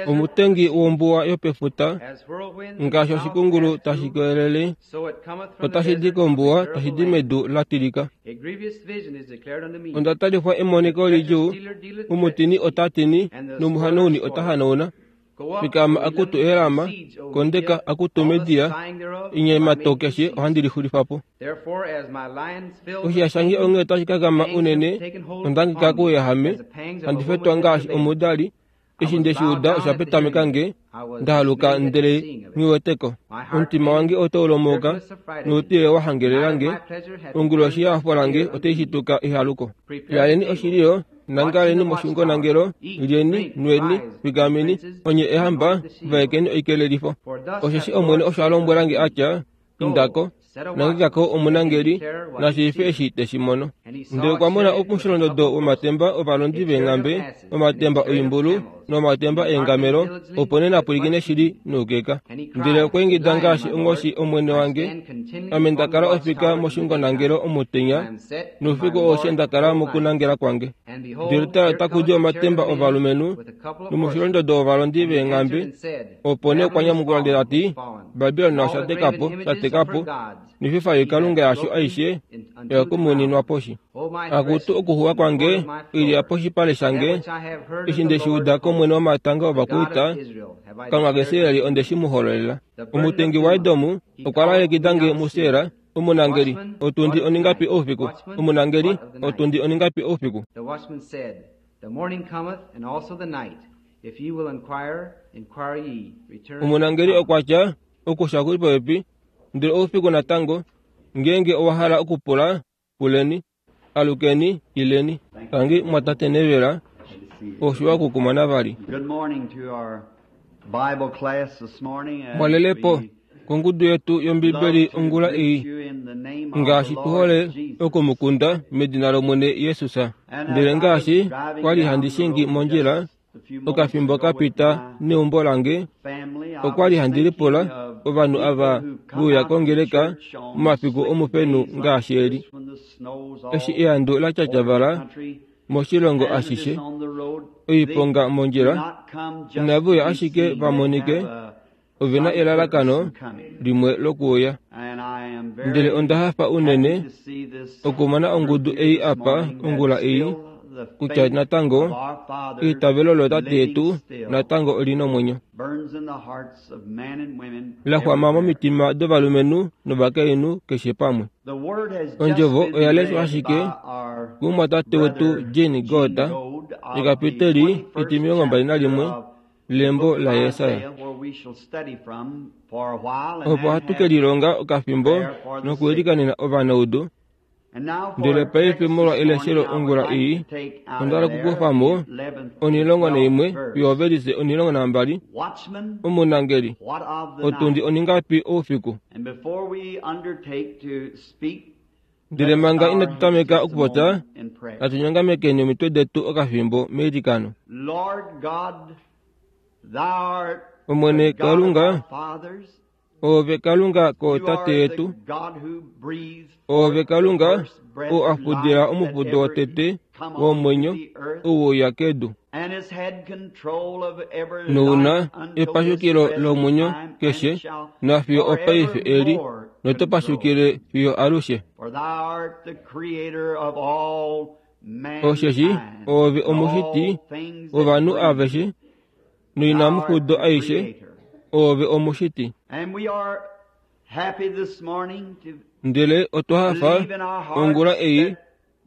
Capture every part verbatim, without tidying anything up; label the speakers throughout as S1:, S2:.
S1: Omutengi wombuwa yopefuta ngaashi oshikungulu tashi kelele, otashi di kombuwa tashi di medu la tilika. Onda talifwa emoniko lidjuu, omutini ota tini nomuhanauni ota hanauna. Fikama akutu Elama, kondeka akutu Media, enyemato keshe ohandi lixulifa po. Oshiya shange onghee otashi kakama unene, onda hangika kouyahame, handi fetwa ngaashi omudali. Eshi ndeshi uda osha petameka nge, nda haluka ndele nghiweteko. Omutima wange otau lomauka, noutile wa hangelela nge, onguloshi yehafo lange otai shituka ehaluko. Yaleni oshililo, nangaleni moshungonangelo, lyeni, nweni, fikameni, onye ehamba, vaekeni oikelelifo. Osheshi Omwene osho a lombwela nge atya, indako, nangekako omunangeli, nashiife eshi teshi mono. Ndele okwa mona omusholondodo womatemba ovalondi veenghambe, omatemba oimbulu nomatemba eengamelo, opo nee napwilikine shili noukeka. Ndele okwa ingida ngaashi onghoshi Omwene wange, ame nda kala ofika moshungonangelo omutenya, noufiku aushe nda kala mokunangela kwange. Ndele tala otaku di omatemba ovalumenhu nomusholondodo wovalondi veenghambe, opo nee okwa nyamukula ndele ta ti, Babilon osha teka po, sha teka po, noififa yoikalunga yasho aishe oya kumuninwa poshi. Akutu okuxuwa kwange, oilya poshipale shange, eshi ndeshi uda kOmwene womatanga ovakwaita, Kalunga kaIsraeli onde shi mu hololela. Omutengi waEdom okwa lalekida nge muSera, omunangeli, otundi oningapi oufiku? Omunangeli, otundi oningapi oufiku?
S2: The watchman said, The morning cometh, and also the night. If ye will inquire, inquire ye. Return.
S1: Omunangeli okwa tya, okusha kuli popepi, ndele oufiku natango, ngeenge owa hala okupula, puleni, alukeni, ileni. Tangi mwatate Nevela, oshiwa okukumona vali.
S3: Good morning to our Bible class this morning. As
S1: Mwalelepo
S3: we
S1: kongudu yetu yOmbibeli
S3: love to
S1: ongula
S3: greet
S1: ei,
S3: you in the name of the
S1: ngaashi tu hole
S3: Lord Jesus.
S1: okumukunda medina lOmwene Jesus.
S3: And
S1: Ndele
S3: as I
S1: ngaashi
S3: was driving
S1: kwali
S3: down
S1: handi
S3: the
S1: shingi
S3: road
S1: mondjila
S3: just a few moments
S1: okafimbo
S3: ago
S1: ka
S3: with
S1: pita
S3: my
S1: neumbo lange,
S3: family, I
S1: okwali
S3: was
S1: handi
S3: thinking
S1: lipula
S3: of
S1: ovanhu
S3: people
S1: ava
S3: who come
S1: veuya
S3: out to
S1: kongeleka
S3: church on
S1: momafiku
S3: slick
S1: omufenu
S3: days like
S1: ngaashi eli,
S3: this when the snow's all
S1: eshi ehandu la
S3: over the
S1: tyatyavala
S3: country,
S1: moshilongo
S3: hazardous
S1: ashishe,
S3: on the road. They
S1: oiponga
S3: do
S1: mondjila,
S3: not come just
S1: inave
S3: to
S1: uya
S3: be
S1: ashike
S3: seen. They
S1: va monike,
S3: have a
S1: ove na
S3: some purpose
S1: elalakano
S3: in coming.
S1: limwe lokuuya.
S3: And I am
S1: Ndele
S3: very
S1: onda hafa
S3: happy
S1: unene
S3: to see this
S1: okumona
S3: group
S1: ongudu
S3: here
S1: ei
S3: this
S1: apa
S3: morning that
S1: ongula ei,
S3: still the
S1: kutya
S3: faith
S1: natango
S3: of our fathers
S1: eitavelo lootate
S3: living
S1: yetu
S3: still
S1: natango oli nomwenyo,
S3: burns in the hearts of men and women
S1: la xwama
S3: everywhere.
S1: momitima dovalumenhu novakainhu keshe pamwe.
S3: The word has just
S1: Ondjovo
S3: been
S1: oya leshwa
S3: read
S1: ashike
S3: by our
S1: kumwatate wetu
S3: brother
S1: Jean
S3: Gene
S1: Goda,
S3: Goad of the
S1: ekapiteli
S3: twenty-first
S1: etimilongo mbali
S3: chapter
S1: nalimwe
S3: of the
S1: lembo
S3: book of
S1: la Yesaya.
S3: Isaiah, where we shall study from for a while and
S1: Opo
S3: then
S1: ohatu ke
S3: have
S1: lilonga okafimbo
S3: prayer for the sick.
S1: nokuilikanena ovanaudu.
S3: And now for
S1: Ndele
S3: our
S1: paife
S3: text
S1: molwa
S3: this
S1: eleshelo
S3: morning, I would
S1: ongula
S3: like
S1: ei,
S3: to take out
S1: onda
S3: of
S1: hala
S3: there
S1: okukufa mo
S3: the eleventh and
S1: onilongo
S3: twelfth
S1: naimwe fiyo
S3: verse.
S1: ovelise onilongo nambali.
S3: Watchman,
S1: Omunangeli,
S3: what of the
S1: otundi
S3: night?
S1: oningapi oufiku?
S3: And before we undertake to speak,
S1: Ndele
S3: let's
S1: manga
S3: bow our
S1: inatu
S3: heads
S1: tameka
S3: just a
S1: okupopya,
S3: moment in prayer.
S1: natu nyongamekeni omitwe detu okafimbo meilikano.
S3: Lord God, thou art the
S1: Omwene
S3: God of our
S1: Kalunga,
S3: fathers.
S1: oove Kalunga
S3: You
S1: kootate
S3: are the
S1: yetu,
S3: God who breathed
S1: oove
S3: forth the
S1: Kalunga
S3: first breath
S1: oo
S3: of
S1: afudila
S3: life that
S1: omufudo
S3: ever
S1: wotete
S3: come onto
S1: womwenyo
S3: the earth
S1: ou weuya kedu,
S3: and has had control of every
S1: nouna
S3: life unto this
S1: epashukilo
S3: present
S1: lomwenyo
S3: time and
S1: keshe
S3: shall
S1: nafiyo opaife eli,
S3: forevermore
S1: noto
S3: control.
S1: pashukile fiyo alushe.
S3: For thou art the creator of all
S1: Osheshi
S3: mankind
S1: oove
S3: and
S1: omushiti
S3: all things that
S1: wovanhu
S3: breathe.
S1: aveshe
S3: Thou art
S1: noinamufudo
S3: the
S1: aishe,
S3: creator.
S1: oove omushiti.
S3: And we are happy this morning to
S1: Ndele otwa hafa
S3: believe in our
S1: ongula
S3: hearts
S1: ei
S3: that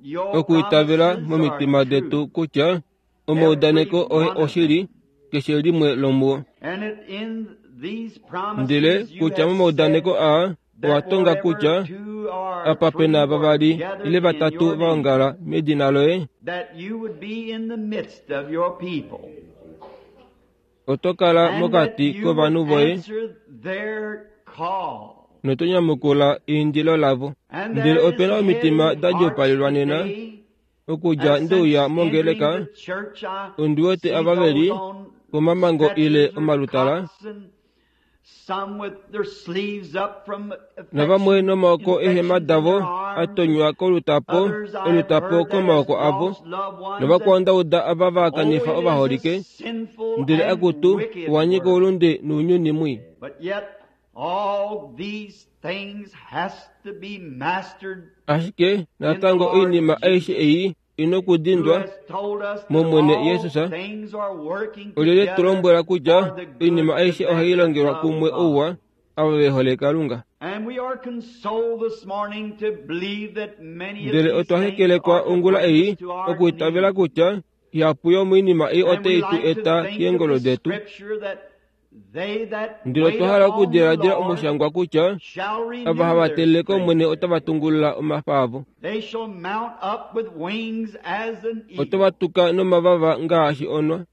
S3: your
S1: okuitavela
S3: promises are
S1: momitima detu
S3: true,
S1: kutya
S3: every
S1: omaudaneko oye
S3: one of
S1: oshili
S3: them.
S1: keshe limwe lomuo.
S3: And it, in these
S1: Ndele
S3: promises you
S1: kutya
S3: have said
S1: momaudaneko aa owa
S3: that
S1: tonga
S3: wherever
S1: kutya
S3: two or
S1: apa
S3: three
S1: pena
S3: were
S1: vavali ile
S3: gathered in
S1: vatatu
S3: your
S1: va
S3: name,
S1: ongala medina loye,
S3: that you would be in the midst of your people,
S1: oto kala
S3: and that
S1: mokati
S3: you would
S1: kovanhu voye
S3: answer their call.
S1: noto nyamukula eindilo lavo.
S3: And
S1: Ndele
S3: there is
S1: opena omitima
S3: heavy
S1: da
S3: hearts
S1: djoopalelwa nena
S3: today
S1: okudja
S3: that
S1: ndeuya
S3: since entering
S1: mongeleka,
S3: the church, I
S1: ondi wete
S3: see
S1: ava veli
S3: those on
S1: komamango ile
S3: stretchers or
S1: omalutala
S3: cots and some with their sleeves up from
S1: navamwe nomaoko eehema
S3: infections in
S1: davo
S3: their arms.
S1: a tonywa kolutapo
S3: Others I have
S1: olutapo
S3: heard that
S1: komaoko
S3: has
S1: avo
S3: lost loved ones
S1: novakwao
S3: that,
S1: ndauda ava
S3: oh,
S1: vakanifa
S3: it is a
S1: ovaholike
S3: sinful
S1: ndele
S3: and
S1: akutu
S3: wicked
S1: owanyika
S3: world.
S1: oulunde nounyuni mwii
S3: But yet all these things has to be mastered
S1: ashike
S3: in the
S1: natango
S3: Lord
S1: oinima aishe
S3: Jesus,
S1: ei
S3: who
S1: inokudindwa
S3: has told us that
S1: momwene
S3: all
S1: Jesus
S3: things are working
S1: olyelye tu
S3: together
S1: lombwela kutya
S3: for the good
S1: oinima
S3: to
S1: aishe
S3: them
S1: ohai
S3: that
S1: longelwa
S3: love
S1: kumwe
S3: God.
S1: ouwa ava ve hole Kalunga.
S3: And we are consoled this morning to believe that many of
S1: Ndele
S3: these
S1: otwa
S3: things
S1: hekelekwa
S3: are to
S1: ongula
S3: bring
S1: ei
S3: us to our
S1: okuitavela
S3: knees.
S1: kutya ihapu yomoinima ei
S3: And we
S1: otai tu
S3: like to
S1: eta
S3: think of
S1: keengolo
S3: the
S1: detu.
S3: scripture that they that
S1: Ndele
S3: wait
S1: otwa hala
S3: upon the
S1: okudiladila
S3: Lord
S1: omushangwa kutya
S3: shall
S1: ava
S3: renew
S1: hava
S3: their
S1: telele kOmwene
S3: strength.
S1: otava tungulula omafa avo.
S3: They shall mount up with wings as an
S1: Otava
S3: eagle.
S1: tuka nomavava ngaashi onwa.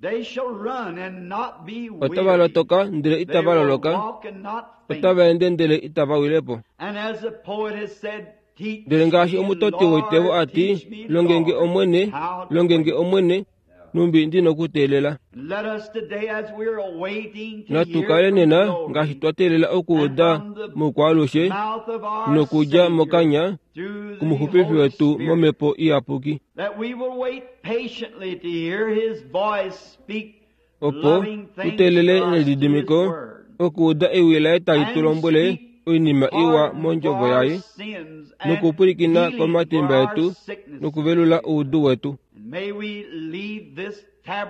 S3: They shall run and not be
S1: Otava
S3: weary.
S1: lotoka ndele
S3: They
S1: itava
S3: will
S1: loloka.
S3: walk and not faint.
S1: Otava ende ndele itava wilepo.
S3: And as the poet has said, teach
S1: Ndele ngaashi
S3: me,
S1: omutoti woitevo
S3: Lord,
S1: ati,
S3: teach me,
S1: longenge
S3: Lord,
S1: Omwene,
S3: how to
S1: longenge
S3: wait.
S1: Omwene, numbi ndinokuteelela.
S3: Let us today, as we are awaiting to
S1: Natu
S3: hear
S1: kale
S3: from
S1: nena ngaashi
S3: glory
S1: twa teelela
S3: and
S1: okuuda
S3: from the
S1: moukwaalushe
S3: mouth of our
S1: nokudja
S3: Savior
S1: mokanya
S3: through the
S1: kumuxupifi
S3: Holy
S1: wetu
S3: Spirit,
S1: momhepo iyapuki,
S3: that we will wait patiently to hear His voice speak
S1: opo
S3: loving
S1: tu
S3: things
S1: teelele
S3: to us through His
S1: nelididimiko
S3: Word
S1: okuuda ewi laye tali tu
S3: and
S1: lombwele
S3: speak
S1: oinima iwa
S3: pardon for
S1: mondjovo
S3: our
S1: yaye
S3: sins and
S1: nokupwilikina
S3: healing for
S1: komatimba
S3: our
S1: etu
S3: sicknesses.
S1: nokuvelula oudu wetu.
S3: And may we leave this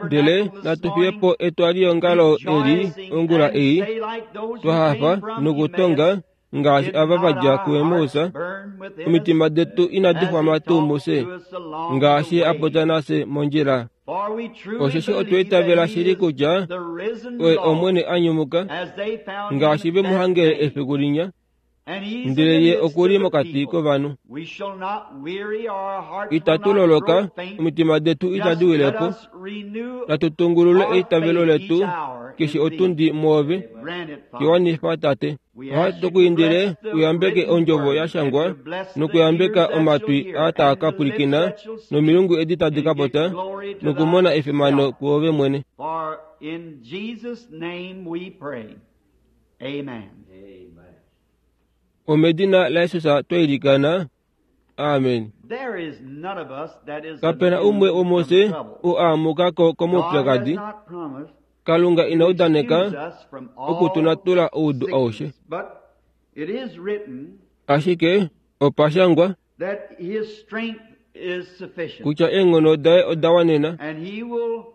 S1: Ndele
S3: tabernacle this
S1: natu fiye
S3: morning
S1: po etwaliyongalo eli
S3: rejoicing
S1: ongula
S3: and
S1: ei
S3: say like those
S1: twa
S3: who
S1: hafa
S3: came from
S1: nokutonga
S3: Emmaus,
S1: ngaashi
S3: did
S1: ava
S3: not
S1: vadja
S3: our hearts
S1: kuEmmaus,
S3: burn within us
S1: omitima detu inadi
S3: as he
S1: xwama tuu
S3: talked
S1: muse
S3: to us along the
S1: ngaashi a
S3: way?
S1: popya nafye mondjila.
S3: For we truly
S1: Osheshi otwa
S3: believe that
S1: itavela
S3: he
S1: shili
S3: is
S1: kutya
S3: the risen
S1: oye
S3: Lord,
S1: Omwene a nyumuka
S3: as they found him
S1: ngaashi ve mu
S3: that
S1: hangele
S3: day.
S1: efiku linya,
S3: And he's in
S1: ndele
S3: the
S1: ye
S3: midst
S1: okuli
S3: of the
S1: mokati
S3: people.
S1: kovanhu.
S3: We shall not weary, our hearts will
S1: Itatu
S3: not grow
S1: loloka,
S3: faint.
S1: omitima detu
S3: Just
S1: itadi
S3: let
S1: wilepo.
S3: us renew
S1: Natu tungulule
S3: our
S1: eitavelo
S3: faith each
S1: letu
S3: hour
S1: keshe
S3: in thee.
S1: otundi mwoove
S3: Grant it, Father.
S1: kiwanifa Tate.
S3: We
S1: Ohatu
S3: ask you to
S1: kuindile
S3: bless the
S1: uyambeke
S3: written
S1: ondjovo
S3: word
S1: ya
S3: and
S1: shangwa
S3: to bless the ears
S1: nokuyambeka
S3: that shall
S1: omatwi
S3: hear
S1: aa
S3: and
S1: taa
S3: the
S1: ka
S3: lips
S1: pwilikina
S3: that shall speak
S1: nomilungu edi tadi
S3: and
S1: ka
S3: give
S1: popya
S3: glory to
S1: nokumona efimano
S3: thyself.
S1: kuove mwene.
S3: For in Jesus' name we pray. Amen.
S1: Omedina laJesus twa ilikana. Amen.
S3: There is none of us that is
S1: Kapena umwe
S3: immune from
S1: womufye
S3: trouble.
S1: oo aamuka ko
S3: God has
S1: komaupyakadi.
S3: not promised
S1: Kalunga ina
S3: to
S1: udaneka
S3: excuse us from all
S1: okutunatula oudu aushe.
S3: sickness, but it is written
S1: Ashike opa shangwa
S3: that His strength is sufficient,
S1: kutya eenghono daye oda wanena
S3: and He will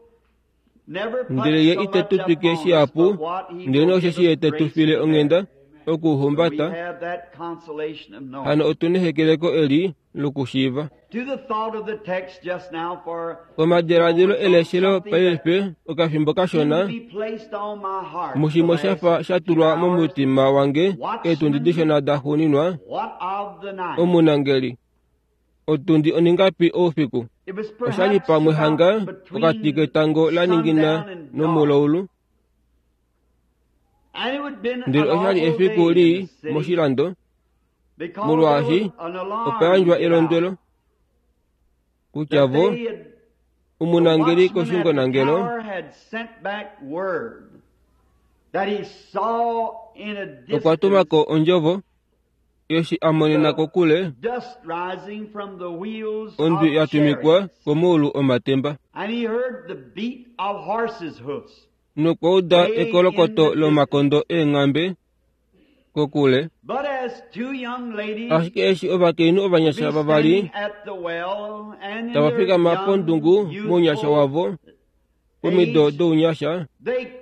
S3: never put
S1: ndele ye
S3: so
S1: ite
S3: much
S1: tu twike
S3: upon us
S1: shihapu
S3: but what He
S1: ndele
S3: will give
S1: osheshi ye
S3: us
S1: te tu
S3: grace
S1: file
S3: to
S1: onghenda
S3: bear. So we
S1: okuhumbata
S3: have that consolation of knowing.
S1: hano otuna ehekeleko eli lokushiiva.
S3: To the thought of the text just now for a few
S1: Omadiladilo
S3: moments on
S1: eleshelo
S3: something that
S1: paife okafimbo
S3: seemed to
S1: kashona
S3: be placed on my heart the
S1: mushimwe
S3: last
S1: shafa sha
S3: few
S1: tulwa
S3: hours.
S1: momutima wange eetundi
S3: Watchman,
S1: dishona da xuuninwa
S3: what of the night?
S1: omunangeli otundi oningapi oufiku
S3: It was
S1: oshali
S3: perhaps
S1: pamwe
S3: about
S1: hanga pokati
S3: between
S1: ketango la ningina
S3: sundown and dark,
S1: nomulaulu
S3: and it would been
S1: ndele
S3: an
S1: oshali
S3: awful
S1: efiku
S3: day in
S1: lii
S3: the city
S1: moshilando
S3: because there
S1: molwaashi
S3: was an
S1: opa
S3: alarm
S1: yandjwa
S3: give
S1: elondwelo
S3: out
S1: kutya
S3: that
S1: vo
S3: they had the
S1: omunangeli
S3: watchman at the
S1: koshungonangelo
S3: tower had sent back word that he saw in a
S1: okwa
S3: distance
S1: tumako ondjovo eshi a monena
S3: the
S1: kokule
S3: dust rising from the wheels
S1: ondwi
S3: of
S1: ya tumikwa
S3: chariots,
S1: komuulu omatemba
S3: and he heard the beat of horses' hoofs
S1: nokwa uda
S3: way in
S1: ekolokoto
S3: the distance.
S1: lomakondo eenghambe kokule.
S3: But as two young ladies
S1: Ashike eshi ovakainhu
S3: would
S1: ovanyasha
S3: be
S1: vavali
S3: standing at the well and in
S1: tava
S3: their
S1: fikama
S3: young,
S1: pondungu mounyasha
S3: youthful
S1: wavo pomido
S3: age,
S1: dounyasha
S3: they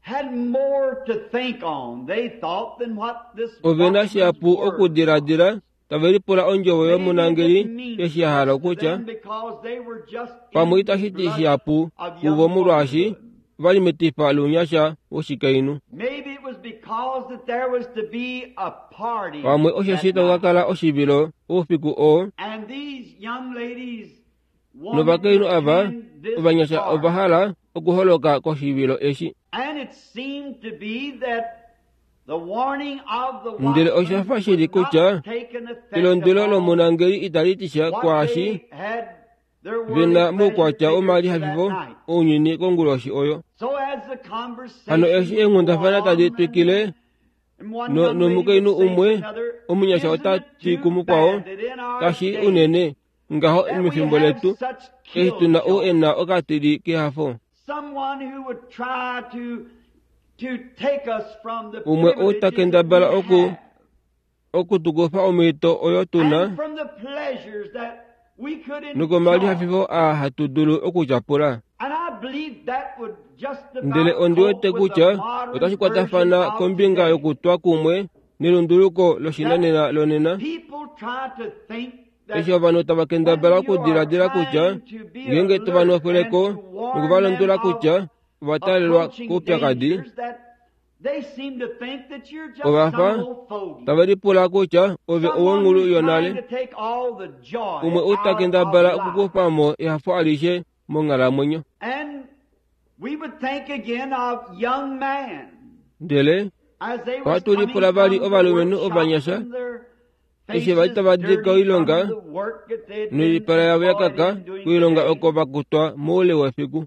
S3: had more to think on, they thought, than what this
S1: ovena
S3: watchman's
S1: shihapu
S3: word was.
S1: okudiladila tave lipula ondjovo
S3: Maybe it
S1: yomunangeli
S3: didn't mean
S1: eshi ya hala
S3: much to
S1: okutya
S3: them because they were just
S1: pamwe
S3: in the
S1: itashi ti
S3: blush
S1: shihapu
S3: of
S1: kuvo
S3: young
S1: molwaashi
S3: womanhood.
S1: vali metifa lounyasha woshikainhu.
S3: Maybe it was because that there was to be a party
S1: Pamwe osheshi
S3: that
S1: taku ka
S3: night.
S1: kala oshivilo oufiku oo
S3: And these young ladies wanted to
S1: novakainhu ava
S3: attend this
S1: ovanyasha ova
S3: party.
S1: hala okuholoka koshivilo eshi.
S3: And it seemed to be that the warning of the
S1: Ndele
S3: watchman
S1: osha fa shili
S3: would not
S1: kutya
S3: take an effect
S1: elondwelo
S3: upon
S1: lomunangeli itali ti sha
S3: what
S1: kwaashi
S3: they had
S1: Vena moukwatya womalihafifo ounyuni konguloshi oyo. Hano eshi eenghundafana tadi twikile nomukainhu umwe omunyasha ota ti kumukwao, kashi unene ngaho mefimbo letu eshi tuna ou e na okatili kehafo. Umwe ou ta kendabala oku okutukufa omhito oyo tuna nokomalihafifo aa hatu dulu okutyapula. Ndele ondi wete kutya otashi kwatafana kombinga yokutwa kumwe nelunduluko loshinanena lonena. Eshi ovanhu tava kendabala okudiladila kutya ngeenge tova nofeleko nokuvalondwela kutya ova taalelwa koupyakadi, ovafa tave lipula kutya ove owonghulu yonale. Umwe ou ta kendabala okukufa mo ehafo alishe monghalamwenyo. Ndele ohatu lipula vali ovalumenhu ovanyasha eshi vali tava di koilonga noipala yavo ya kaka koilonga oko va kutwa moule wefiku.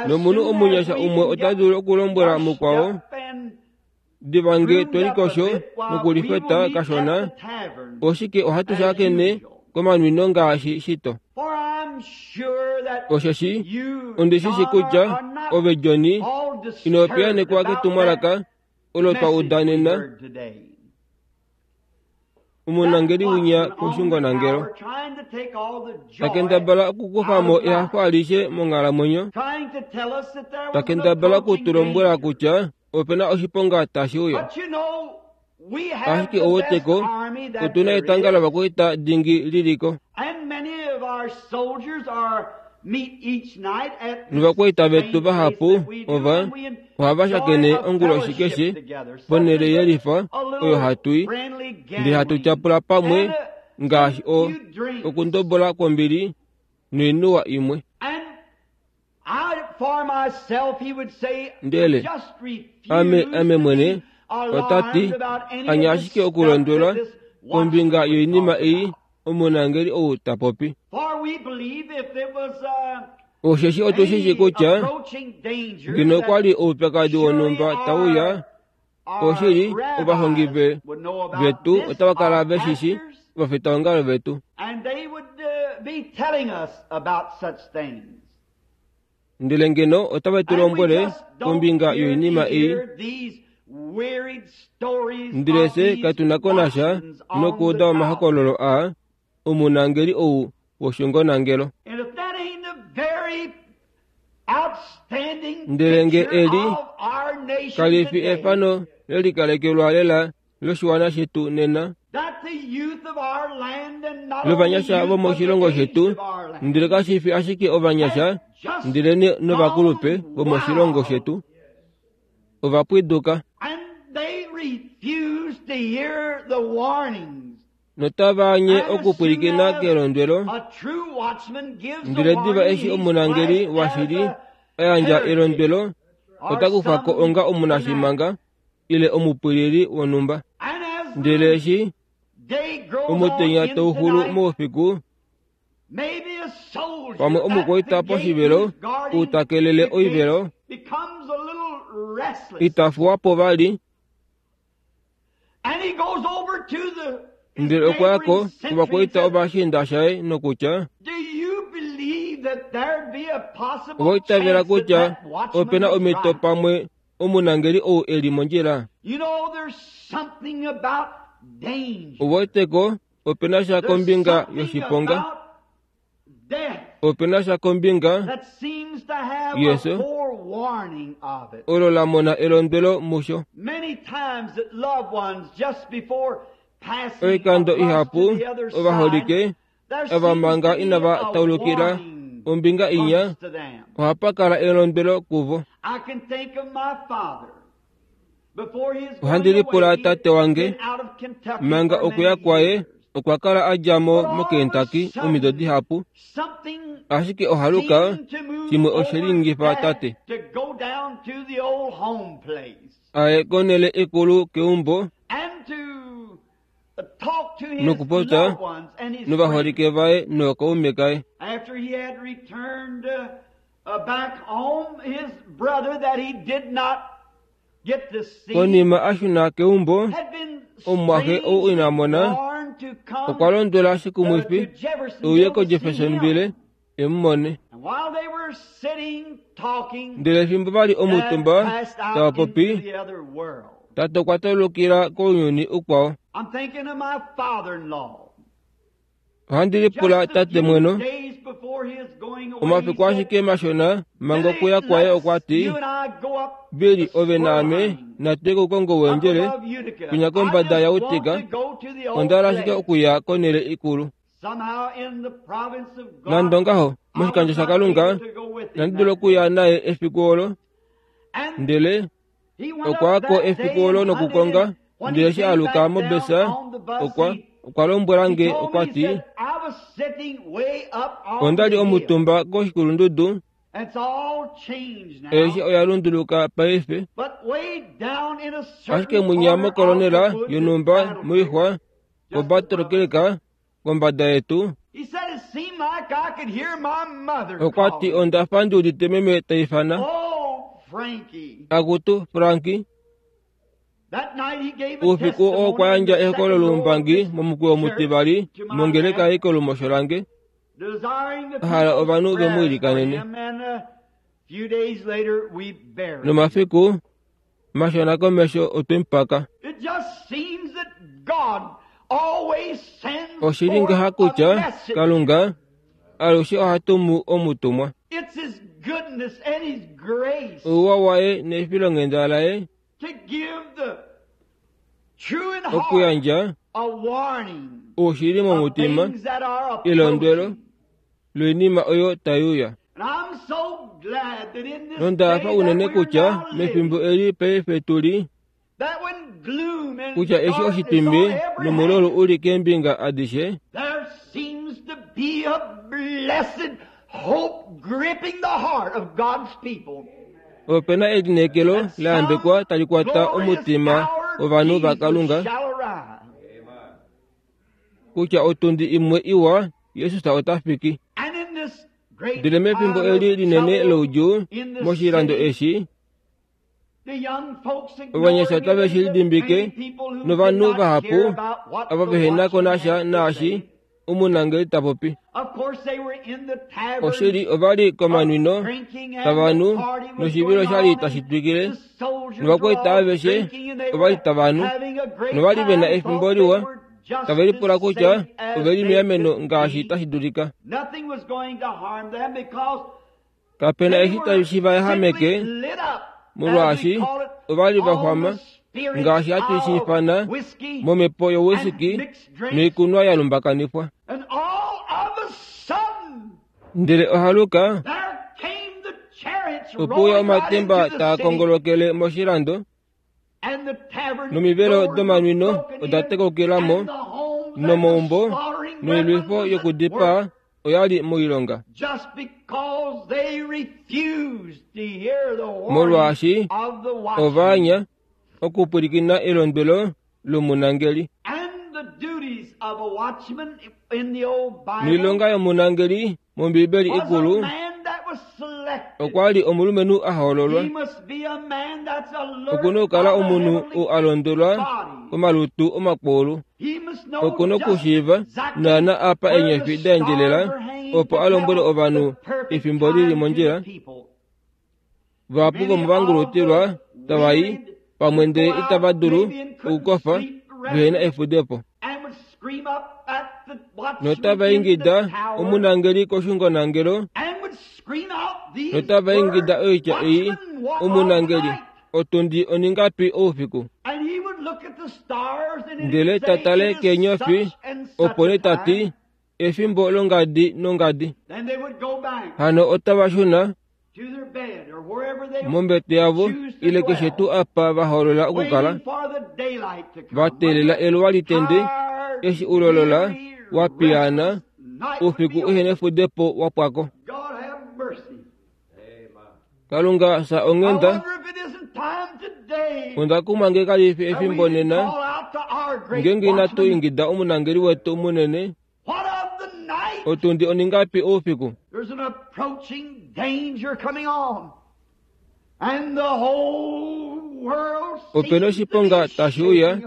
S1: Nomunhu omunyasha umwe ota dulu okulombwela mukwao, diva nge twelikosho nokulifeta kashona, oshike ohatu shakene komanwino ngaashi shito. Osheshi ondi shi shi kutya ove Johnny ino piyaanekwa ketumwalaka olo twa udanena omunangeli winya koshungonangelo. Takendabala okukufa mo ehafo alishe monghalamwenyo, takendabala okutulombwela kutya opena oshiponga tashi uya. Ashike ouweteko otuna etanga lovakwaita dingi liliko. Novakwaita vetu vahapu ova ohava shakene onguloshi keshe ponhele yelifa oyo hatu i, ndele hatu tyapula pamwe ngaashi o okundobola kwombili noinuwa imwe. Ndele ame ame mwene ota ti anya ashike okulondwelwa kombinga yoinima ei omunangeli ou ta popi. Osheshi otu shi kutya ngeno okwa li oupyakadi wonhumba tauya, oshili ovahongi vetu otava kala veshishi ovafitaongalo vetu. Ndele ngeno otave tu lombwele kombinga yoinima ei, ndele fye katu na ko nasha nokuuda omahokololo aa omunangeli ou woshungonangelo. Ndele nge eli kali fi efano lelikalekelwa lela loshiwana shetu nena, lovanyasha vomoshilongo shetu, ndele kashi fi ashike ovanyasha ndele novakulupe vomoshilongo shetu ovapwiduka notava anye okupwilikina kelondwelo. Ndele diva eshi omunangeli washili a yandja elondwelo, ota kufa ko onga omunashimanga ile omupwilili wonhumba. Ndele eshi omutenya tauxulu moufiku, pamwe omukwaita poshivelo ou ta kelele oivelo ita fuwa po vali, ndele okwa ya ko kovakwaita ovashiinda shaye nokutya, ova itavela kutya opena omhito pamwe omunangeli ou e li mondjila. Ouweteko opena sha kombinga yoshiponga, opena sha kombinga yeso olo la mona elondwelo musho. Oikando ihapu ovaholike ava manga inava taulukila ombinga inya ohapa kala elondwelo kuvo. Ohandi lipula tate wange manga okuya kwaye okwa kala a dja mo moKentucky omido dihapu, ashike ohaluka shimwe oshe linyengifa tate aye konhele ikulu keumbo
S3: talk to his
S1: Nokupopya
S3: loved ones and his friends.
S1: novaholike vaye nookaume kaye.
S3: After he had returned uh, uh, back home, his brother that he did not get to see
S1: Konima a shuna keumbo,
S3: had been
S1: omumwaxe ou ina mona,
S3: warned to come
S1: okwa londwela
S3: uh,
S1: shikumwifi
S3: to Jeffersonville
S1: euye
S3: to see
S1: koJeffersonville
S3: him.
S1: e mu mone.
S3: And while they were sitting talking,
S1: Ndele fimbo vali
S3: Dad
S1: omutumba
S3: passed
S1: tava
S3: out into
S1: popi,
S3: the other world.
S1: tate okwa taulukila kounyuni ukwao.
S3: I'm thinking of my father-in-law.
S1: Ohandi lipula
S3: Just a
S1: tate
S3: few
S1: mweno,
S3: days before his going away, he
S1: omafiku
S3: said,
S1: ashike mashona manga
S3: "Billy,
S1: okuya kwaye
S3: let's
S1: okwa ti,
S3: you and I go up
S1: Bili
S3: the
S1: ove naame
S3: squirrel hunting
S1: natuye koukongo
S3: up
S1: wendjele
S3: above Utica.
S1: kunya
S3: I
S1: kombada
S3: just
S1: ya
S3: want
S1: Utica,
S3: to go to the old
S1: onda hala ashike
S3: place."
S1: okuya konhele ikulu.
S3: Somehow in the province of God,
S1: Nande ongaho,
S3: I was
S1: moshikandjo
S3: not
S1: shaKalunga,
S3: able to go with him
S1: inandi dula
S3: that day.
S1: okuya naye efiku olo,
S3: And
S1: ndele
S3: he went
S1: okwa
S3: up
S1: ko
S3: that
S1: efiku
S3: day
S1: olo
S3: and hunted,
S1: nokukonga,
S3: and when
S1: ndele
S3: he
S1: eshi
S3: came
S1: aluka
S3: back down
S1: mobesa,
S3: on the bus,
S1: okwa
S3: he,
S1: okwa lombwela
S3: he
S1: nge
S3: told
S1: okwa
S3: me, he
S1: ti,
S3: said, I was sitting way up on
S1: onda
S3: the
S1: li
S3: hill.
S1: omutumba koshikulundudu,
S3: And it's all changed now.
S1: eshi oya lunduluka paife.
S3: But way down in a
S1: Ashike
S3: certain
S1: munya
S3: corner of the
S1: mokolonela
S3: woods at
S1: yonhumba
S3: Battle Creek,
S1: moixwa
S3: just above
S1: koBattle
S3: us.
S1: Creek kombada yetu,
S3: He said it seemed like I could hear my mother
S1: okwa ti
S3: calling.
S1: onda fa ndi udite meme ta ifana,
S3: Oh, Frankie.
S1: akutu Franki.
S3: That night he gave a
S1: Oufiku oo okwa
S3: testimony in
S1: yandja
S3: the
S1: ehokolo
S3: second row of
S1: loumbangi
S3: this
S1: momukweyo
S3: church
S1: omutivali
S3: to my
S1: mongeleka
S3: left,
S1: ei kolumosho lange,
S3: desiring the
S1: a hala
S3: people's
S1: ovanhu ve mu
S3: prayers for
S1: ilikanene.
S3: him, and a few days later we buried him.
S1: Nomafiku mashona komesho otwe mu paka.
S3: It just seems that God always sends
S1: Oshili
S3: forth
S1: ngaha
S3: a
S1: kutya
S3: message.
S1: Kalunga alushe oha tumu omutumwa.
S3: It's His goodness and His grace
S1: Ouwa waye nefilonghenda laye
S3: to give the true in heart
S1: okuyandja
S3: a warning
S1: oushili
S3: of
S1: momutima
S3: things that are
S1: elondwelo
S3: approaching.
S1: loinima oyo tai uya.
S3: And I'm so glad that in this
S1: Nonda
S3: day
S1: fa
S3: that
S1: unene
S3: we are
S1: kutya
S3: now
S1: mefimbo
S3: living,
S1: eli paife tuli
S3: that when gloom and
S1: kutya eshi
S3: darkness on
S1: oshitimbi
S3: every
S1: nomulolo
S3: hand,
S1: uli keembinga adishe,
S3: there seems to be a blessed hope gripping the heart of God's people.
S1: opena elineekelo
S3: That
S1: la yambekwa
S3: some
S1: tali kwata
S3: glorious
S1: omutima
S3: hour
S1: wovanhu
S3: Jesus
S1: vaKalunga
S3: shall arrive.
S1: kutya otundi imwe iwa Jesus ota fiki.
S3: And in this great
S1: Ndele mefimbo
S3: hour
S1: eli
S3: of
S1: linene
S3: trouble
S1: loudjuu
S3: in the
S1: moshilando
S3: city,
S1: eshi,
S3: the young folks
S1: ovanyasha
S3: ignoring it
S1: otave shi
S3: and the
S1: lidimbike
S3: many people who did
S1: novanhu
S3: not care
S1: vahapu
S3: about what
S1: ava
S3: the
S1: vehena ko
S3: watchman
S1: nasha
S3: had to
S1: naashi
S3: say.
S1: omunangeli ta popi.
S3: Of course, they were in the taverns
S1: Oshili ova li
S3: of
S1: komanwino
S3: drinking and
S1: tava
S3: the
S1: nu
S3: party was
S1: noshivilo
S3: going
S1: sha li
S3: on
S1: tashi
S3: and
S1: twikile,
S3: the soldiers were
S1: novakwaita
S3: all
S1: aveshe
S3: drinking and they
S1: ova li
S3: were
S1: tava nu
S3: having a great
S1: nova li ve na
S3: time,
S1: efimbo
S3: thought they
S1: liwa,
S3: were just
S1: tave lipula
S3: as
S1: kutya
S3: safe as
S1: ove li
S3: they
S1: meameno
S3: could
S1: ngaashi
S3: be.
S1: tashi dulika.
S3: Nothing was going to harm them because
S1: Kapena
S3: they
S1: eshi
S3: were
S1: tashi va yahameke,
S3: simply lit up, as we
S1: molwaashi
S3: call it,
S1: ova li va
S3: on
S1: xwama
S3: the spirits
S1: ngaashi hatu shi
S3: of
S1: ifana
S3: whiskey
S1: momhepo
S3: and
S1: yowisiki
S3: mixed drinks.
S1: noikunwa ya lumbakanifwa.
S3: And all of a sudden,
S1: Ndele ohaluka
S3: there came the chariots
S1: opuya
S3: rolling right
S1: omatemba
S3: into the
S1: taa
S3: city,
S1: kongolokele moshilando,
S3: and the tavern
S1: nomivelo
S3: doors were
S1: domanwino
S3: broken
S1: oda
S3: in,
S1: tekokela mo,
S3: and the homes and the
S1: nomaumbo
S3: slaughtering
S1: noilwifo
S3: weapons was at
S1: yokudipaa
S3: work
S1: oya li moilonga.
S3: just because they refused to hear the warning
S1: Molwaashi
S3: of the watchman
S1: ovaanya okupwilikina elondwelo lomunangeli.
S3: and the duties of a watchman in the old Bible
S1: Noilonga yomunangeli mOmbiibeli
S3: was a
S1: ikulu
S3: man that was selected.
S1: okwa li omulumenhu a hoololwa.
S3: He must be a man that's
S1: Okuna
S3: alert
S1: okukala
S3: by the
S1: omunhu
S3: heavenly
S1: ou a londwelwa
S3: bodies.
S1: komalutu omakulu.
S3: He must know
S1: Okuna
S3: just
S1: okushiiva
S3: exactly
S1: naana apa
S3: where the
S1: eenyofi da
S3: stars
S1: endjelela
S3: are hanging
S1: opo
S3: to
S1: a lombwele
S3: tell
S1: ovanhu
S3: the perfect
S1: efimbo lili
S3: time to the
S1: mondjila.
S3: people.
S1: Vahapu
S3: Many
S1: vomuvangulutilwa
S3: of the
S1: tava i
S3: wearied
S1: pamwe
S3: would
S1: ndele
S3: go out
S1: itava dulu
S3: maybe and couldn't
S1: okukofa
S3: sleep
S1: vehena
S3: restless
S1: efudepo.
S3: and would scream up at the watchman
S1: Notava
S3: in the
S1: ingida
S3: tower
S1: omunangeli koshungonangelo
S3: and would scream out these
S1: notava
S3: words,
S1: ingida oitya ei
S3: Watchman, what of the
S1: omunangeli
S3: night?
S1: otundi oningapi oufiku.
S3: And he would look at the stars and it
S1: Ndele
S3: would
S1: ta
S3: say,
S1: tale
S3: It is
S1: keenyofi
S3: such and such
S1: opo
S3: a
S1: nee ta ti
S3: time.
S1: efimbo longadi nongadi.
S3: Then they would go back
S1: Hano otava shuna
S3: to their bed or wherever they
S1: mombete yavo
S3: choose to
S1: ile keshe tuu
S3: dwell,
S1: apa va hoolola okukala
S3: waiting for the daylight to
S1: va
S3: come. When
S1: teelela
S3: the
S1: eluwa litende
S3: tired,
S1: eshi ulola
S3: weary,
S1: wa piyaana
S3: restless night would
S1: oufiku
S3: be
S1: uhena
S3: over.
S1: efudepo wa pwako.
S3: God have mercy.
S1: Kalunga sa
S3: I
S1: onghenda
S3: wonder if it isn't time today
S1: onda kumwa nge kali fi
S3: that we
S1: efimbo
S3: should
S1: nena
S3: call out
S1: Ngeenge inatu ingida omunangeli wetu munene, otundi oningapi oufiku?
S3: There's an approaching danger coming on. And the whole world
S1: Opena oshiponga tashi uya,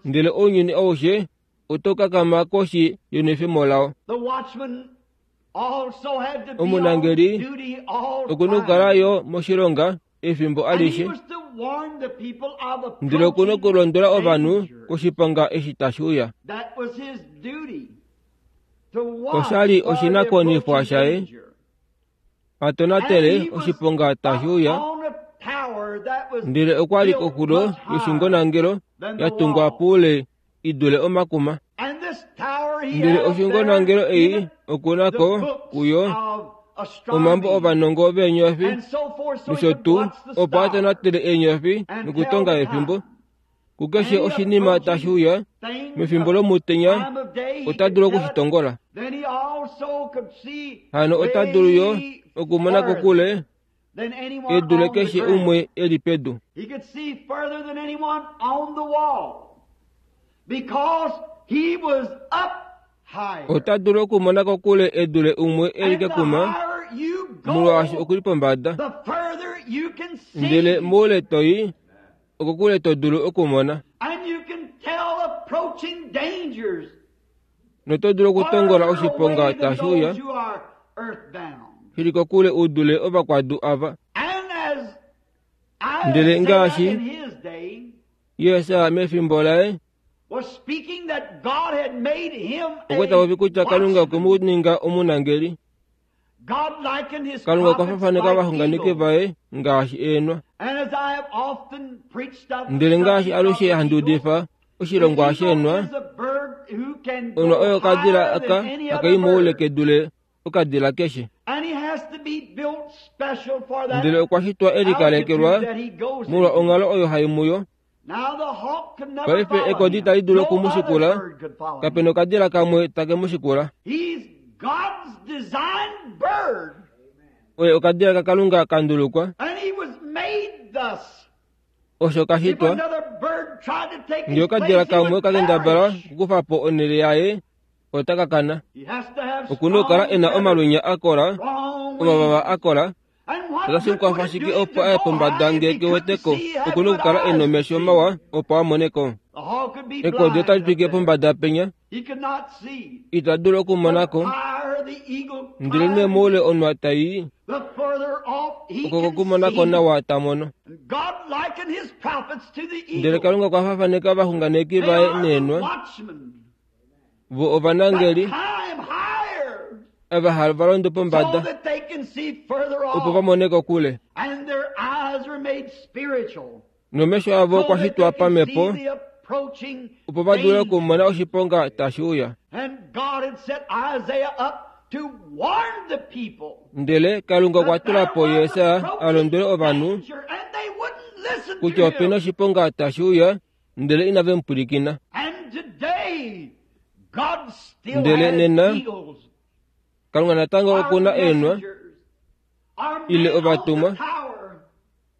S1: ndele ounyuni aushe oto kakama koshi yenwefemo lao.
S3: The watchman also had to be
S1: Omunangeli
S3: on duty all
S1: okuna okukala yo moshilonga efimbo
S3: And he
S1: alishe,
S3: was to warn the people of
S1: ndele okuna
S3: approaching
S1: okulondola ovanhu
S3: danger.
S1: koshiponga eshi tashi uya.
S3: That was his duty. To watch
S1: Oshali
S3: for the
S1: oshinakuwanifwa
S3: approaching
S1: shaye,
S3: danger.
S1: atonatele
S3: And he was
S1: oshiponga tashi uya,
S3: up on a tower that was
S1: ndele okwali
S3: built
S1: koxulo
S3: much higher
S1: yoshungonangelo
S3: than the
S1: ya tungwa
S3: wall.
S1: puule i dule omakuma.
S3: And this tower he
S1: Ndele
S3: had up there
S1: oshungonangelo
S3: in
S1: ei
S3: it,
S1: okuna
S3: the
S1: ko
S3: books
S1: kuyo
S3: of astronomy
S1: omambo ovanongo veenyofi
S3: and so forth, so he
S1: nosho
S3: could
S1: tuu
S3: watch the
S1: opo
S3: stars
S1: atonatele eenyofi
S3: and
S1: nokutonga
S3: tell the
S1: efimbo.
S3: time.
S1: Kukeshe
S3: Any
S1: oshinima tashi uya
S3: Thing,
S1: mefimbo lomutenya
S3: time of day, he
S1: ota
S3: could
S1: dulu
S3: tell it.
S1: okushitongola.
S3: Then he also could see
S1: Hano ota dulu yo
S3: way
S1: okumona
S3: further
S1: kokule
S3: than anyone
S1: e dule
S3: on the
S1: keshe
S3: ground.
S1: umwe e li pedu.
S3: He could see further than anyone on the wall because he was up higher.
S1: Ota dulu okumona kokule e dule umwe e li
S3: And the
S1: kekuma
S3: higher you
S1: molwaashi
S3: go,
S1: okuli pombada.
S3: the further you can see.
S1: Ndele moule toyi okokule to dulu okumona
S3: And you can tell approaching dangers
S1: noto dulu okutongola
S3: farther
S1: oshiponga
S3: away than
S1: tashi uya
S3: those who are earthbound.
S1: shili kokule u dule ovakwadu ava.
S3: And as
S1: Ndele
S3: Isaiah
S1: ngaashi
S3: in his day
S1: Yesa mefimbo laye
S3: was speaking that God had made him
S1: okwa tapopi
S3: a
S1: kutya Kalunga okwe
S3: watchman.
S1: mu ninga omunangeli.
S3: God likened his
S1: Kalunga okwa
S3: prophets
S1: fafaneka
S3: like
S1: ovaxunganeki
S3: eagles.
S1: vaye ngaashi eenwa.
S3: And as I have often preached of the
S1: Ndele ngaashi
S3: subject of
S1: alushe
S3: the
S1: handi
S3: eagle,
S1: udifa
S3: the
S1: oshilongwa
S3: eagle
S1: sheenwa,
S3: is a bird who can
S1: onwa
S3: go
S1: oyo okadila
S3: higher
S1: aka
S3: than any
S1: akai
S3: other
S1: moule
S3: bird.
S1: kedule okadila keshe.
S3: And he has to be built special for that
S1: Ndele okwa shitwa e likalekelwa
S3: altitude that he goes
S1: molwa
S3: into.
S1: onghalo oyo hai muyo.
S3: Now the hawk could never
S1: Paife
S3: follow
S1: ekodi
S3: him.
S1: itali dulu
S3: No
S1: oku mu
S3: other
S1: shikula,
S3: bird could follow him.
S1: kapena okadila kamwe take mu shikula.
S3: He's God's designed bird.
S1: Oye okadila kaKalunga ka ndulukwa,
S3: And he was made thus.
S1: osho ka
S3: If
S1: shitwa.
S3: another bird tried to take
S1: Ngee
S3: his
S1: okadila
S3: place, he
S1: kamwe
S3: would
S1: okakendabala
S3: perish.
S1: okukufa po onhele yaye, ota ka kana.
S3: He has to have
S1: Okuna okukala
S3: strong
S1: e na
S3: feathers,
S1: omalwenya a kola,
S3: strong
S1: omavava
S3: wings.
S1: a kola,
S3: And what
S1: otashi
S3: good would
S1: kwafa
S3: it do
S1: shike
S3: him to
S1: opo aye
S3: go
S1: pombada
S3: high if
S1: ngee
S3: he
S1: ke
S3: couldn't
S1: weteko?
S3: see, had
S1: Okuna
S3: good
S1: okukala e
S3: eyes to
S1: nomesho
S3: see?
S1: mawa opo a mone ko.
S3: The hawk could be
S1: Ekodi
S3: blind
S1: otali
S3: up
S1: twike
S3: there.
S1: pombada penya,
S3: He could not see.
S1: ita dulu okumona
S3: The
S1: ko.
S3: higher the eagle
S1: Ndele nee
S3: climbs,
S1: moule onwa tai,
S3: the further off he
S1: oko
S3: can
S1: kokumona ko
S3: see.
S1: nawa ta mono.
S3: And God likened his prophets to the
S1: Ndele
S3: eagle.
S1: Kalunga okwa fafaneka ovaxunganeki
S3: They
S1: vaye
S3: are the
S1: neenwa,
S3: watchmen
S1: vo
S3: that
S1: ovanangeli
S3: climb higher
S1: ava hava londo
S3: so
S1: pombada
S3: that they can see further
S1: opo va
S3: off.
S1: mone kokule.
S3: And their eyes are made spiritual
S1: Nomesho avo
S3: so
S1: okwa
S3: that
S1: shitwa
S3: they can see
S1: pamhepo
S3: the approaching
S1: opo va dule
S3: danger.
S1: okumona oshiponga tashi uya.
S3: And God had set Isaiah up to warn the people
S1: Ndele Kalunga okwa
S3: that
S1: tula
S3: there
S1: po
S3: was
S1: Yesa a
S3: approaching
S1: londwele ovanhu
S3: danger, and they wouldn't listen
S1: kutya
S3: to
S1: opena
S3: him.
S1: oshiponga tashi uya, ndele inave mu pwilikina.
S3: And today, God still
S1: Ndele
S3: has
S1: nena
S3: eagles,
S1: Kalunga natango
S3: our
S1: okuna eenwa
S3: messengers, our
S1: ile
S3: men on the
S1: ovatumwa
S3: tower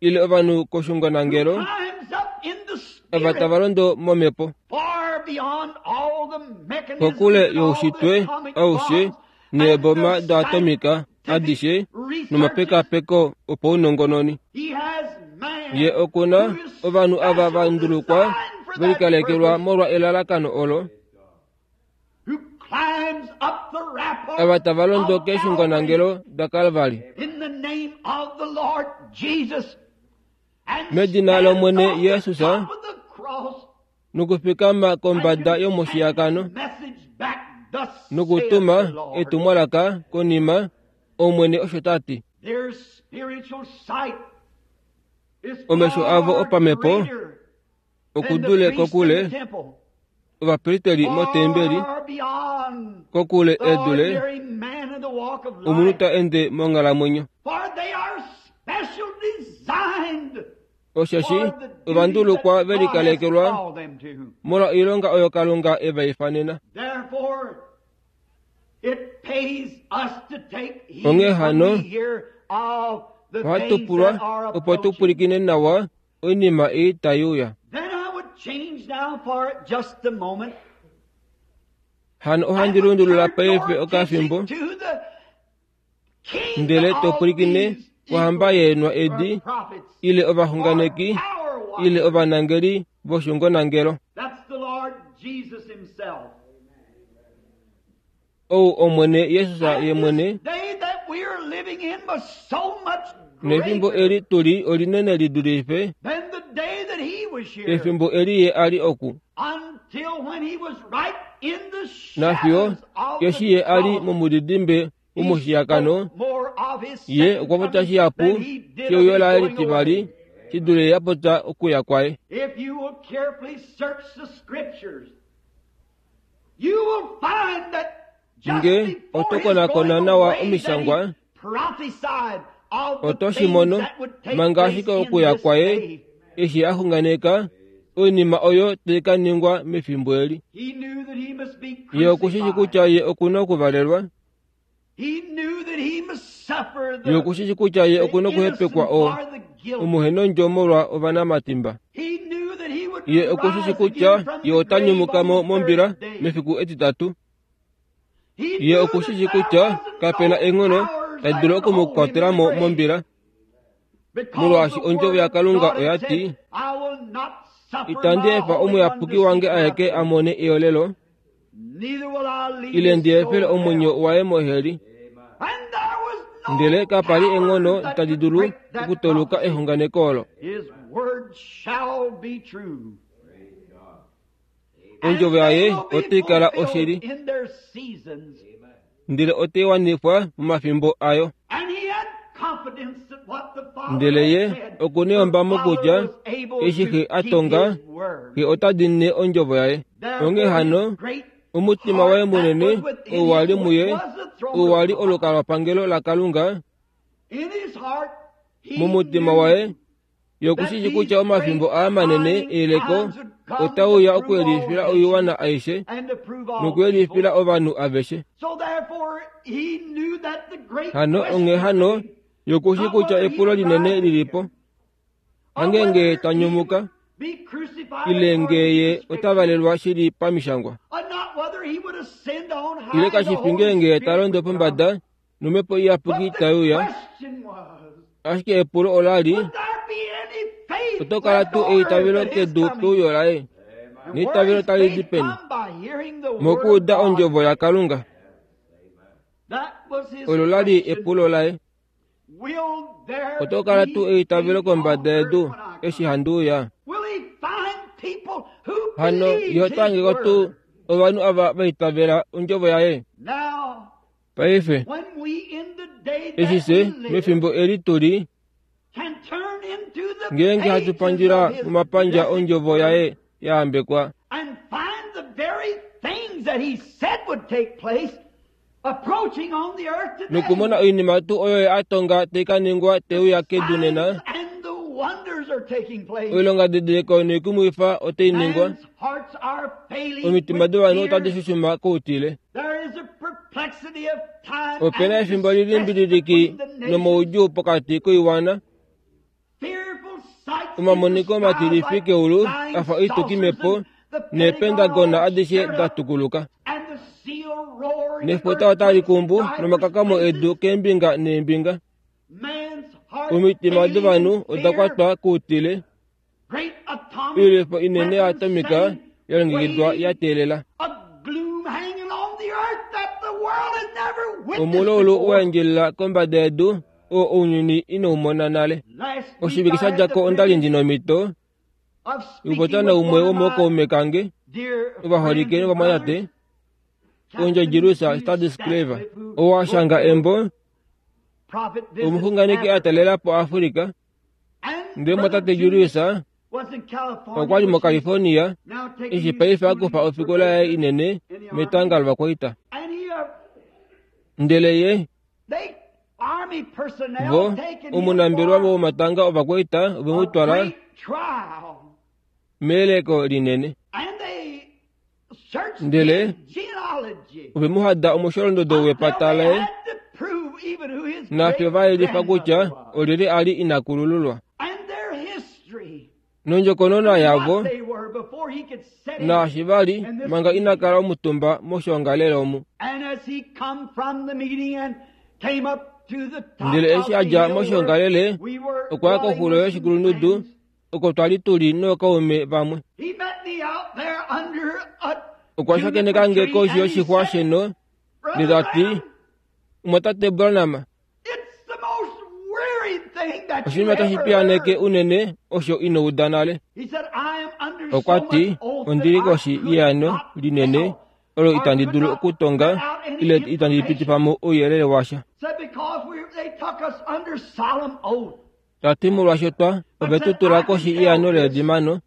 S1: ile ovanhu
S3: who
S1: koshungonangelo
S3: climbs up in the
S1: ava
S3: spirit
S1: tava londo momhepo
S3: far beyond all the mechanisms
S1: kokule
S3: and all the
S1: youshitwe
S3: atomic
S1: aushe
S3: bombs and
S1: neeboma
S3: the
S1: doatomika
S3: scientific
S1: adishe
S3: researches.
S1: nomapekapeko opaunongononi.
S3: He has man
S1: Ye okuna
S3: who is
S1: ovanhu ava va
S3: special
S1: ndulukwa
S3: designed for
S1: ve
S3: that
S1: likalekelwa
S3: purpose,
S1: molwa elalakano olo,
S3: who climbs up the
S1: ava
S3: rampart
S1: tava londo
S3: of Calvary
S1: keeshungonangelo daKalvari.
S3: in the name of the Lord Jesus and
S1: Medina
S3: stands
S1: lOmwene
S3: on the
S1: Jesus,
S3: top of the cross
S1: nokufikama
S3: and
S1: kombada
S3: can send the
S1: yomushiyakano
S3: message back, thus saith
S1: nokutuma
S3: the Lord.
S1: etumwalaka konima Omwene osho ta ti.
S3: Their spiritual sight is
S1: Omesho avo
S3: far
S1: opamhepo
S3: greater than the
S1: okudule
S3: priest in the
S1: kokule
S3: temple,
S1: ovapristeli motembeli
S3: far beyond
S1: kokule
S3: the
S1: edule
S3: ordinary man in the walk of
S1: omunhu
S3: life.
S1: ta ende monghalamwenyo.
S3: For they are special designed
S1: Osheshi
S3: for the duty
S1: ovandulukwa
S3: that
S1: ve
S3: God has
S1: likalekelwa
S3: called them to.
S1: molwa oilonga oyo Kalunga e va ifanena.
S3: Therefore, it pays us to take heed
S1: Onghee
S3: when
S1: hano,
S3: we hear of the
S1: ohatu
S3: things
S1: pulwa
S3: that are
S1: opo tu
S3: approaching.
S1: pwilikine nawa oinima ei tai uya.
S3: Then I would change now for just a moment.
S1: Hano ohandi lundulula paife okafimbo ndele to pwilikine kohamba yeenwa edi ile ovaxunganeki ile ovanangeli voshungonangelo.
S3: That's the Lord Jesus himself.
S1: Ou Omwene Jesus ye mwene.
S3: This day that we are living in was so much
S1: Nefimbo
S3: greater
S1: eli tuli olinene li dulife
S3: than the day that he was here.
S1: efimbo eli ye ali oku.
S3: Until when he was right in the
S1: Nafiyo
S3: shadows of
S1: eshi
S3: the
S1: ye ali
S3: cross,
S1: momudidimbe
S3: he
S1: womushiyakano
S3: spoke more of his
S1: ye
S3: second
S1: okwa popya
S3: coming
S1: shihapu
S3: than he did of
S1: sheuyo
S3: his
S1: laye
S3: going
S1: litivali
S3: away.
S1: shi dule ye apopya okuya kwaye.
S3: If you will carefully search the scriptures, you will find that just
S1: Nge
S3: before
S1: oto
S3: his
S1: konakona
S3: going
S1: nawa
S3: away that
S1: omishangwa,
S3: he prophesied of the
S1: oto shi
S3: things
S1: mono
S3: that would take
S1: manga
S3: place
S1: ashike
S3: in
S1: okuya
S3: this
S1: kwaye
S3: day.
S1: eshi a xunganeka oinima oyo tai ka ningwa mefimbo eli.
S3: He knew that he must be
S1: Ye okushishi
S3: crucified.
S1: kutya ye okuna okuvalelwa,
S3: He knew that he must suffer the,
S1: ye okushishi kutya ye
S3: the
S1: okuna
S3: innocent
S1: okuhepekwa o
S3: for the guilty.
S1: omuhenondjo molwa ovanamatimba.
S3: He knew that he would
S1: Ye okushishi
S3: rise
S1: kutya
S3: again from
S1: ye
S3: the
S1: ota
S3: grave
S1: nyumuka
S3: on
S1: mo
S3: the
S1: mombila
S3: third day.
S1: mefiku etitatu.
S3: He
S1: Ye
S3: knew
S1: okushishi
S3: that there
S1: kutya
S3: wasn't
S1: kapena
S3: no
S1: enghono
S3: powers
S1: tadi
S3: that
S1: dulu
S3: could hold him in
S1: okumukwatela
S3: the
S1: mo
S3: grave.
S1: mombila,
S3: Because
S1: molwaashi
S3: the
S1: ondjovo
S3: word of
S1: yaKalunga
S3: God had
S1: oya ti,
S3: said, I will not suffer
S1: itandi
S3: my
S1: efa
S3: Holy One
S1: omuyapuki
S3: to
S1: wange
S3: see
S1: aeke a
S3: corruption,
S1: mone eolelo,
S3: neither will I leave
S1: ile
S3: his
S1: ndi efele
S3: soul in
S1: omwenyo
S3: hell.
S1: waye moheli.
S3: And there was no
S1: Ndele kapa li enghono
S3: power that
S1: tadi
S3: could
S1: dulu
S3: break that
S1: okutoluka
S3: prophecy.
S1: exunganeko olo.
S3: His word shall be true. And
S1: Ondjovo
S3: they
S1: yaye
S3: will be
S1: otai kala
S3: fulfilled
S1: oshili,
S3: in their seasons.
S1: ndele otai wanifwa momafimbo ayo.
S3: And he had confidence that what the Father
S1: Ndele
S3: had
S1: ye
S3: said,
S1: okuna
S3: the
S1: eyombamo
S3: Father
S1: kutya
S3: was able
S1: eshi
S3: to
S1: xe a
S3: keep
S1: tonga
S3: his word.
S1: xe ota diinine ondjovo yaye. Onghee
S3: Therefore,
S1: hano
S3: his great
S1: omutima waye
S3: heart that
S1: munene
S3: was within
S1: ou wali
S3: him, which
S1: muye,
S3: was the throne
S1: ou
S3: of
S1: wali
S3: God,
S1: olukalwapangelo laKalunga,
S3: in his heart he
S1: mumutima
S3: knew
S1: waye ye
S3: that
S1: okushishi
S3: these
S1: kutya omafimbo
S3: great
S1: aa manene
S3: trying
S1: eyeleko
S3: times would come to
S1: otauya
S3: prove all
S1: okuyelifila oiwana
S3: nations
S1: aishe
S3: and to prove all
S1: nokuyelifila
S3: people.
S1: ovanhu aveshe.
S3: So therefore he knew that the great
S1: Hano onghee
S3: question
S1: hano
S3: remained,
S1: ye okushi
S3: not
S1: kutya
S3: whether he
S1: epulo
S3: would
S1: linene
S3: rise
S1: lilipo,
S3: again, or
S1: hangenge
S3: whether
S1: ta
S3: he
S1: nyumuka
S3: would be crucified
S1: ile
S3: according
S1: ngee
S3: to
S1: ye
S3: the
S1: ota
S3: Scripture,
S1: valelwa shili pamishangwa,
S3: or not whether he would ascend on
S1: ile
S3: high and the
S1: kashifi
S3: Holy
S1: ngeenge ta
S3: Spirit
S1: londo
S3: would come.
S1: pombada nomhepo iyapuki
S3: But the
S1: taiuya.
S3: question was,
S1: Ashike epulo ola li,
S3: would there be any faith
S1: oto kala
S3: left
S1: tuu
S3: on earth
S1: eitavelo
S3: at his
S1: kedu
S3: coming?
S1: peuyo laye,
S3: And where
S1: neitavelo
S3: is
S1: tali di
S3: faith
S1: peni
S3: come by hearing the word of
S1: mokuuda
S3: God?
S1: ondjovo yaKalunga.
S3: That was his
S1: Olo la li
S3: question.
S1: epulo laye.
S3: Will there
S1: Oto kala tuu
S3: be
S1: eitavelo
S3: faith on
S1: kombada
S3: earth
S1: yedu
S3: when I
S1: eshi
S3: come?
S1: handi uya?
S3: Will he find people who
S1: Hano
S3: believes
S1: ye oto
S3: his
S1: hangeko tuu
S3: word?
S1: ovanhu ava va itavela ondjovo yaye?
S3: Now,
S1: Paife
S3: when we in the day
S1: eshi
S3: that
S1: fye
S3: we live
S1: mefimbo eli tuli
S3: can turn into the
S1: ngeenge hatu
S3: pages
S1: pandjila
S3: of his
S1: momapandja
S3: blessed
S1: ondjovo
S3: word
S1: yaye ya hambekwa
S3: and find the very things that he said would take place approaching on the earth today.
S1: nokumona oinima tuu oyo ye a tonga tai ka ningwa
S3: The
S1: teuya kedu
S3: signs
S1: nena,
S3: and the wonders are taking place.
S1: oilonga didiliko noikumwifa otai ningwa,
S3: Man's hearts are failing
S1: omitima
S3: with
S1: dovanhu otadi
S3: fear.
S1: shushuma koutile.
S3: There is a perplexity of time
S1: Opena
S3: and
S1: efimbo
S3: distress
S1: lilimbililiki
S3: between the nations.
S1: nomoudjuu pokati koiwana,
S3: Fearful sights in the
S1: omamoniko
S3: skies
S1: matilifi
S3: like
S1: keulu
S3: flying
S1: afa
S3: saucers
S1: oitukimhepo
S3: and the Pentagon
S1: neependagona
S3: all
S1: adishe
S3: stirred
S1: da
S3: up
S1: tukuluka.
S3: and the seal roaring and
S1: Nefuta otali
S3: earthquakes in
S1: kumbu
S3: divers
S1: nomakakamo
S3: places.
S1: edu keembinga neembinga.
S3: Man's heart
S1: Omitima
S3: failing
S1: dovanhu
S3: in
S1: oda
S3: fear.
S1: kwatwa koutile,
S3: Great atomic
S1: oilwifo inene ya
S3: weapons
S1: atomika
S3: sitting
S1: ya longekidwa
S3: waiting.
S1: ya teelela.
S3: A gloom hanging on the earth that the world has never witnessed
S1: Omululu
S3: before.
S1: wa endjelela kombada yedu oo ounyuni inau mona nale.
S3: Last week
S1: Oshivike
S3: I
S1: sha
S3: had
S1: dja
S3: the
S1: ko onda li
S3: privilege
S1: ndi nomhito
S3: of speaking
S1: yokupopya
S3: with
S1: naumwe
S3: one of my
S1: womookaume kange
S3: dear
S1: ovaholike
S3: friends and
S1: novamwatate,
S3: brothers,
S1: ondjo
S3: Captain
S1: Jerusa
S3: Hugh
S1: Stadis Clever,
S3: Statcliffe, who
S1: oo a
S3: wrote
S1: shanga
S3: the book
S1: embo
S3: Prophet Visits
S1: omuxunganeki a
S3: Africa.
S1: talela po Afrika,
S3: And
S1: ndele
S3: Brother
S1: mwatate
S3: Julius
S1: Julius
S3: was in California,
S1: okwa li
S3: which he's
S1: moCalifornia
S3: now taking
S1: eshi
S3: his
S1: paife a
S3: schooling
S1: kufa
S3: for
S1: ofikola yaye
S3: business
S1: inene
S3: in the army.
S1: metanga lovakwaita.
S3: And he, uh,
S1: Ndele ye
S3: they army personnel
S1: vo
S3: taken him
S1: omunambelwa
S3: for
S1: womatanga ovakwaita ove mu
S3: a
S1: twala
S3: great trial.
S1: meyeleko linene.
S3: And they searched
S1: Ndele
S3: his genealogy
S1: ove mu hada omusholondodo
S3: until
S1: wepata
S3: they
S1: laye
S3: had to prove even who his
S1: nafyo
S3: great
S1: va yelifa kutya
S3: grandmother was.
S1: olyelye a li ina kulululwa.
S3: And their history.
S1: Nondjokonona yavo
S3: what they were before he could set in.
S1: naashi vali manga ina kala omutumba moshoongalele omu.
S3: And as he come from the meeting and came up to the top
S1: Ndele
S3: of
S1: eshi
S3: the
S1: a dja
S3: hill
S1: moshoongalele
S3: where we were
S1: okwa ya
S3: dwelling
S1: koxulo
S3: with some
S1: yoshikulundudu
S3: friends,
S1: oko twali tuli nookaume vamwe.
S3: he met me out there under a
S1: Okwa shakeneka nge
S3: juniper tree
S1: koshi
S3: and he
S1: yoshixwa
S3: said,
S1: sheno
S3: "Brother
S1: ndele ta ti,
S3: Branham,
S1: Mwatate Branham,
S3: it's the most weary thing that you
S1: oshinima tashi
S3: ever
S1: piyaneke
S3: heard."
S1: unene osho ino uda nale.
S3: He said, "I am under so
S1: Okwa ti,
S3: much oath that
S1: ondili
S3: I
S1: koshi
S3: could
S1: yeano
S3: not
S1: linene
S3: tell
S1: olo
S3: or
S1: itandi
S3: could
S1: dulu
S3: not
S1: okutonga
S3: put out any
S1: ile itandi
S3: information."
S1: pitifa mo ouyelele washa.
S3: Said, "Because we, they took us under solemn oath.
S1: Ta ti molwaashi twa ove tu tula koshi yeano leedimano,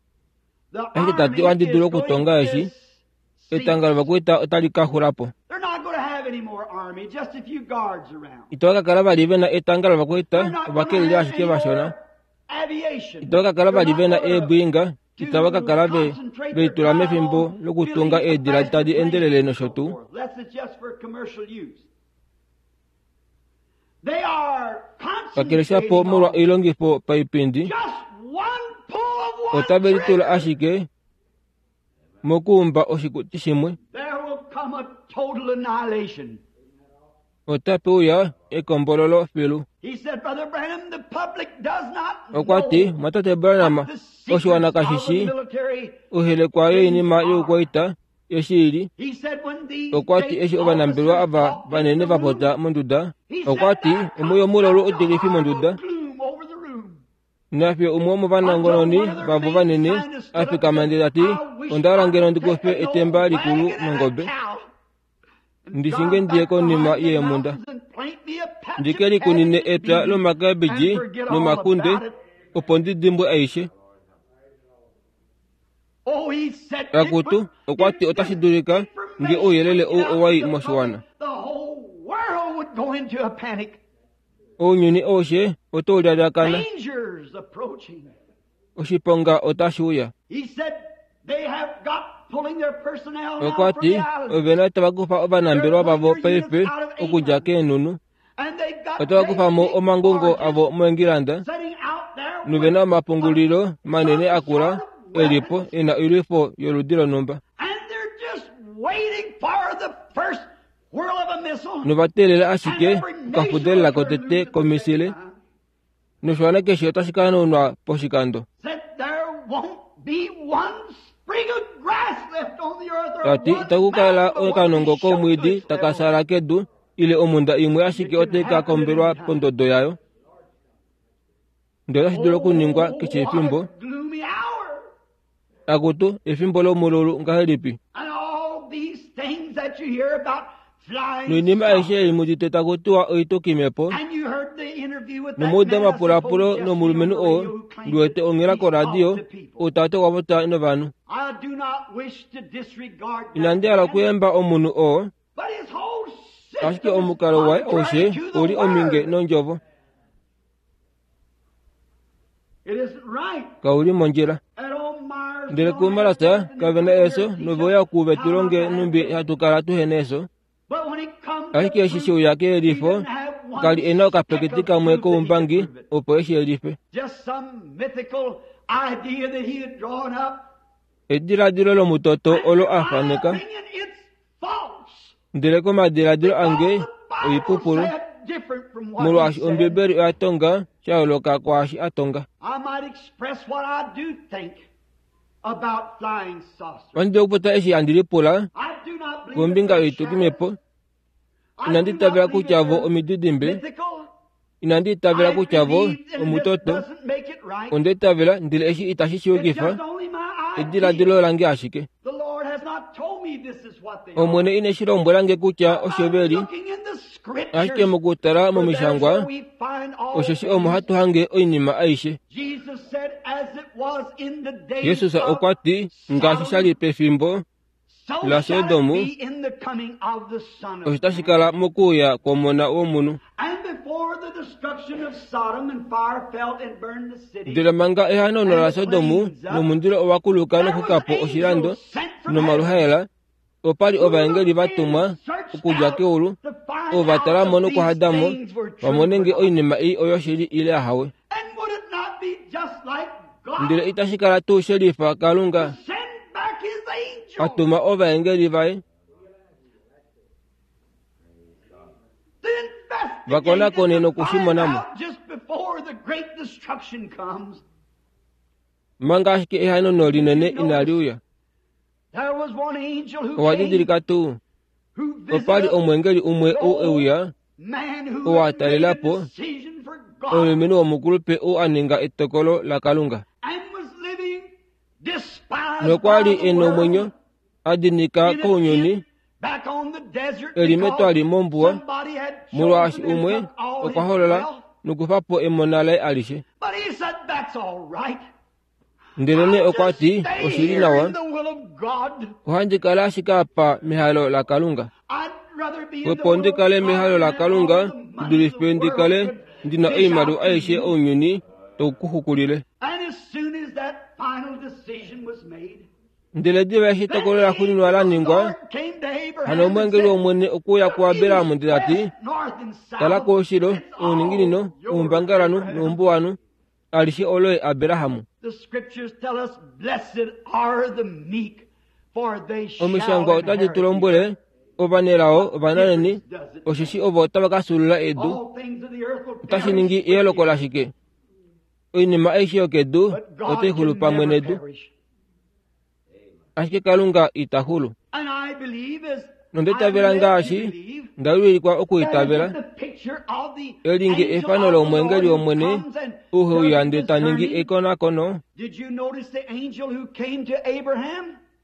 S3: The
S1: ashike ta ti
S3: army
S1: ohandi
S3: is
S1: dulu
S3: going
S1: okutonga
S3: to
S1: eshi,
S3: cease.
S1: etanga lovakwaita otali ka xula po.
S3: They're not going to have any more army, just a few guards around.
S1: Itava ka kala vali vena etanga
S3: They're
S1: lovakwaita,
S3: not going to
S1: ovakeleli
S3: have
S1: ashike
S3: any
S1: vashona.
S3: more aviation.
S1: Itava ka kala
S3: They're
S1: vali
S3: not
S1: vena
S3: going to
S1: eebwinga, itava ka kala ve
S3: concentrate their
S1: veitula
S3: time
S1: mefimbo
S3: on
S1: lokutunga
S3: building a
S1: eedila
S3: faster
S1: tadi
S3: plane
S1: endelele
S3: and
S1: nosho
S3: so
S1: tuu.
S3: forth, lest it's just for commercial use. They are
S1: Kakele shapo
S3: concentrating
S1: molwa
S3: on
S1: oilongifo paipindi,
S3: just one pull of one
S1: otave litula
S3: trigger.
S1: ashike mokuumba oshikuti shimwe.
S3: There will come a total annihilation.
S1: Otape uya ekombololo filu.
S3: He said, Brother Branham, the public does not
S1: Okwa ti,
S3: know
S1: Mwatate Branham,
S3: what the secrets
S1: oshiwana kashi
S3: of the
S1: shi
S3: military
S1: ohelekwa yoinima youkwaita yoshili.
S3: He said when these
S1: Okwa ti
S3: great
S1: eshi ovanambelwa
S3: officers
S1: ava
S3: talked in
S1: vanene
S3: the
S1: va
S3: room,
S1: popya monduda,
S3: he
S1: okwa
S3: said,
S1: ti
S3: there
S1: omwe
S3: comes
S1: omulolu
S3: such a
S1: utilifi monduda,
S3: horrible gloom over the room.
S1: nafye umwe
S3: Until
S1: womovanangononi
S3: one of their
S1: vavo
S3: main
S1: vanene
S3: scientists stood
S1: a
S3: up and
S1: fikama
S3: said,
S1: ndele ta ti,
S3: I wish
S1: onda hala
S3: I
S1: ngeno
S3: could
S1: ndi
S3: take
S1: kufe
S3: an old
S1: etemba likulu
S3: wagon and a
S1: nongobe,
S3: cow and
S1: ndishinge
S3: drive
S1: ndiye
S3: back
S1: konima
S3: behind the
S1: yeemhunda,
S3: mountains and plant me a patch
S1: ndike
S3: of
S1: likunine
S3: cabbage and
S1: epya
S3: beans
S1: lomakabeji
S3: and forget all
S1: nomakunde
S3: about it.
S1: opo ndi dimbwe aishe.
S3: Oh, he said it
S1: Akutu
S3: would,
S1: okwa
S3: if
S1: ti otashi
S3: this
S1: dulika nge
S3: information
S1: ouyelele
S3: would
S1: ou
S3: get out
S1: owa
S3: to
S1: i
S3: the
S1: moshiwana.
S3: public, the whole world would go into a panic.
S1: Ounyuni aushe oto lyalyakana,
S3: Dangers approaching.
S1: oshiponga otashi uya.
S3: He said they have got pulling their personnel now
S1: Okwa
S3: from
S1: ti
S3: the islands.
S1: ovena tava kufa ovanambelwa
S3: They're pulling
S1: vavo
S3: their units
S1: paife
S3: out of
S1: okudja
S3: England.
S1: keenhunhu,
S3: And they've got
S1: otava
S3: great
S1: kufa mo
S3: big
S1: omangungo
S3: barges
S1: avo moEngilanda,
S3: setting out there with
S1: novena
S3: a,
S1: omapungulilo manene
S3: some
S1: akula
S3: sort of
S1: elipo
S3: weapons.
S1: ena oilwifo yoludi lonhumba.
S3: And they're just waiting for the first whirl of a missile.
S1: Novateelela
S3: And
S1: ashike
S3: every nation will
S1: okafudelela
S3: turn
S1: kotete
S3: loose at the same
S1: komisile,
S3: time.
S1: noshiwana keshe otashi ka hanaunwa poshikando.
S3: Said there won't be one sprig of grass left on the earth or
S1: Ta ti
S3: one
S1: itaku kala
S3: mountain but what
S1: okanongo
S3: is shook to
S1: komwiidi
S3: its
S1: taka
S3: level.
S1: saala kedu ile omhunda imwe ashike
S3: It can
S1: otai ka
S3: happen at any
S1: kombelwa
S3: time.
S1: pondodo yayo. Ndele otashi dulu okuningwa keshe
S3: Oh, what
S1: efimbo.
S3: a gloomy hour.
S1: Akutu efimbo lomululu ngahelipi?
S3: And all these things that you hear about flying
S1: Noinima aishe
S3: saucers.
S1: ei mudite taku tiwa oitukimhepo,
S3: And you heard the interview with that
S1: nomuuda
S3: man, I
S1: omapulapulo
S3: suppose, yesterday on
S1: nomulumenhu
S3: the
S1: oo
S3: radio who claimed
S1: ndiwete
S3: that
S1: onghela
S3: he
S1: koradio
S3: talked to people.
S1: ou tate okwa popya novanhu.
S3: I do not wish to disregard that
S1: Inandi hala
S3: man,
S1: okuyemba omunhu oo,
S3: but his whole
S1: ashike
S3: system is
S1: omukalo waye
S3: contrary
S1: aushe
S3: to the
S1: oli ominge
S3: word.
S1: nondjovo,
S3: It isn't right.
S1: kauli mondjila.
S3: At old Myers, we
S1: Ndele
S3: don't have
S1: kumalasa
S3: death and they
S1: kave na
S3: come here
S1: eso
S3: to teach us
S1: noveuya kuve
S3: how
S1: tu
S3: not
S1: longe
S3: to have
S1: numbi
S3: death.
S1: hatu kala tuhena eso.
S3: But when it comes to
S1: Ashike eshi
S3: proof,
S1: sheuya
S3: he
S1: keyelifo,
S3: didn't have
S1: kali
S3: one
S1: ena
S3: speck
S1: okapeketi
S3: of
S1: kamwe
S3: proof that he could
S1: koumbangi
S3: prove it.
S1: opo eshi yelife.
S3: Just some mythical idea that he had drawn up.
S1: Ediladilo lomutoto
S3: And
S1: olo
S3: in
S1: a
S3: my
S1: faneka,
S3: opinion, it's false.
S1: ndele komadiladilo
S3: Because
S1: ange
S3: the Bible
S1: oipupulu,
S3: said different from what he
S1: molwaashi
S3: said.
S1: Ombibeli oya tonga sha yooloka kwaashi a tonga.
S3: I might express what I do think about flying saucers.
S1: Ohandi dulu okupopya eshi handi lipula
S3: I do not believe that
S1: kombinga
S3: they're
S1: yoitukimhepo,
S3: shadows. I
S1: inandi
S3: do not
S1: itavela
S3: believe
S1: kutya
S3: that
S1: vo
S3: they're
S1: omididimbe,
S3: mythical.
S1: inandi itavela
S3: I
S1: kutya vo
S3: believe that it
S1: omutoto,
S3: doesn't make it right.
S1: onda itavela ndele eshi itashi
S3: It's
S1: shiyukifa
S3: just only my idea.
S1: ediladilo lange ashike.
S3: The Lord has not told me this is what they are.
S1: Omwene ine shi lombwela nge kutya osho
S3: I'm
S1: veli,
S3: looking in the
S1: ashike
S3: scriptures,
S1: mokutala
S3: for there's
S1: momishangwa,
S3: where we find all
S1: osheshi omo
S3: things.
S1: hatu hange oinima aishe.
S3: Jesus said, as it was in the days
S1: Jesus
S3: of
S1: okwa ti, ngaashi sha li
S3: Sodom,
S1: pefimbo
S3: so
S1: la
S3: shall it
S1: Sodomu,
S3: be in the coming of the Son
S1: osho
S3: of
S1: tashi
S3: Man.
S1: kala mokuuya kwomona womunhu.
S3: And before the destruction of Sodom and fire fell and burned the city,
S1: Ndele manga ehanaunano
S3: and
S1: la
S3: the
S1: Sodomu
S3: plains up,
S1: nomundilo owa kuluka
S3: there was
S1: nokukapo oshilando
S3: angels sent from heaven
S1: nomaluhaela, opali
S3: who
S1: ovaengeli
S3: looked
S1: va
S3: in
S1: tumwa
S3: and searched
S1: okudja
S3: out
S1: keulu,
S3: to find
S1: ovo va
S3: out
S1: tala mo
S3: if these
S1: nokuhada mo,
S3: things were
S1: va
S3: true
S1: mone
S3: or
S1: nge
S3: not.
S1: oinima ei oyoshili ile ahawe.
S3: And would it not be just like
S1: Ndele itashi kala tuu shelifa Kalunga a tuma ovaengeli vaye vakonakone nokushimonamo manga ashike ehanono linene inali uya. Owa didilika tuu opa li omwengeli umwe ou euya ou a talela po omulumenhu womukulupe ou a ninga etokolo laKalunga nokwa li e nomwenyo a dinika kounyuni eli metwali mombuwa molwaashi umwe okwa holola nokufa po emona laye alishe. Ndelene okwa ti oshili nawa ohandi kala ashike apa mehalo laKalunga. Opo ndi kale mehalo laKalunga ndidulife ndi kale ndina oimaliwa aishe ounyuni toukuxukulile. Ndele diva eshi etokolo laxuuninwa la ningwa, hano omwengeli wOmwene okuya kuAbraham ndele ta ti, tala koushilo, ouninginino, oumbangalanhu noumbuwanhu, alishe oloye Abraham. Omishangwa otadi tu lombwele ovanelao ovananeni, osheshi ovo otava ka fyuulula edu. Otashi ningi eyooloko lashike? Oinima aishe yokedu otai xulu pamwe nedu, ashike Kalunga ita xulu. Nonda itavela ngaashi nda wilikwa okuitavela, elinge efano lomwengeli wOmwene ou heuya ndele ta ningi ekonakono.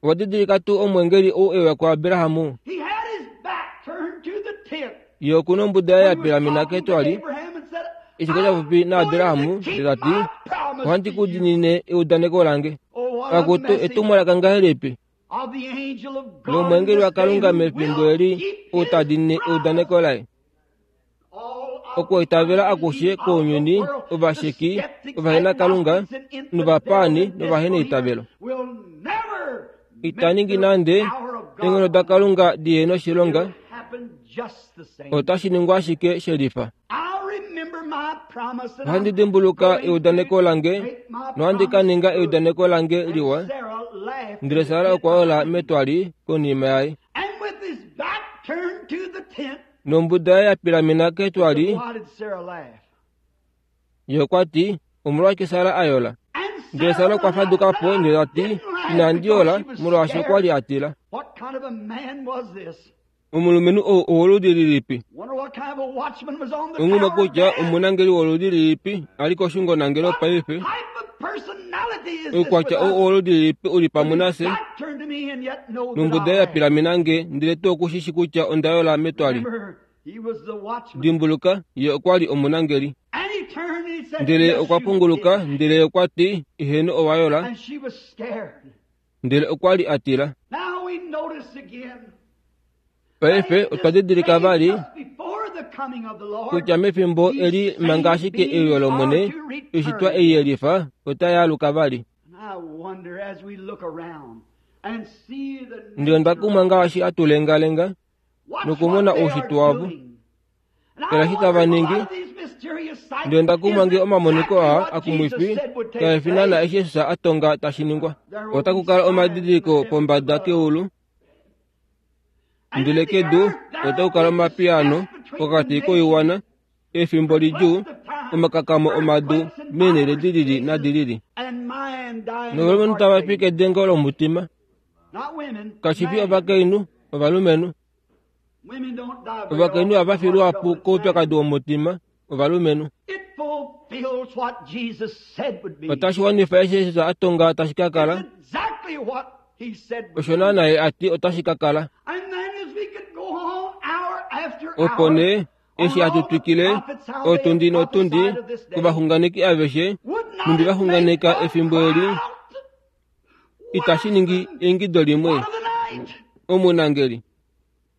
S1: Owa didilika tuu omwengeli ou euya kuAbraham? Ye okuna ombuda yaye ya pilamena ketwali eshi kwali ta popi naAbraham ndele ta ti, ohandi ku diinine eudaneko lange. Akutu etumwalaka ngahelipi lomwengeli waKalunga mefimbo eli ou ta diinine eudaneko laye. Okuitavela akushe kounyuni, ovasheki, ovahenakalunga, novapaani novaheneitavelo. Ita ningi nande eenghono daKalunga dihe noshilonga, otashi ningwa ashike shelifa. Ohandi dimbuluka eudaneko lange nohandi ka ninga eudaneko lange liwa. Ndele Sara okwa yola metwali konima yaye. Nombuda yaye ya pilamena ketwali, ye okwa ti, omolwashike Sara a yola? Ndele Sara okwa faduka po ndele ta ti, inandi yola molwaashi okwa li a tila. Omulumenhu ou owoludi lilipi? Onghumwe kutya omunangeli woludi lilipi a li koshungonangelo paife. Oukwatya ou owoludi lilipi u li pamwe nafye? Nombuda yaye ya pilamena nge ndele tuu okushishi kutya onda yola metwali. Dimbuluka, ye okwa li omunangeli. Ndele okwa punguluka ndele okwa ti, eheno owa yola. Ndele okwa li a tila. Paife otwa didilika vali kutya mefimbo eli manga ashike euyo lOmwene, oishitwa ei yelifa otai aluka vali. Ndele onda kumwa ngaashi hatu lengalenga nokumona oushitwe wavo, tala eshi tava ningi. Ndele onda kumwa ngee omamoniko aa akumwifi kae fi naana eshi Jesus a tonga tashi ningwa. Otaku kala omadidiliko pombada keulu, ndele kedu otaku kala omapiyaano pokati koiwana, efimbo lidjuu, omakakamo omadu meenhele dilili nadilili. Novalumenhu tava fi kedengo lomutima, kashi fi ovakainhu, ovalumenhu. Ovakainhu ohava fi luhapu koupyakadi womutima, ovalumenhu. Otashi wanifa eshi Jesus a tonga tashi ka kala, osho naana ye a ti otashi ka kala. Opo nee eshi hatu twikile otundi notundi kovaxunganeki aveshe nhumbi va xunganeka efimbo eli, itashi ningi eingido limwe omunangeli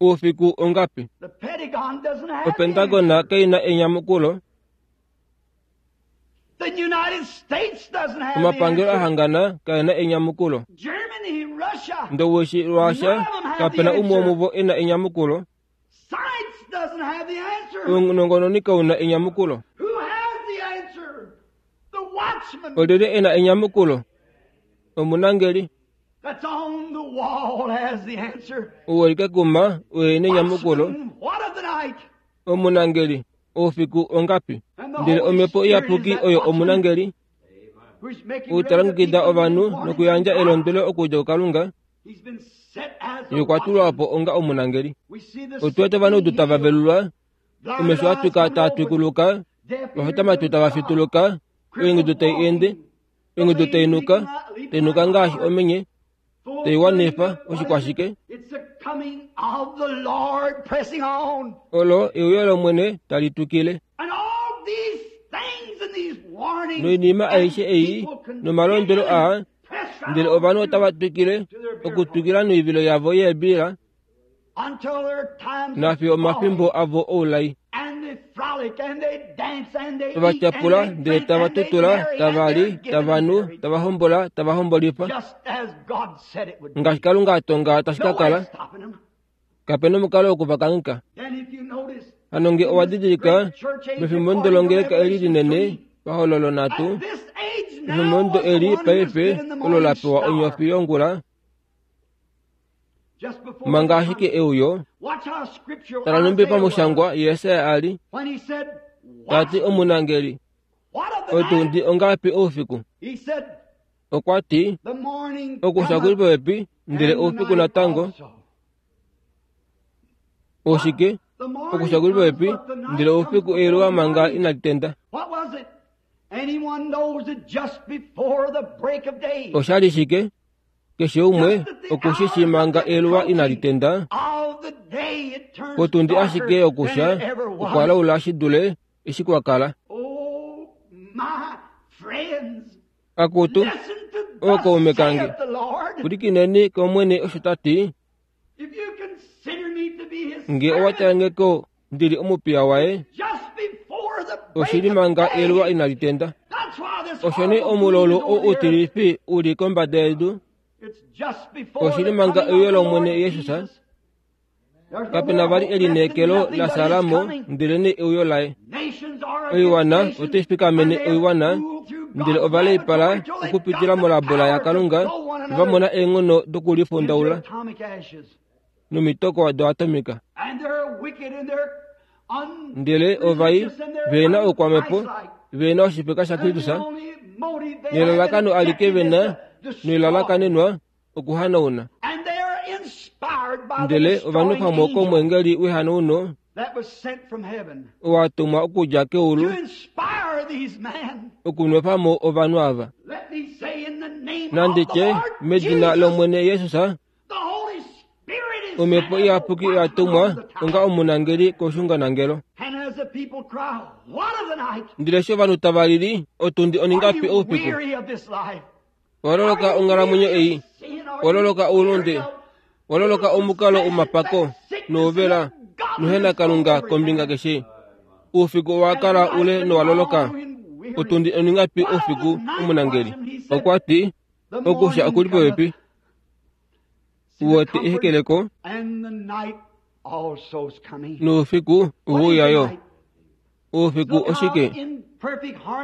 S1: oufiku ongapi? Opentagona kaina enyamukulo. Omapangelo ahangana kaena enyamukulo. Ndowishi Russia kapena umwe womuvo ena enyamukulo. Ounongononi kauna enyamukulo. Olyelye e na enyamukulo? Omunangeli ou eli kekuma oye e na enyamukulo. Omunangeli, oufiku ongapi? Ndele Omhepo Iyapuki oyo omunangeli ou ta longekida ovanhu nokuyandja elondwelo okudja kuKalunga. Ye okwa tulwa po onga omunangeli. Otu wete ovanaudu tava velulwa, omesho a twika taa twikuluka, ovafitamatwi tava fituluka, oingudu tai ende, oingudu tai nuka, tai nuka ngaashi omenye, tai wanifa oshikwashike. Olo euyo lOmwene tali twikile. Noinima aishe ei nomalondwelo aa, ndele ovanhu otava twikile okutwikila noivilo yavo yeebila nafiyo omafimbo avo oulai. Ovatyapula ndele tava tutula, tava li, tava nu, tava hombola, tava hombolifa, ngaashi Kalunga a tonga tashi ka kala. Kape na omukalo wokuvakangheka. Hano nge owa didilika mefimbomudo longeleka eli linene pahololo nhatu, mefimbomudo eli paife olo la pewa onyofi yongula, manga ashike euyo. Tala nhumbi pamushangwa Jesaja a li ta ti omunangeli, otundi ongapi oufiku? Okwa ti okusha kuli popepi ndele oufiku natango. Oshike? Okusha kuli popepi ndele oufiku eluwa manga inali tenda. Oshali shike? Keshe umwe okushishi manga eluwa inali tenda. Potundi ashike yokusha okwa laula shi dule eshi kwa kala. Akutu, ookaume kange, pwilikineni kOmwene osho ta ti. Nge owa tala ko ndili omupiya waye, oshili manga eluwa inali tenda. Osho nee omulolu ou utilifi u li kombada yedu, oshili manga euyo lOmwene Jesus. Kape na vali elineekelo la Salomo ndelenee euyo laye. Oiwana otai fikamene oiwana, ndele ova leipala okupitila molabola yaKalunga, va mona eenghono dokulifundaula nomitoko doatomika. Ndele ovai ve na oukwamhepo, ve na oshifeka shaKristus, nelalakano alike ve na noilalakanenwa okuhanauna. Ndele ovanhu pamwe komweengeli wehanauno owa tumwa okudja keulu okunwefa mo ovanhu ava. Nandi tye medina lOmwene Jesus, Omhepo Iyapuki oya tumwa onga omunangeli koshunganangelo. Ndele eshi ovanhu tava lili, otundi oningapi oufiku? Waloloka onghalamwenyo ei, waloloka oulunde, waloloka omukalo womapako nouvela nohena Kalunga kombinga keshe. Oufiku owa kala ule nowaloloka. Otundi oningapi oufiku omunangeli? Okwa ti okusha okuli popepi. Uwete ehekeleko noufiku ouya yo. Oufiku oshike?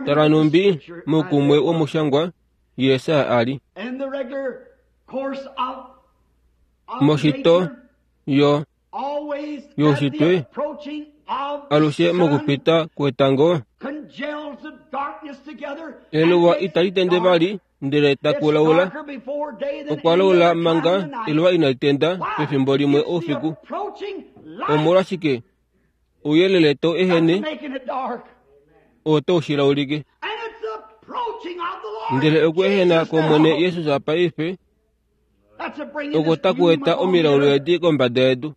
S1: Tala nhumbi moukumwe womushangwa Jesaja a li moshito yo youshitwe alushe mokupita kwetango eluwa itali tende vali ndele takulaula. Okwa laula manga eluwa inali tenda pefimbo limwe oufiku. Omolwashike? Ouyelele tau ehene oo tau shilaulike. Ndele okuehena kOmwene Jesus paife oko taku eta omilaulu edi kombada yedu.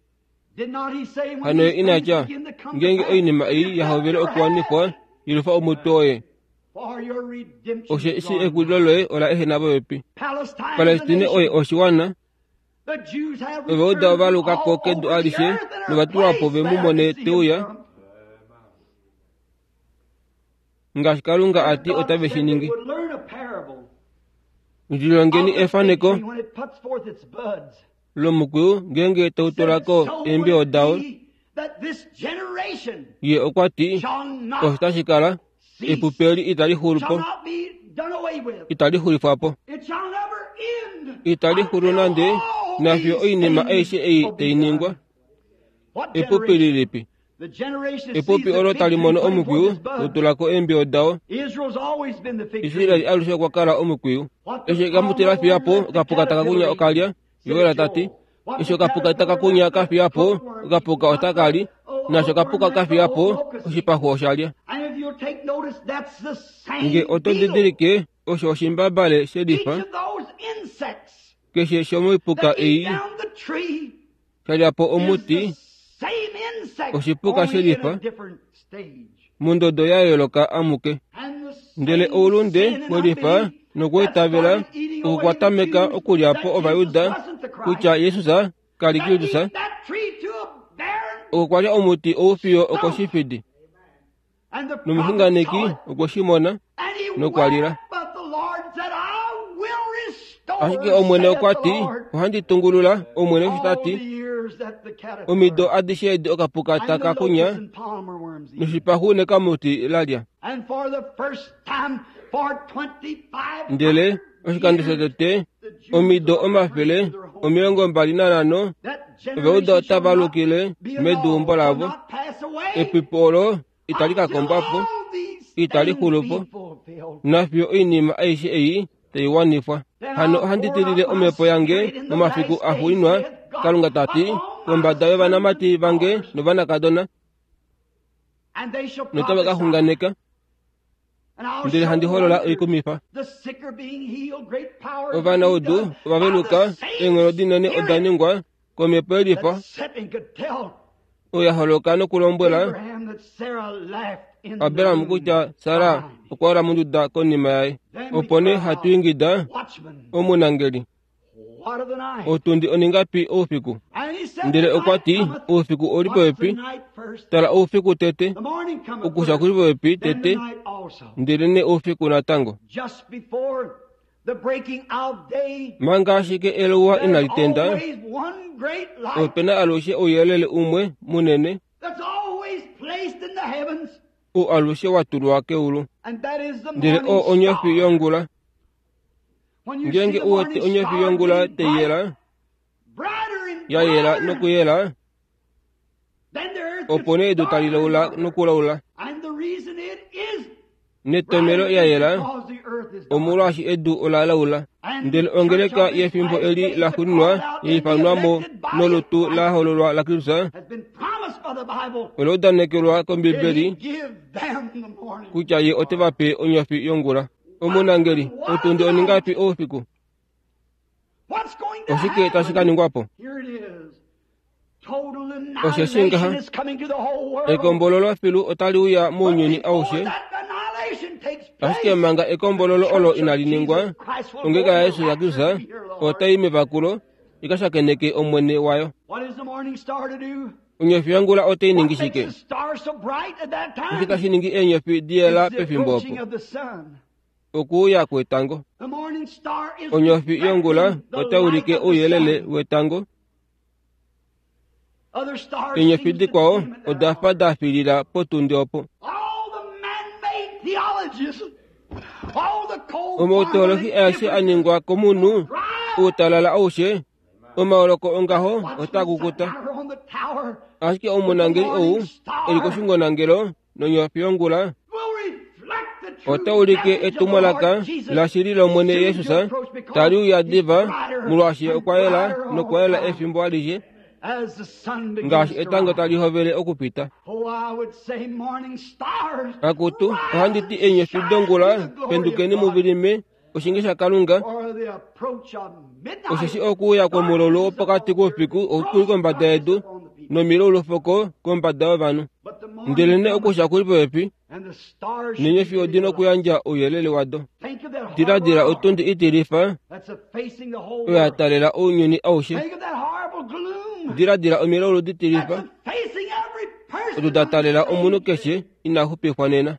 S1: Hano ye ina tya, ngeenge oinima ei ya hovele okuwanifwa, yelufa omutwe woye, osheshi ekulilo loye ola ehena popepi. Palestine oye oshiwana. Ovauda ova luka ko kedu alishe nova tulwa po ve mu mone te uya, ngaashi Kalunga a ti otave shi ningi. Lilongeni efaneko lomukwiyu ngeenge tau tula ko eembiyo dao. Ye okwa ti osho tashi kala, epupi eli itali xulu po, Itali xulifwa po. Itali xulu nande nafiyo oinima aishe ei tai ningwa. Epupi lilipi? Epupi olo tali mono omukwiyu utulako eembiyo dao. Israeli alushe okwa kala omukwiyu. Eshi kamuti la fiya po, okapuka taka kunya okalya. Joel ta ti, eshi okapuka taka kunya ka fiya po, okapuka otaka li. Naasho okapuka ka fiya po, oshipaxu osha lya. Nge oto didilike, osho oshimbabale shelifa keshe shomoipuka ei sha lya po omuti, oshipuka shelifa mondodo ya yooloka amuke. Ndele oulunde welifa nokweetavela okukwatameka okulya po Ovajuda kutya Jesus kali Kristus, okukwalya omuti oufiyo okoshifidi. Nomuxunganeki okwe shi mona nokwalila. Ashike Omwene okwa ti, ohandi tungulula, Omwene osho ta ti, omido adishe edi okapuka taka kunya noshipaxu nekamuti la lya. Ndele oshikando shotete omido omafele omilongo mbali nanhano Ovajuda otava lukile meduumbo lavo. Epipi olo itali ka kombwa po, itali xulu po, nafiyo oinima aishe ei tai wanifwa. Hano ohandi tilile omhepo yange momafiku axuuninwa, Kalunga ta ti, kombada yovanamati vange novanakadona, notava ka xunganeka, ndele handi holola oikumifa. Ovanaudu ovaveluka, eenghono dinene oda ningwa komhepo yelifa oyo ya holoka nokulombwela Abraham kutya Sara okwa ola monduda konima yaye. Opo nee hatu ingida omunangeli, otundi oningapi oufiku? Ndele okwa ti, oufiku oli popepi. Tala oufiku tete, okusha kuli popepi tete, ndele nee oufiku natango. Manga ashike eluwa inali tenda, opena alushe ouyelele umwe munene oo alushe wa tulwa keulu, ndele oo onyofi yongula. Ngeenge u wete onyofi yongula tai yela, ya yela nokuyela, opo nee edu tali laula nokulaula. Netomelo ya yela, omolwaashi edu ola laula. Ndele ongeleka yefimbo eli la xuuninwa ya ifanwa mo nolutu la hololwa la Kristus ola udanekelwa kOmbibeli kutya ye ote va pe onyofi yongula. Omunangeli, otundi oningapi oufiku? Oshike tashi ka ningwa po? Osheshi ngaha, ekombololo filu otali uya mounyuni aushe. Ashike manga ekombololo olo inali ningwa, ongeleka yaYesu yaKristus otai mevakulo ika shakeneke Omwene wayo. Onyofi yongula otai ningi shike? Oshike tashi ningi eenyofi diyela pefimbo opo? Okuuya kwetango. Onyofi yongula otai ulike ouyelele wetango. Eenyofi dikwao oda fa da filila potundi opo. Omautolohi aeshe a ningwa komunhu, outalala aushe, omaoloko ongaho otaa kukuta. Ashike omunangeli ou eli koshungonangelo nonyofi yongula ota ulike etumwalaka lashili lOmwene Jesus tali uya diva, molwaashi okwa yela nokwa yela efimbo alishe ngaashi etango tali hovele okupita. Akutu, ohandi ti eenyofi dongula, pendukeni muvilime oshinge shaKalunga, osheshi okuuya kwomulolo wopokati koufiku okuli kombada yedu nomilaulufoko kombada yovanhu. Ndele nee okusha kuli popepi, neenyofi odi nokuyandja ouyelele wado. Diladila otundi itilifa oyo ya taalela ounyuni aushe. Diladila omilaulu ditilifa odo da taalela omunhu keshe ina xupifwa nena.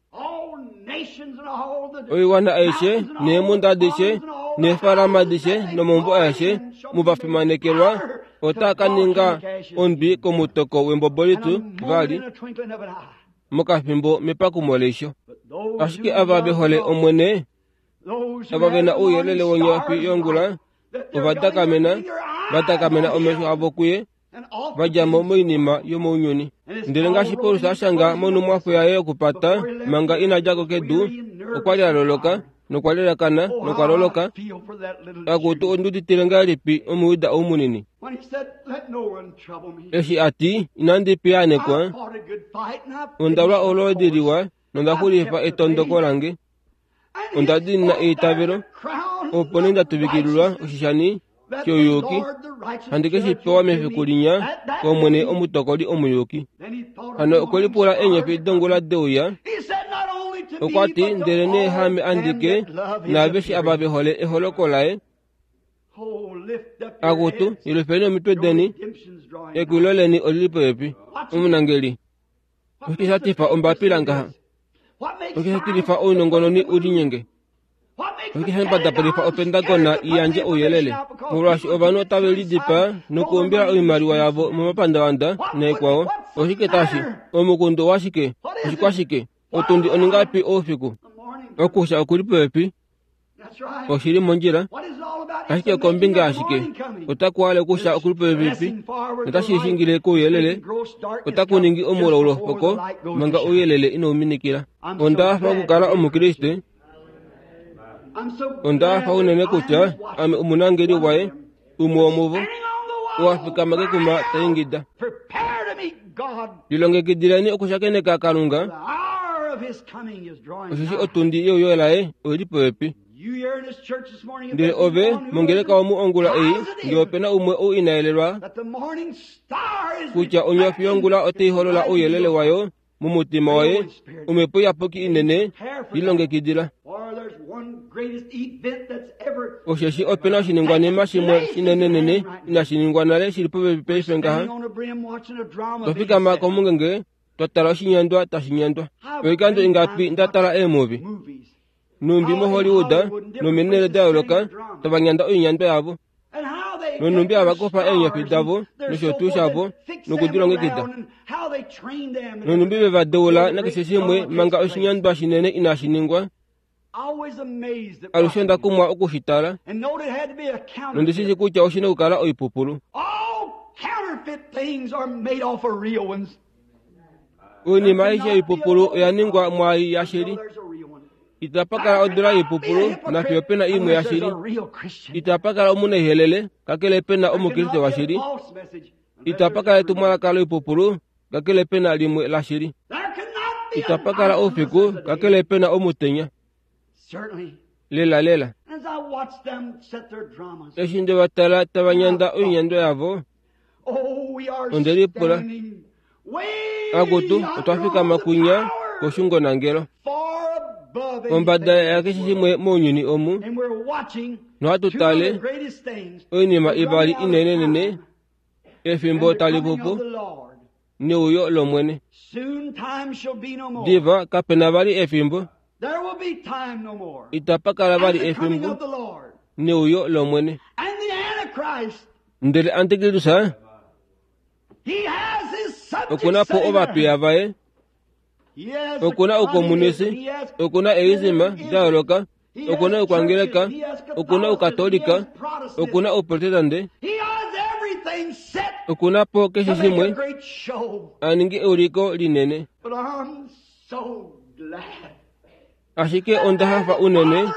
S1: Oiwana aishe neemhunda adishe neefalama adishe nomaumbo aeshe muvafimanekelwa otaa ka ninga ondwi komutoko wembobolitu vali mokafimbo mepakumo leisho. Ashike ava ve hole Omwene Ava ve na ouyelele wonyofi yongula ova dakamena va dakamena omesho avo kuye va dja mo moinima yomounyuni. Ndele ngaashi Paulus a shanga monhumwafo yaye yokupata manga ina dja ko kedu, okwa li a loloka nokwa lelakana nokwa loloka. Akutu onduditile ngahelipi Omuyuda ou munini eshi a ti, inandi piyaanekwa, onda lwa olwoodi liwa nonda xulifa etondoko lange, onda diinina eitavelo, opo nee nda tuvikililwa oshishani shouyuki, handi ke shi pewa mefiku linya kOmwene omutokoli omuyuki. Hano okwe lipula eenyofi dongula deuya, okwa ti, ndele nee haame andike naaveshe ava ve hole eholoko laye. Akutu, yelufeni omitwe deni, ekwilo leni olili popepi. Omunangeli, oshike sha tifa ombapila ngaha? Oshike sha tilifa ounongononi u linyenge? Oshike sha mbadapolifa opentagona i yandje ouyelele? Molwaashi ovanhu otave lidipaa nokuumbila oimaliwa yavo momapandavanda naikwao. Oshike tashi? Omukundu owashike? Oshikwashike? Otundi oningapi oufiku? Okusha okuli popepi. Oshili mondjila. Ashike kombinga ashike otaku hale okusha okuli popepi notashi shingile kouyelele, otaku ningi omulaulu poko manga ouyelele inauminikila. Onda hafa okukala Omukriste. Onda hafa unene kutya ame omunangeli waye, umwe womuvo, oo a fikama kekuma ta ingida. Lilongekidileni okushakeneka Kalunga, osheshi otundi yeuyo laye oili popepi. Ndele ove mongeleka omu ongula ei, ngee opena umwe ou ina yelelwa kutya onyofi yongula otai holola ouyelele wayo momutima waye, omhepo iyapuki inene lilongekidila. Osheshi opena oshiningwanima shimwe shinenenene inashi ningwa nale shili popepi paife ngaha. Twa fikama komungenge twa tala oshinyandwa tashi nyandwa. Oikando ingapi nda tala eemuvi numbi moHollywood nomenele da yooloka tava nyanda oinyandwa yavo, nonumbi hava kufa eenyofi davo nosho tuu shavo nokudilongekida, nonumbi ve va deula nakeshe shimwe manga oshinyandwa shinene inashi ningwa. Alushe onda kumwa okushi tala, nondishi kutya oshina okukala oipupulu. Oinima aishe yoipupulu oya ningwa mwaai yashili. Itapa kala odula yoipupulu nafiyo pena imwe yashili. Itapa kala omunaihelele kakele pena Omukriste washili. Itapa kala etumwalaka loipupulu kakele pena limwe lashili. Itapa kala oufiku kakele pena omutenya. Lela lela. Eshi nde va tala tava nyanda oinyandwa yavo, onde lipula, akutu otwa fikama kunya koshungonangelo ombada yakeshe shimwe mounyuni omu, nohatu tale oinima ivali inenenene efimbo tali pupu neuyo lOmwene. Diva kapena vali efimbo, itapa kala vali efimbo neuyo lOmwene. Ndele Antikristus okuna po ovapiya vaye, okuna oukomunisi, okuna eizima da yooloka, okuna oukwangeleka, okuna oukatolika, okuna ouprotestante, okuna po keshe shimwe a ninge euliko linene. Ashike onda hafa unene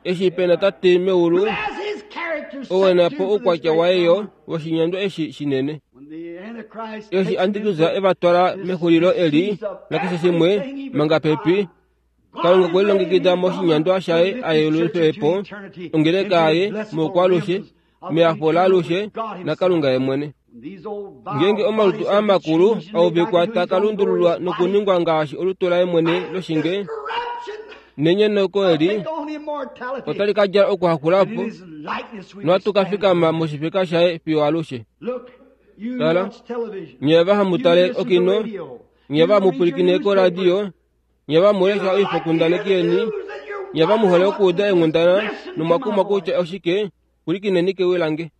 S1: eshi pena Tate meulu ou e na po oukwatya waye yo woshinyandwa eshi shinene. Eshi Antikristus e va twala mexulilo eli nakeshe shimwe manga pepi, Kalunga okwe lilongekida moshinyandwa shaye a yelulife po ongeleka yaye moukwalushe, mehafo laalushe naKalunga ye mwene. Ngeenge omalutu amakulu auvikwa taa lundululwa nokuningwa ngaashi olutu laye mwene loshinge, nenyenoko eli otali ka djala okuhakulapo, nohatu ka fikama moshifeka shaye fiyo alushe. Tala, nye va hamu tale okino, nye va mupwilikine koradio, nye va mulesha oifokundaneki yeni, nye va muhole okuuda eenghundana nomwakumwa kutya oshike, pwilikineni kewi lange.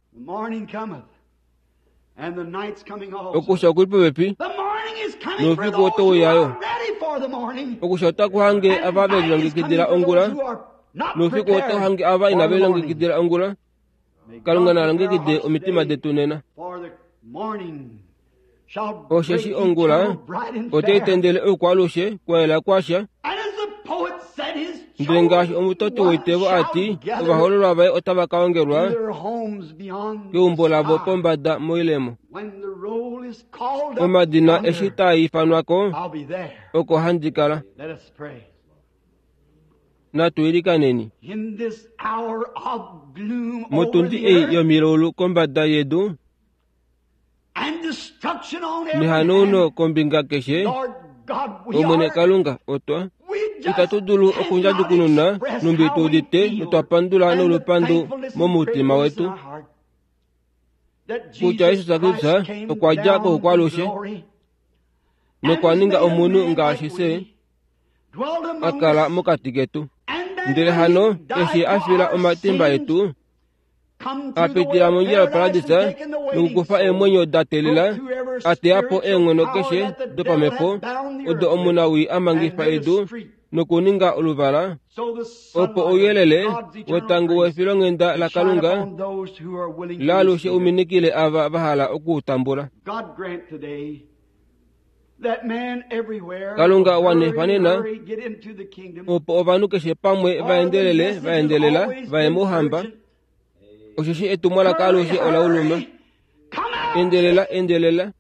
S1: Okusha okuli popepi, noufiku otau uya yo. Okusha otaku hange ava ve lilongekidila ongula, Noufiku otau hange ava inave lilongekidila ongula. Kalunga na longekide omitima detu nena. Osheshi ongula otai tendele oukwaalushe kwayela kwasha. Ndele ngaashi omutoti woitevo ati, ovahoololwa vaye otava ka ongelwa keumbo lavo pombada moilemo. Omadina eshi taa ifanwa ko, oko handi kala. Natu ilikaneni. Motundi ei yomilaulu kombada yedu, nehanauno kombinga keshe, Omwene Kalunga otwa itatu dulu okundjadukununa numbi tu udite notwapandula nolupandu momutima wetu kutya Jesus Kristus okwa dja koukwalushe nokwa ninga omunhu ngaashi fye, a kala mokati ketu. Ndele hano eshi a fila omatimba etu, a pitila mondjila yoparadisa nokukufa eemwenyo da teelela, a teya po eenghono keshe dopamhepo odo omunawii a mangifa edu nokuninga oluvala, opo ouyelele wetango wefilonghenda laKalunga laalushe uminikile ava va hala okuutambula. Kalunga wanifa nena opo ovanhu keshe pamwe vaendelele vaendelela vaye mouhamba, osheshi etumwalaka alushe ola uluma. Endelela, endelela,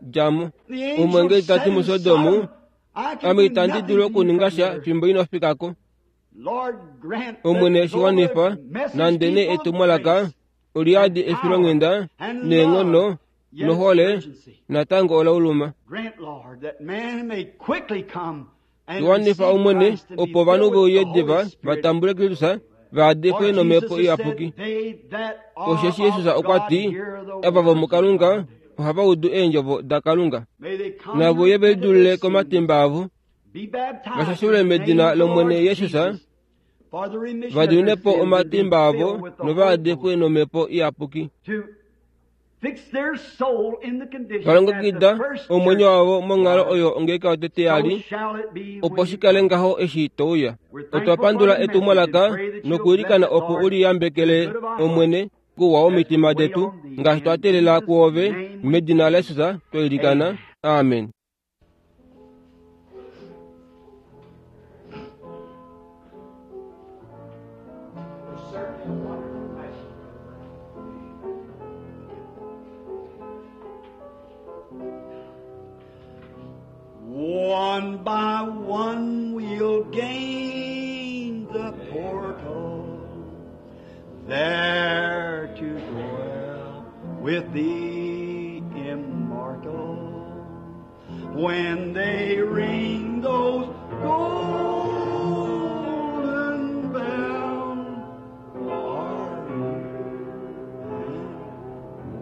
S1: dja mo. Omwengeli ta ti muSodom, ame itandi dulu okuninga sha fimbo ino fika ko. Omwene shiwanifa nande nee etumwalaka oliyadi efilonghenda neenghono nohole natango ola uluma. Shiwanifa Omwene opo ovanhu veuye diva vatambule Kristus vaadifwe nomhepo iyapuki. Osheshi Jesus okwa ti, ava vomuKalunga ohava udu eendjovo daKalunga. Navo ye velidulule komatimba avo, vashashulwe medina lOmwene Jesus, vadimine po omatimba avo novaadifwe nomhepo iyapuki. Valongekida omwenyo wavo monghalo oyo ongeleka yotete yali, opo shikale ngaho eshi touya. Otwa pandula etumwalaka nokuilikana opo uliyambekele Omwene kouwa womitima detu ngaashi twa teelela kuove medina laJesus twailikana. Amen.
S3: One by one we'll gain the portal, there to dwell with the immortal. When they ring those golden bells, are you and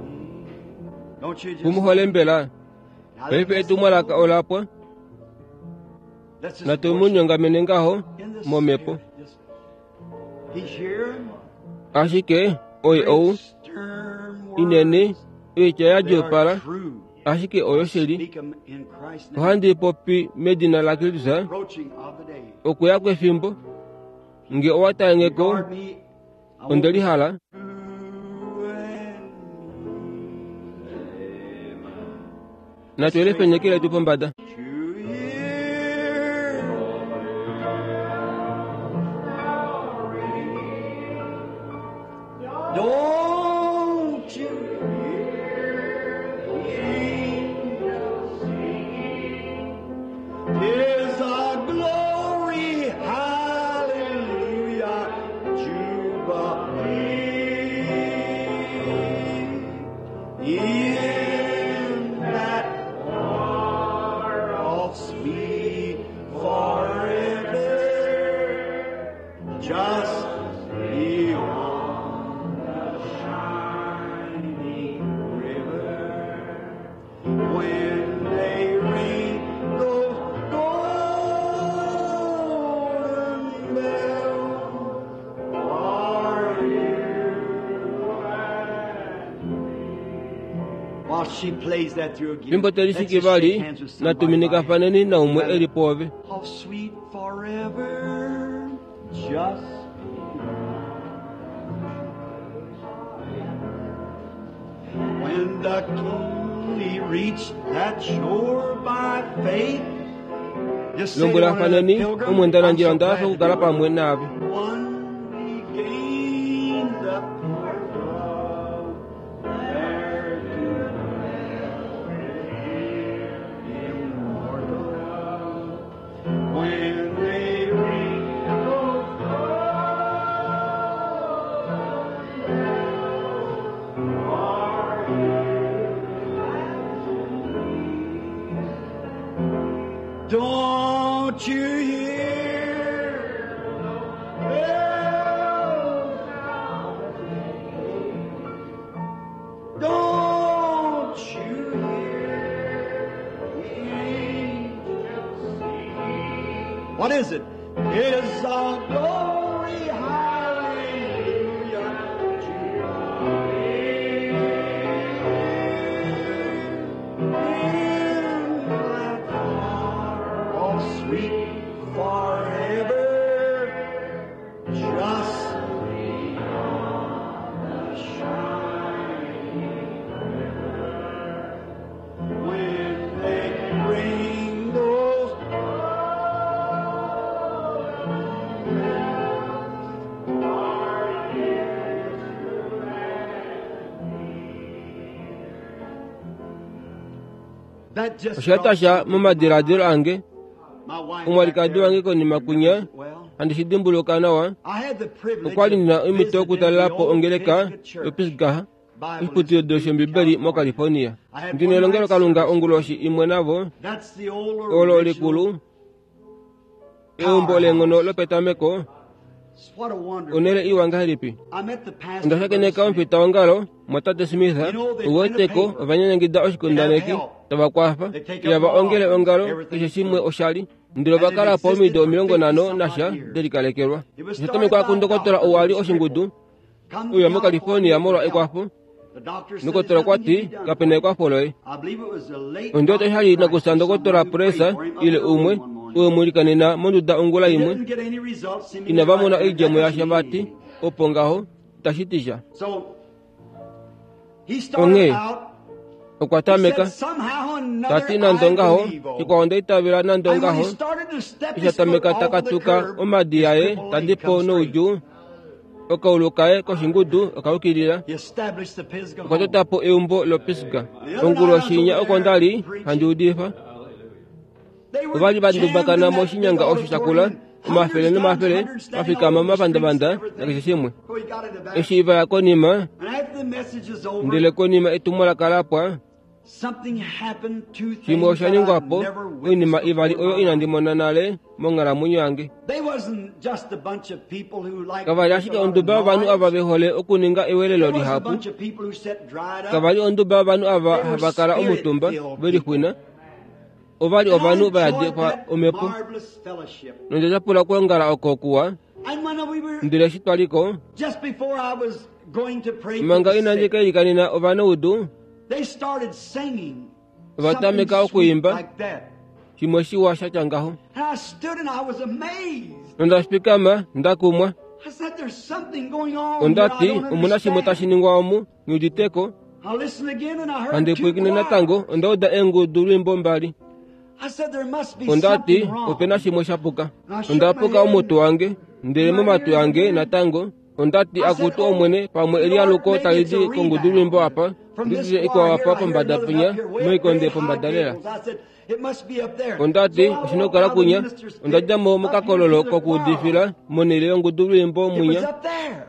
S3: me? Don't you just
S1: Kumuhole mbela paife etumwalaka olapwa natumunyongamene ngaho momhepo. Ashike oye ou inene oitya yadjuupala, ashike oyo shili. Ohandi popi medina laKristus okuya kwefimbo. Nge owa talengeko onde lihala. Natu elifenyekele tu pombada.
S3: Don't you hear the angels singing? 'Tis a glory, hallelujah, jubilee. In that far-off sweet forever, just beyond the shining river. When they ring those golden bells, are you and me? While she plays that through again,
S1: Fimbo
S3: let's just
S1: telishiki
S3: shake
S1: vali
S3: hands with somebody
S1: natuminika
S3: by
S1: faneni naumwe eli poove.
S3: How sweet forever. Just when the king he reached that shore by faith, just say to one another,
S1: lombwelafaneni
S3: "Pilgrim, I'm
S1: omwendanandjila
S3: so
S1: onda
S3: glad
S1: hafa
S3: to be
S1: okukala
S3: with
S1: pamwe naave.
S3: One regained the port of there to dwell immortal. When they ring those Don't you hear the bells sound? Don't you hear the angels sing? What is it? It's a glory, hallelujah to in that far off sweet forever, just beyond the shining river. When they ring those That just
S1: Oshatasha momadiladilo ange
S3: My wife
S1: omwalikadi
S3: back
S1: wange
S3: there
S1: konima kunya
S3: remembers it well.
S1: handi shidimbuluka nawa
S3: I had the privilege
S1: okwali
S3: of
S1: ndina omhito
S3: visiting the
S1: yokutalela po
S3: old
S1: ongeleka
S3: Pisgah Church
S1: yopisgaha
S3: Bible
S1: oshiputudilo
S3: Institute in
S1: shombibeli
S3: California.
S1: moCalifornia.
S3: I had
S1: Ndina
S3: one
S1: elongelo
S3: night
S1: kalunga
S3: service.
S1: onguloshi imwe navo
S3: That's the old
S1: olo
S3: original.
S1: likulu eumbo lenghono lopetameko
S3: What a wonderful.
S1: onele iwa ngahelipi.
S3: I met the pastor.
S1: Onda shakeneka
S3: Brother Smith.
S1: omufita wongalo mwatate Smith uweteko ovanyanyangida oshikundaneki tava kwafa ihava ongele ongalo keshe shimwe oshali ndele ovakala po omido omilongo nhano nasha delikalekelwa. Oshatamekwa kundokotola ou ali oshingudu
S3: Come to
S1: uya moCalifornia
S3: California
S1: molwa
S3: for help.
S1: ekwafo.
S3: The doctor said
S1: Ndokotola
S3: there's nothing
S1: okwa
S3: can
S1: ti
S3: be done
S1: kapena
S3: for you.
S1: ekwafo loye.
S3: I believe it was the late
S1: Ondiwete
S3: Doctor
S1: oshali
S3: Price or
S1: nakusa
S3: someone
S1: ndokotola
S3: who prayed
S1: Presa
S3: for him up
S1: ile
S3: in the room
S1: umwe
S3: one morning.
S1: uwe mulikanena monduda ongula
S3: He
S1: imwe
S3: didn't get any results seemingly
S1: inava
S3: right
S1: mona
S3: then.
S1: oidjemo
S3: That
S1: yasha
S3: doesn't mean
S1: vati
S3: anything.
S1: opo ngaho tashi ti sha.
S3: So he started
S1: Onghee
S3: out.
S1: Okwa
S3: He
S1: tameka
S3: said, somehow or another,
S1: tati nande
S3: I
S1: ongaho
S3: believe, oh.
S1: shikwao onda itavela nande
S3: And when he
S1: ongaho
S3: started to step
S1: isha
S3: his foot
S1: tameka
S3: off the
S1: takatuka
S3: curb,
S1: omadi
S3: his
S1: aye
S3: crippled leg
S1: tadipo
S3: come straight.
S1: noudjuu okaulu kaye koshingudu okayukilila.
S3: He established the Pisgah
S1: Okwa
S3: home.
S1: tota po eumbo loPisga.
S3: The other night I
S1: Onguloshi
S3: was
S1: inya
S3: over
S1: oko
S3: there
S1: ndali
S3: preaching.
S1: handi udifa.
S3: They were
S1: Ovali
S3: jammed in
S1: vandumbakana
S3: that big
S1: moshinyanga osho shakula
S3: auditorium,
S1: omafele
S3: hundreds times
S1: nomafele
S3: hundreds standing all
S1: vafikama
S3: over the streets and
S1: mapandavanda
S3: everything.
S1: nakeshe shimwe.
S3: Before he got in the back.
S1: Eshi vaya konima
S3: And after the message is over,
S1: ndele konima etumwalaka lapwa
S3: something happened, two
S1: shimwe
S3: things
S1: osha
S3: that I
S1: ningwapo
S3: never
S1: oinima
S3: witnessed
S1: ivali
S3: before
S1: oyo
S3: in my
S1: inandi
S3: life.
S1: mona nale monghalamwenyo yange.
S3: They wasn't just a bunch of people who liked to
S1: Kavali
S3: make a
S1: ashike
S3: lot of
S1: onduba yovanhu ava
S3: noise.
S1: ve hole okuninga
S3: There
S1: ewelelo
S3: wasn't a
S1: lihapu.
S3: bunch of people who sat dried up.
S1: Kavali onduba yovanhu ava
S3: They were
S1: hava kala omutumba
S3: spirit-filled
S1: ve
S3: people.
S1: lixwina. Ovali
S3: And I
S1: ovanhu va
S3: enjoyed
S1: yadekwa
S3: that
S1: omhepo
S3: marvelous fellowship.
S1: nonde tyapula okwoongala oko kuwa.
S3: And when we were
S1: Ndele eshi twaliko
S3: just before I was going to pray for
S1: manga
S3: the
S1: inandi
S3: sick,
S1: ka ilikanena ovanaudu
S3: they started singing
S1: ova
S3: something
S1: tameka
S3: sweet
S1: okuimba
S3: like that.
S1: shimwe shiwa sha tya ngaho.
S3: And I stood and I was amazed.
S1: Nonda fikama ndakumwa
S3: I said, there's something going on here I
S1: ondati
S3: don't
S1: omuna shimwe tashi
S3: understand.
S1: ningwa omu nghiuditeko.
S3: I listened again and I heard
S1: Handi
S3: two
S1: pwiikine natango
S3: choirs.
S1: onda uda eengudu lwimbo mbali.
S3: I said, there must be
S1: Ondati
S3: something
S1: opena
S3: wrong.
S1: shimwe shapuka.
S3: And I shook
S1: Onda
S3: my
S1: puka
S3: head
S1: omutu
S3: and
S1: wange ndele
S3: in my
S1: momatu
S3: ears
S1: ange
S3: again.
S1: natango ondati
S3: I said,
S1: akutu
S3: oh,
S1: omwene pamwe
S3: Lord,
S1: elialuko
S3: maybe
S1: tali
S3: it's a
S1: di kongudu
S3: rebound.
S1: lwimbo apa
S3: From this
S1: nditile
S3: choir
S1: ikwao
S3: here,
S1: apa
S3: I hear
S1: pombada
S3: another one
S1: punya
S3: up here, way up
S1: moikonde
S3: very high
S1: pombada lela.
S3: gables. I said, it must be up there.
S1: Ondati
S3: So I
S1: oshina
S3: walked
S1: okukala
S3: out of the
S1: kunya
S3: minister's
S1: onda
S3: pit
S1: dja mo
S3: up here to
S1: mokakololo
S3: the choir.
S1: kokuudifila monhele yongudu lwimbo
S3: It was
S1: mwinya
S3: up there.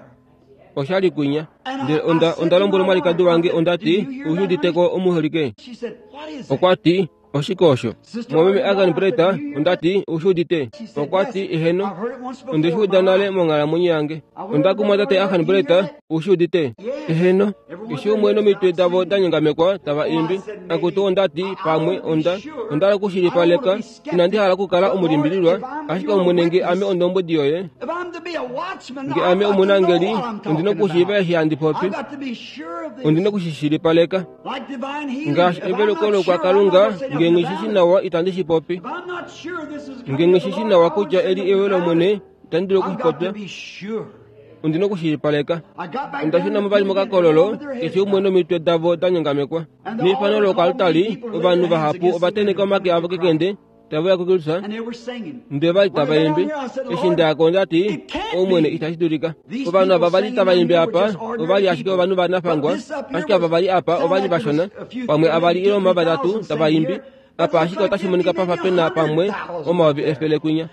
S1: oshali kunya.
S3: And I,
S1: Ndele
S3: I
S1: onda
S3: said
S1: onda
S3: to my
S1: lombwela omwalikadi
S3: wife, I
S1: wange
S3: said, do
S1: ondati
S3: you hear that, honey?
S1: ushiuditeko omuholike.
S3: She said, what is that?
S1: Okwa ti oshike osho
S3: Sister
S1: mwameme
S3: Arden
S1: Agan
S3: Brown, I said,
S1: Preta
S3: do you hear that?
S1: ondati ushiudite.
S3: She said,
S1: Okwa
S3: yes,
S1: ti eheno
S3: I've heard it once
S1: onde
S3: before in
S1: shi
S3: my
S1: uda nale
S3: life.
S1: monghalamwenyo yange.
S3: I went
S1: Onda
S3: over,
S1: kumwa
S3: Brother
S1: tate
S3: Arden,
S1: Agan
S3: do you hear
S1: Preta
S3: that?
S1: ushiudite.
S3: Yes.
S1: Eheno
S3: Every one
S1: eshi
S3: of their
S1: umwe
S3: heads
S1: nomitwe
S3: out
S1: davo
S3: singing.
S1: da nyongamekwa tava
S3: Oh, I
S1: imbi.
S3: said,
S1: Akutu
S3: maybe
S1: ondati
S3: I, I
S1: pamwe
S3: want to be
S1: onda
S3: sure.
S1: onda hala
S3: I don't want to
S1: okushilipaleka
S3: be
S1: inandi
S3: skeptic.
S1: hala okukala
S3: But Lord,
S1: omulimbililwa
S3: if I'm
S1: ashike
S3: your
S1: omwene nge ame
S3: witness,
S1: ondombwedi yoye
S3: if I'm to be a watchman,
S1: nge
S3: I've
S1: ame
S3: got to know
S1: omunangeli
S3: what I'm
S1: ondina
S3: talking
S1: okushiiva
S3: about.
S1: eshi handi popi
S3: I've got to be sure of
S1: ondina
S3: this.
S1: okushishilipaleka
S3: Like divine healing.
S1: ngaashi
S3: If I'm
S1: eveluko
S3: not sure, I'm not
S1: lokwakalunga
S3: going to say
S1: nge
S3: nothing
S1: nghishishi
S3: about it.
S1: nawa itandi shi popi
S3: If I'm not sure this is
S1: nge
S3: coming of the
S1: nghishishi
S3: Lord,
S1: nawa
S3: I won't
S1: kutya
S3: say
S1: eli
S3: nothing
S1: ewe
S3: about it.
S1: lomwene Itandi dulu okushipopya. Ondina okushilipaleka. Onda shuna mo vali mokakololo keshe umwe nomitwe davo da nyongamekwa. Neifano lokoaltari, ovanhu vahapu ova tenheka omake avo kekende tave uya kuKristus, ndele vali tava imbi. Eshi ndaya ko ondati, Omwene, itashi dulika. Ovanhu ava vali tava imbi apa ovali ashike ovanhu vanafangwa, ashike ava vali apa ovali vashona, pamwe avali ile omavatatu tava imbi. Apa ashike otashi monika pafa pena pamwe omayovi efele kwinya.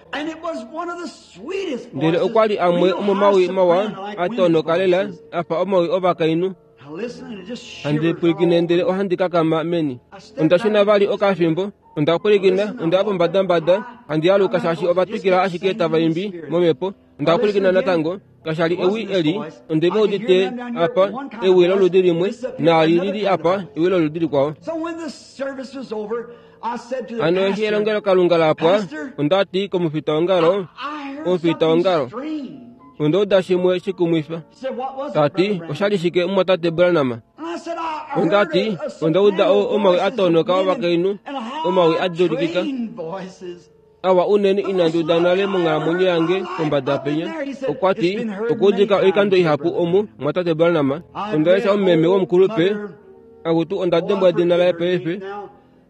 S1: Ndele okwa li amwe omomawi mawa a tonoka lela afa omawi ovakainhu. Handi pwilikine ndele ohandi kakama meni. Onda shuna vali okafimbo, onda pwilikina, onda ya pombadambada, handi aluka shaashi ova twikila ashike tava imbi momhepo. Onda pwilikina natango, kasha li ewi eli, onde va udite apa ewi loludi limwe, naali lili apa ewi loludi likwao. Hano eshi elongelokalunga la pwa, onda ti komufitaongalo, omufitaongalo, onda uda shimwe shikumwifa. Ta ti, osha li shike mumwatate Branham? Onda ti, onda uda omawi a tonoka ovakainhu, omawi a dulikika. Awa unene inandi uda nale monghalamwenyo yange kombada penya. Okwa ti, okuudika oikando ihapu omu mwatate Branham. Onda lesha omumeme womukulupe, akutu onda dembwa edina laye paife.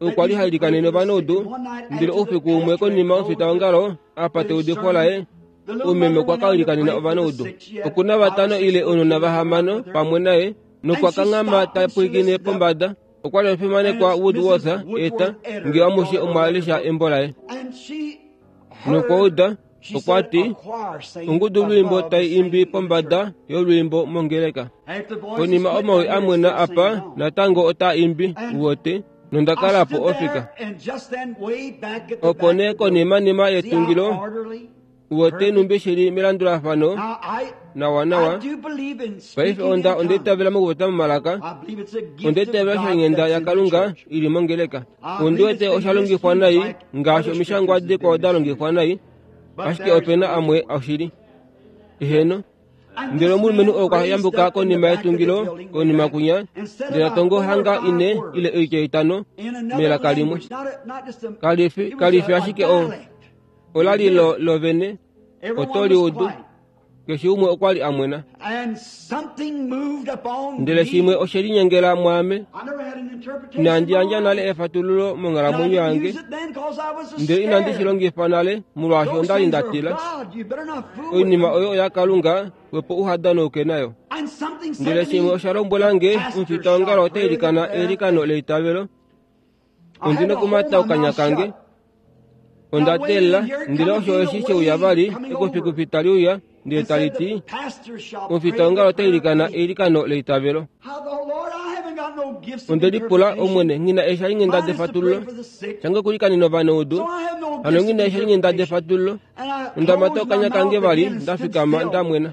S1: Okwa li hailikanene ovanaudu, ndele oufiku umwe konima yomufitaongalo apa teudifo laye, omumeme okwa ka ilikanena ovanaudu. Okuna vatano ile ounona vahamano pamwe naye, nokwa kanghama ta pwilikine pombada. Okwa li omufimanekwa Woodworth eta nge amushe omwa lesha embo laye. Nokwa uda, okwa ti, ongudu lwiimbo tai imbi pombada yolwiimbo mongeleka. Konima omawi amwena apa natango ota imbi uwote, nonda kala po ofika. Opo nee konimanima yetungilo, uwote numbi shili melandulafano nawa nawa. Paife onda onda itavela mokupopya momalaka, onda itavela oshalinghenda yaKalunga ili mongeleka. Ondi wete osha longifwa nai ngaashi omishangwa dikwao da longifwa nai, ashike opena amwe oshili. Eheno. Ndele omulumenhu okwa yambuka konima yetungilo konima kwinya, ndele ta tongo hanga ine ile oitya itano melaka limwe. Kalifi kalifi ashike o ola li lo lovene oto li udu. Keshe umwe okwa li amwena. Ndele shimwe oshe linyengela mwaame. Inandi yandja nale efatululo monghalamwenyo yange, ndele inandi shi longifa nale molwaashi onda li nda tila. Oinima oyo oyaKalunga, wepo uhadanouke nayo. Ndele shimwe osha lombwela nge, omufitaongalo ota ilikana eilikano leitavelo. Ondina okumata okanya kange. Onda teelela, ndele osho eshi sheuya vali, ekufikufi tali uya, ndele tali ti, omufitaongalo ota ilikana eilikano leitavelo. Onde lipula, Omwene, ngina eeshalinghenda defatululo. Shange okulikanena ovanaudu, hano ngina eeshalinghenda defatululo. Onda mata okanya kange vali, nda fikama nda mwena.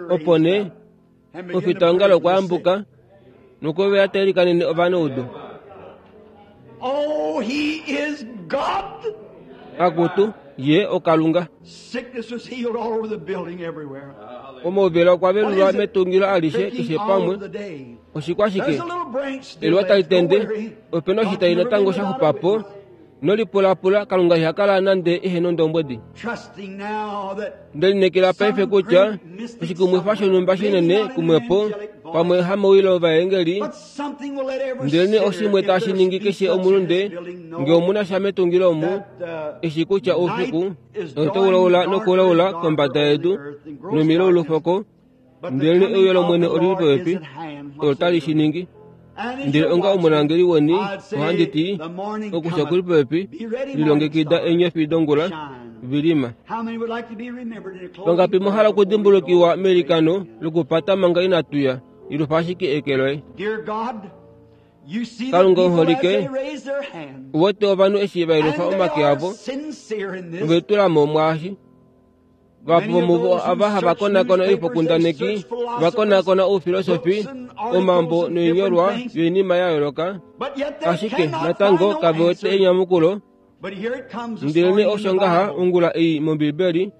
S1: Opo nee, omufitaongalo okwa yambuka, nokwe ta ilikanene ovanaudu.
S3: Oh, he is God.
S1: Akutu, ye oKalunga.
S3: Sickness was healed all over the building everywhere.
S1: Omauvela okwa velulwa metungilo alishe keshe pamwe. Oshikwa shike? Eluwa tali tende, opena oshitayi natango sha xupapo. Nolipulapula, Kalunga iha kala nande ehe nondombwedi.
S3: Trusting now that
S1: Ndelinekela paife kutya oshikumwifa shonhumba shinene kumwepo pamwe hamowilo ovaengeli,
S3: but something will let every
S1: ndele
S3: sinner,
S1: oshimwe
S3: if
S1: tashi
S3: there's
S1: ningi
S3: be
S1: keshe
S3: such in
S1: omulunde
S3: this building, know
S1: nge omuna sha metungilo omu,
S3: that, uh,
S1: eshi kutya oufiku
S3: night is
S1: otaulaula
S3: drawing
S1: nokulaula
S3: darker and
S1: kombada
S3: darker
S1: yedu
S3: over the earth and gross
S1: nomilo
S3: darkness.
S1: olufoko,
S3: But the
S1: ndele
S3: coming
S1: euyo
S3: of
S1: lOmwene
S3: the
S1: oli li
S3: Lord
S1: popepi,
S3: is at hand.
S1: olo tali shi ningi.
S3: And if
S1: Ndele
S3: you're
S1: onga
S3: watching,
S1: omunangeli weni,
S3: I'd say
S1: ohandi ti,
S3: the morning
S1: okusha kuli
S3: cometh.
S1: popepi,
S3: Be ready,
S1: lilongekida
S3: morning star.
S1: eenyofi dongula
S3: Shine.
S1: vilima.
S3: How many would like to be remembered in a closing
S1: Vangapi
S3: prayer
S1: mwahala
S3: before we
S1: okudimbulukiwa
S3: go?
S1: meilikano lokupata manga inatu ya, ilufa ashike eke loye.
S3: Dear God, you see the
S1: Kalunga
S3: people as
S1: oholike,
S3: they raise their hands.
S1: Uwete ovanhu eshi va ilufa
S3: And they
S1: omake
S3: are
S1: avo,
S3: sincere in this.
S1: ovetula mo mwaashi. Vahapu
S3: Many of
S1: vomuvo
S3: those who
S1: ava hava
S3: search
S1: konakona
S3: newspapers, they
S1: oifokundaneki,
S3: search
S1: va
S3: philosophers,
S1: konakona oufilosofi,
S3: books and articles
S1: omambo
S3: and
S1: noinyolwa
S3: different things,
S1: yoinima ya yooloka,
S3: but yet they
S1: ashike
S3: cannot
S1: natango
S3: find no
S1: kave wete
S3: answer.
S1: enyamukulo.
S3: But here it comes this
S1: Ndele
S3: morning in
S1: osho
S3: the
S1: ngaha
S3: Bible.
S1: ongula ei mOmbibeli,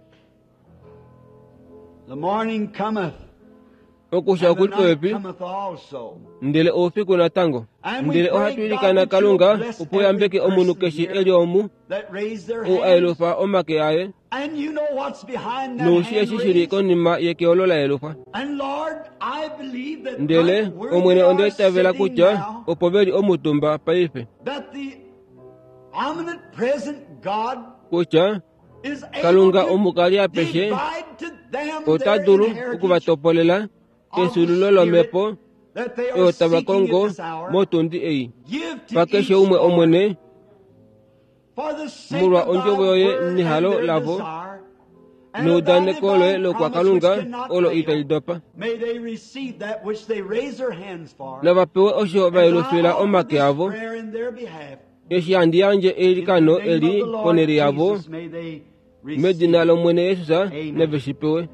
S3: The morning cometh.
S1: Okusha
S3: And the
S1: okuli
S3: night
S1: popepi
S3: cometh also.
S1: ndele oufiku natango.
S3: And we
S1: Ndele
S3: pray,
S1: ohatu
S3: God,
S1: ilikana
S3: that you'll
S1: Kalunga
S3: bless
S1: opo uyambeke
S3: every
S1: omunhu
S3: person
S1: keshe
S3: here
S1: e li omu
S3: that raised their
S1: ou a
S3: hands.
S1: yelufa omake aye
S3: And you know what's behind that
S1: noushi
S3: hand
S1: eshi shili
S3: raised.
S1: konima yekeolo la yelufwa.
S3: And Lord, I believe that
S1: Ndele
S3: right where
S1: Omwene
S3: they
S1: onda
S3: are
S1: itavela
S3: sitting
S1: kutya
S3: now,
S1: opo veli omutumba paife
S3: that the omnipresent God
S1: kutya
S3: is able
S1: Kalunga
S3: to
S1: omukali apeshe
S3: divide to them
S1: ota
S3: their
S1: dulu
S3: inheritance
S1: okuvatopolela kesulilo lomhepo
S3: that they are
S1: oyo tava
S3: seeking at
S1: kongo
S3: this hour.
S1: motundi ei.
S3: Give to
S1: Pa keshe
S3: each,
S1: umwe
S3: Lord,
S1: Omwene
S3: for the sake
S1: molwa
S3: of thy
S1: ondjovo yoye
S3: word and
S1: nehalo
S3: their
S1: lavo,
S3: desire, and of thy
S1: neudaneko loye
S3: divine
S1: lokwa
S3: promise which
S1: Kalunga
S3: cannot
S1: olo
S3: fail.
S1: itali dopa.
S3: May they receive that which they raise their hands for.
S1: Nava pewe osho va
S3: As I
S1: yelufila
S3: offer
S1: omake
S3: this
S1: avo
S3: prayer in their behalf,
S1: eshi handi yandje
S3: in the
S1: eilikano
S3: name of
S1: eli
S3: the Lord
S1: ponhele yavo
S3: Jesus, may they receive
S1: medina
S3: it.
S1: lOmwene Jesus
S3: Amen.
S1: nave shi pewe.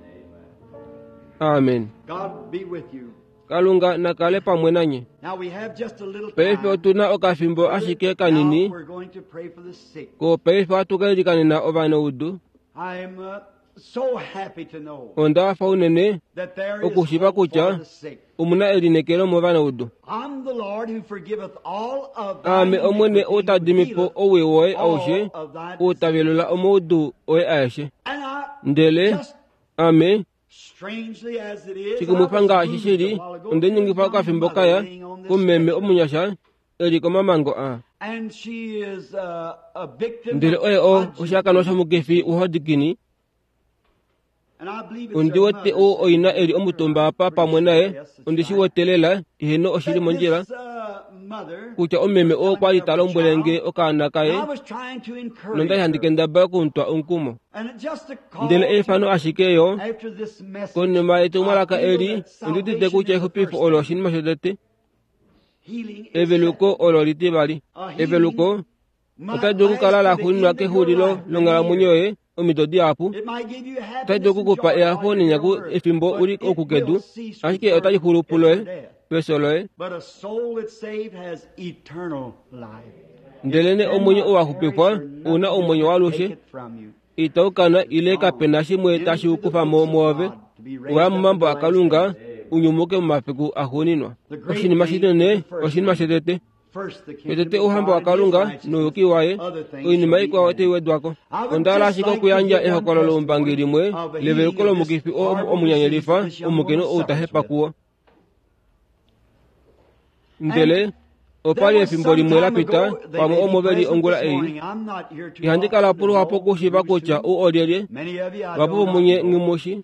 S1: Amen.
S3: God be with you.
S1: Kalunga nakale pamwe nanye.
S3: Now we have just a little
S1: Paife
S3: time.
S1: otuna okafimbo ashike kanini
S3: Now we're going to pray for the sick.
S1: ko paife ohatu ka ilikanena ovanaudu.
S3: I'm uh, so happy to know
S1: Onda hafa unene
S3: that there is
S1: okushiva
S3: hope for
S1: kutya
S3: the sick.
S1: omuna elineekelo movanaudu.
S3: I'm the Lord who forgiveth all of thine
S1: Aame Omwene
S3: iniquity,
S1: ou ta
S3: who
S1: dimi po
S3: healeth
S1: owii woye aushe
S3: all of thy
S1: ou ta
S3: diseases.
S1: velula omaudu oye aeshe.
S3: And I
S1: Ndele
S3: just
S1: ame
S3: strangely as it is, I
S1: shikumwifa
S3: was
S1: ngaashi
S3: moved a
S1: shili
S3: while ago
S1: onde
S3: to a
S1: ningifa
S3: young
S1: okafimbo
S3: mother
S1: kaya
S3: laying on this
S1: kumeme
S3: stretcher.
S1: omunyasha eli komamango a.
S3: And she is uh, a victim
S1: Ndele
S3: of
S1: oye o
S3: Hodgkin's
S1: oshihakanwa
S3: disease.
S1: shomukifi woHodgkin
S3: And I believe it's
S1: ondi
S3: her
S1: wete
S3: mother
S1: ou
S3: sitting
S1: oina
S3: there
S1: eli
S3: with her.
S1: omutumba
S3: I'm
S1: apa
S3: pretty
S1: pamwe
S3: sure.
S1: naye
S3: Yes, that's
S1: ondi shi
S3: right.
S1: wete lela iheno oshili
S3: That
S1: mondjila
S3: this uh, mother
S1: kutya omeme
S3: was
S1: oo
S3: telling
S1: kwali
S3: me
S1: ta
S3: of her
S1: lombwele nge
S3: child,
S1: okaana
S3: and
S1: kaye
S3: I was trying to encourage
S1: nondali handi
S3: her.
S1: kendabala okumutwa omukumo.
S3: And it just a
S1: Ndele
S3: call
S1: eifano
S3: to
S1: ashike yo
S3: after this message,
S1: konima
S3: I
S1: yetumwalaka
S3: feel
S1: eli
S3: that
S1: ondi udite
S3: salvation
S1: kutya
S3: is the
S1: exupifo
S3: first
S1: olo
S3: thing.
S1: oshinima shotete
S3: Healing is
S1: eveluko
S3: second.
S1: olo litivali.
S3: A healing
S1: Eveluko
S3: might
S1: otali dulu
S3: last
S1: okukala
S3: to
S1: la
S3: the
S1: xuuninwa
S3: end of your
S1: kexulilo
S3: life, many
S1: longhalamwenyo
S3: years.
S1: yoye omido dihapu.
S3: It might give you
S1: Otali
S3: happiness
S1: dulu
S3: and
S1: okukupa
S3: joy
S1: ehafo
S3: while you're here
S1: nenyaku
S3: on earth,
S1: efimbo
S3: but
S1: uli
S3: it
S1: oku kedu
S3: will cease
S1: ashike otali
S3: rebirth
S1: xulu
S3: at your
S1: puloye
S3: death.
S1: pefyo loye.
S3: But a soul that's saved has eternal life. It
S1: Ndelene omwenyo
S3: cannot
S1: ou wa
S3: perish
S1: xupifwa
S3: or
S1: ouna
S3: nothing
S1: omwenyo
S3: can take
S1: waalushe
S3: it from you.
S1: itau kana ile
S3: Gone
S1: kapena shimwe tashi
S3: into the
S1: kufa mo
S3: books of
S1: mwoove
S3: God to be raised
S1: oya
S3: up in
S1: momambo
S3: the last
S1: aKalunga
S3: days.
S1: unyumuke momafiku axuuninwa.
S3: The great
S1: Oshinima
S3: thing is
S1: shinene
S3: the first
S1: oshinima
S3: thing.
S1: shotete
S3: First, the
S1: shotete
S3: kingdom of
S1: ouhamba
S3: God and His
S1: waKalunga
S3: righteousness.
S1: nouyuki waye
S3: Other things
S1: oinima
S3: shall be
S1: ikwao otai
S3: added.
S1: wedwako.
S3: I would
S1: Onda hala
S3: just
S1: ashike
S3: like to
S1: okuyandja
S3: give one
S1: ehokololo loumbangi
S3: testimony
S1: limwe
S3: of a healing
S1: leveluko
S3: of this
S1: lomukifi oo
S3: horrible disease
S1: omunyanyalifa
S3: this young
S1: omukainhu
S3: woman
S1: ou ta
S3: suffers
S1: hepa
S3: with.
S1: kuwo. Ndele
S3: And
S1: opa
S3: there
S1: li
S3: was
S1: efimbo
S3: some
S1: limwe la
S3: time
S1: pita
S3: ago, they
S1: pamwe
S3: may be
S1: omo veli
S3: present
S1: ongula
S3: this
S1: ei
S3: morning. I'm not here too
S1: ihandi kala
S3: often to
S1: poluhapu
S3: know
S1: okushiiva
S3: who's
S1: kutya
S3: who.
S1: ou olyelye
S3: Many of you I
S1: vapu
S3: do not
S1: vomunye
S3: know.
S1: nghimushi.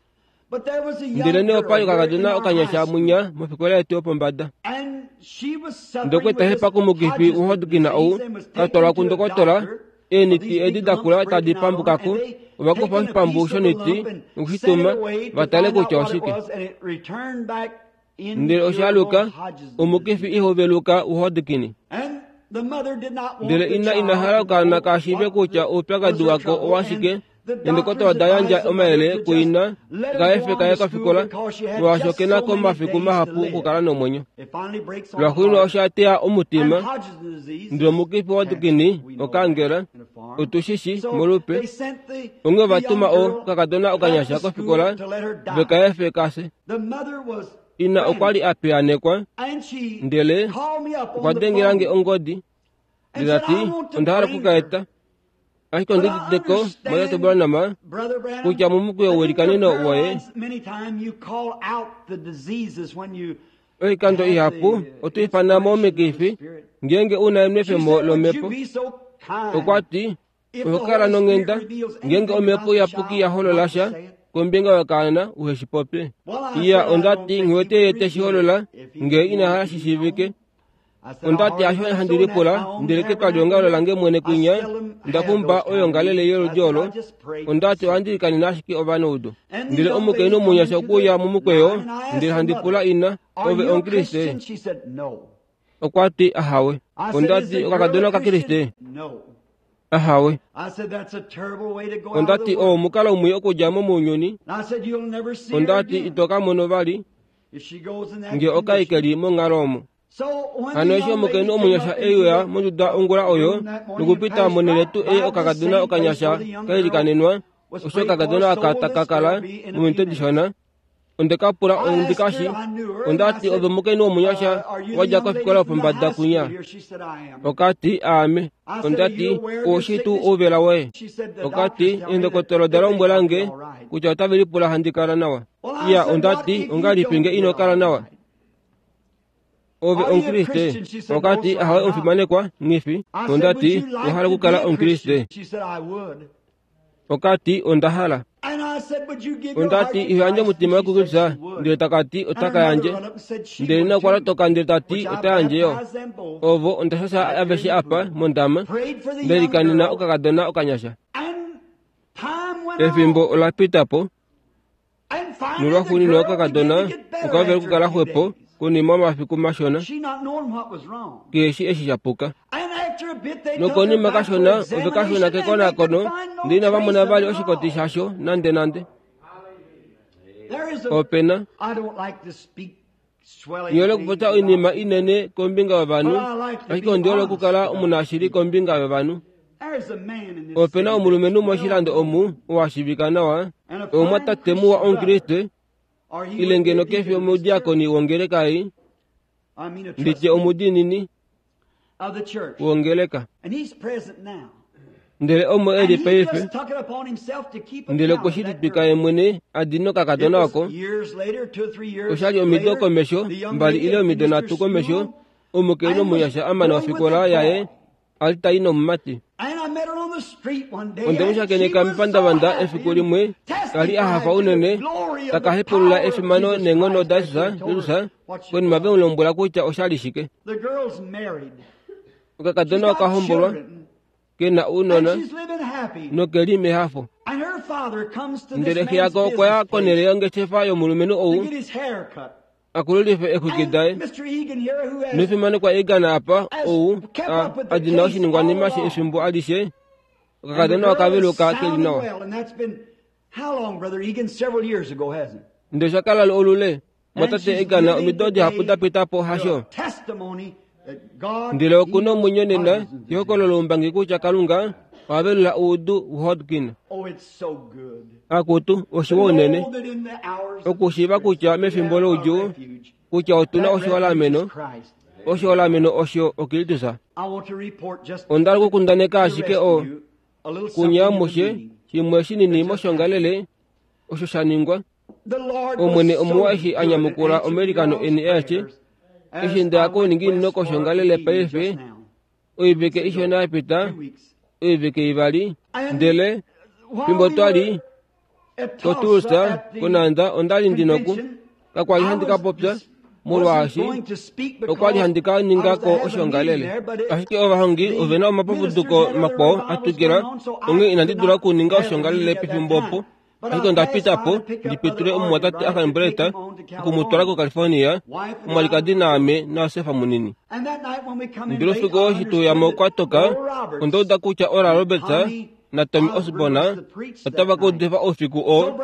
S3: But there was a young
S1: Ndele nee opa li
S3: girl here in
S1: okakadona
S3: our high
S1: okanyasha
S3: school,
S1: munya mofikola yetu yopombada.
S3: and she was suffering
S1: Ndokwe
S3: with
S1: ta
S3: this
S1: hepa kumukifi
S3: Hodgkin's
S1: woHodgkin ou
S3: disease and was
S1: ka twalwa
S3: taken to a
S1: kundokotola
S3: doctor of
S1: eeniti
S3: these
S1: edi
S3: big
S1: da
S3: lumps
S1: kula tadi
S3: breaking out on her,
S1: pambukako
S3: and they
S1: ova kufa
S3: taken a
S1: oshipambu
S3: piece of the
S1: shoniti
S3: lump and sent it
S1: nokushituma
S3: away to
S1: va tale
S3: find out
S1: kutya
S3: what it
S1: oshike.
S3: was, and it returned back
S1: Ndele
S3: incurable
S1: oshaluka
S3: Hodgkin's
S1: omukifi
S3: disease.
S1: ihoveluka woHodgkin.
S3: And the mother did not want
S1: Ndele
S3: the
S1: ina ina
S3: child
S1: hala
S3: to
S1: okaana
S3: know
S1: ka shiive
S3: what
S1: kutya
S3: the, was
S1: oupyakadi
S3: her
S1: wako
S3: trouble,
S1: owashike
S3: and the
S1: neendokotola
S3: doctors
S1: oda yandja
S3: advised the mother
S1: omayele
S3: to just
S1: kuina
S3: let her go
S1: kaefe
S3: on
S1: kaye
S3: to school
S1: kofikola
S3: because she had
S1: molwaashi
S3: just
S1: okena
S3: so many
S1: komafiku
S3: days to
S1: mahapu
S3: live.
S1: okukala nomwenyo.
S3: It finally breaks on the
S1: Lwaxuuninwa
S3: heart.
S1: osha teya
S3: And
S1: omutima
S3: Hodgkin's disease
S1: ndele
S3: is
S1: omukifi
S3: cancer.
S1: woHodgkin
S3: We know that
S1: okaangela
S3: in a farm.
S1: otushishi
S3: So
S1: molupe
S3: they sent the,
S1: onghee
S3: the
S1: ova
S3: young
S1: tuma
S3: girl
S1: okakadona
S3: back to
S1: okanyasha
S3: school
S1: kofikola
S3: to let her die.
S1: vekaefe kase.
S3: The mother was
S1: Ina okwa li
S3: frantic,
S1: a piyaanekwa
S3: and she
S1: ndele
S3: called me up
S1: okwa
S3: on the
S1: dengela nge
S3: phone
S1: ongodi
S3: and
S1: ndele
S3: said,
S1: ta
S3: I
S1: ti
S3: want to
S1: onda hala
S3: bring
S1: oku ka
S3: her.
S1: eta ashike
S3: But
S1: ondi
S3: I
S1: uditeko mwatatu
S3: understand,
S1: Branham
S3: Brother Branham,
S1: kutya momukweyo
S3: that in your
S1: welikaneno
S3: prayer
S1: woye
S3: lines, many times you call out the diseases when you
S1: oikando
S3: have
S1: ihapu
S3: the
S1: oto ifana mo
S3: inspiration of the
S1: omikifi
S3: Spirit.
S1: ngeenge una
S3: She
S1: enwefemo
S3: said, Would you
S1: lomhepo
S3: be so
S1: okwa
S3: kind
S1: ti
S3: if the
S1: oho kala
S3: Holy Spirit
S1: nonghenda
S3: reveals
S1: ngeenge
S3: anything
S1: omhepo
S3: about the
S1: iyapuki
S3: child,
S1: ya holola
S3: not to
S1: sha
S3: say it?
S1: kombinga yokaana uheshi popye.
S3: Well, I
S1: Iya
S3: said, I
S1: onda
S3: don't
S1: ti
S3: think he
S1: nghiwete
S3: would
S1: ye teshi
S3: reveal
S1: holola
S3: it if he
S1: ngee
S3: didn't
S1: ina
S3: want
S1: hala
S3: it to
S1: shi
S3: be
S1: shiivike.
S3: known. I said, I
S1: Onda ti
S3: hardly
S1: asho
S3: think
S1: handi
S3: so in that
S1: lipula
S3: my own
S1: ndele ketwali
S3: tabernacle
S1: ongalo
S3: here.
S1: lange mwene
S3: I
S1: kwinya
S3: seldom
S1: nda
S3: have
S1: pumba
S3: those kind of
S1: oyongalele
S3: meetings. I
S1: yoludi
S3: said,
S1: olo
S3: I just pray for
S1: onda
S3: the
S1: ti
S3: sick.
S1: ohandi likanena ashike ovanaudu.
S3: And these
S1: Ndele
S3: young
S1: omukainhu
S3: ladies come
S1: omunyasha
S3: into
S1: okuuya
S3: the
S1: momukweyo
S3: line, and I asked
S1: ndele
S3: the
S1: handi pula
S3: mother,
S1: ina
S3: Are
S1: ove
S3: you a
S1: omukriste?
S3: Christian? She said, No.
S1: Okwa ti ahawe.
S3: I said,
S1: Onda
S3: Is
S1: ti
S3: the girl
S1: okakadona
S3: a
S1: okakriste?
S3: Christian? No.
S1: Ahawe.
S3: I said, That's a terrible way to go out
S1: Onda
S3: of the
S1: ti oo
S3: world.
S1: omukalo mwi okudja mo mounyuni.
S3: And I said, You'll never see her
S1: Onda ti
S3: again
S1: ito ka mono vali
S3: if she goes in that
S1: nge okai
S3: condition.
S1: keli monghalo omo.
S3: So when
S1: Hano
S3: the
S1: eshi
S3: young
S1: omukainhu
S3: lady came
S1: omunyasha
S3: up
S1: e
S3: into
S1: uya
S3: the
S1: monduda ongula oyo
S3: room that morning and
S1: nokupita
S3: passed
S1: monhele
S3: right
S1: tuu ei
S3: by the
S1: okakadona
S3: same place
S1: okanyasha
S3: where the young
S1: ka
S3: girl
S1: ilikanenwa
S3: was
S1: osho
S3: prayed for,
S1: okakadona
S3: so
S1: aka
S3: will
S1: taka
S3: this
S1: kala
S3: girl be in a few
S1: mominute
S3: minutes.
S1: dishona. Onde ka pula ondikashi ondati ove omukainhu womunyasha wadja kofikola yopombada kunya. Okati aame. Ondati oushi tuu ouvela woye. Okati eendokotela oda lombwela nge kutya otave lipula handi kala nawa. Iya ondati ongahelipi nge ino kala nawa? Ove omukriste. Okati ahawe omufimanekwa nghifi. Ondati owahala okukala omukriste. Okati onda hala. Ondati ihoyandje omutima wokukrista ndele takati otaka yandje. Ndele okwa lotoka ndele tati ota yandje yo. Ovo onda shasha aveshe apa mondama ndelikanena okakadona okanyasha. Efimbo ola pita po. Nolwaxuuninwa okakadona okahovela okukala xwepo konima yomafiku mashona keheshi eshi sha puka. Nokonima kashona ove kashona kekonakono ndele inava mona vali oshikoti shasho nande nande. Opena Nghihole okupopya oinima inene kombinga yovanhu, ashike ondi hole okukala omunashili kombinga yovanhu. Opena omulumenhu moshilando omu oo a shiivika nawa, omumwatate muwa omukriste, ile ngeno kefi omudiakoni wongeleka ei, nditye omudiinini wongeleka. Ndele omo e li paife, ndele okwe shi litwika ye mwene a dina okakadona oko. Oshali omido komesho, mbali ile omido nhatu komesho, omukainhu omunyasha a mana ofikola yaye a li tai nomumati. Onde mu shakeneka mepandavanda efiku limwe, kali a hafa unene, taka hepulula efimano neenghono daJesus konima ve mu lombwela kutya oshali shike. Okakadona oka hombolwa, ke na ounona noke li mehafo. Ndele xe yako okwa ya konhele yongeshefa yomulumenhu ou akululife exwiki daye. Nofimanekwa Egan apa ou a a dina oshiningwanima efimbo alishe, okakadona okaveluka ke li nawa. Ndele osha kala olule mwatate Egan omido dihapu da pita po hasho. Ndele okuna omwenyo nena yehokololo loumbangi kutya Kalunga oha velula oudu waHodgkin. Akutu oshiwa unene okushiiva kutya mefimbo loudjuu kutya otuna oshiholameno, oshiholameno osho oKristus. Onda hala okukundaneka ashike o kunya amushe shimwe shinini moshongalele osho sha ningwa. Omwene omuwa eshi a nyamukula omailikano eni aeshe eshi nda kouninginino koshongalele paife oivike ishona ya pita, oivike ivali, ndele fimbo twali koTulsa konanda ondali ndinoku kakwali handi ka popya molwaashi okwali handi ka ninga ko oshongalele. Ashike ovahongi ovena omapapuduko makwao a twikila, onghee inandi dula okuninga oshongalele pefimbo opo. Ashike onda pita po ndi pitule omumwatate Akanbreta okumutwala koCalifornia, omwalikadi naame naJosefa munini. Ndele oufiku oo eshi tweuya kwa toka, onda uda kutya Oral Roberts naTommy Osborn otava ka udifa oufiku oo.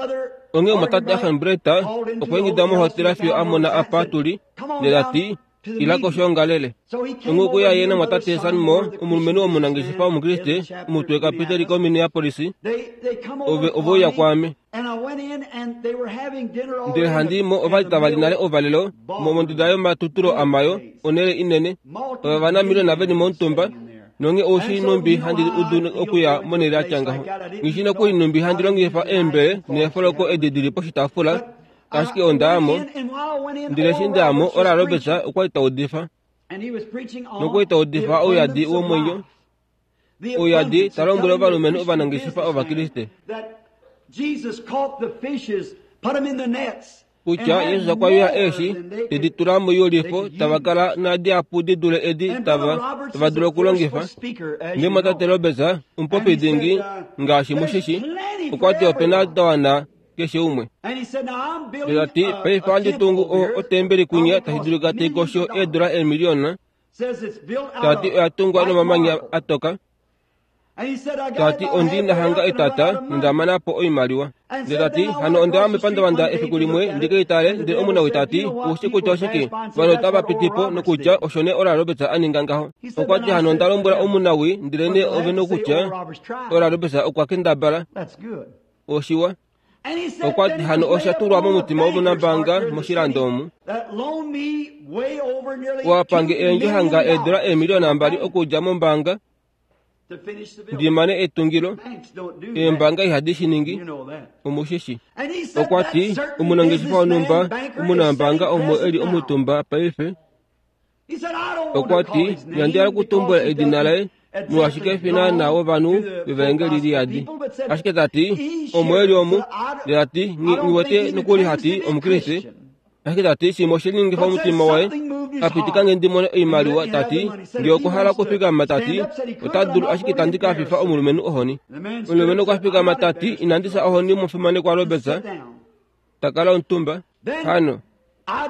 S1: Onghee omumwatate Akanbreta okwa ingida mohotela fiyo a mona apa tuli, ndele ta ti, ila koshongalele. Onghee okwe ya ye namwatate Sanmo, omulumenhu omunangeshefa omukriste, omutwe kapiteli koMinneapolis, ove oveuya kwaame. Ndele handi mo ovali tava li nale ouvalelo monduda yomatutulo amayo, onhele inene. Ova vanamiliona veli momutumba, nonghee oushi numbi handi udu okuya monhele yatya ngaho. Nghi nokuli numbi handi longifa eembele neefoloko edi dili poshitaafula, ashike onda ya mo. Ndele eshi nda ya mo, Oral Roberts okwa li ta udifa. Nokwa li ta udifa ouyadi womwenyo, ouyadi ta lombwele ovalumenhu ovanangeshefa Ovakriste kutya Jesus okwa yuya eeshi tedi tula moiyulifo tava kala nadihapu di dule edi tava tava dulu okulongifa. Ndele mwatate Roberts, omupopi dingi ngaashi mushishi, okwa ti opena da wana keshe umwe. Ndele ta ti paife ohandi tungu otembeli kunya tashi dulika tai kosho eedula eemiliona. Ta ti oya tungwa nomamanya a toka. Ta ti ondi nahanga etata nonda mana po oimaliwa. Ndele ta ti hano onda ya mepandavanda efiku limwe ndi ke itale, ndele omunawii ta ti oushi kutya oshike ovanhu otava piti po nokutya osho nee Oral Roberts a ninga ngaho. Okwa ti hano onda lombwela omunawii ndele nee ove nokutya Oral Roberts okwa kendabala. Oshiwa. Okwa ti hano osha tulwa momutima womunambaanga moshilando omu. Wapange eendjohanga eedula eemiliyona mbali okudja mombaanga ndimane etungilo. Eembaanga ihadi shi ningi, omushishi. Okwa ti omunangeshefa wonhumba omunambaanga omo eli omutumba paife. Okwa ti inandi hala okutumbula edina laye molwaashi kefi naana wovanhu vevaengeli liyadi. Ashike tati omo eli omu, ndele tati nghiwete nokuli hati omukriste. Ashike tati shimwe oshelinyengifa omutima waye apitika nge ndi mone oimaliwa. Tati ngee okwa hala okufikama, tati ota dulu, ashike tandi ka fifa omulumenhu ohoni. Omulumenhu okwa fikama tati inandi fya ohoni mufimanekwa Roberts, takala omutumba. Hano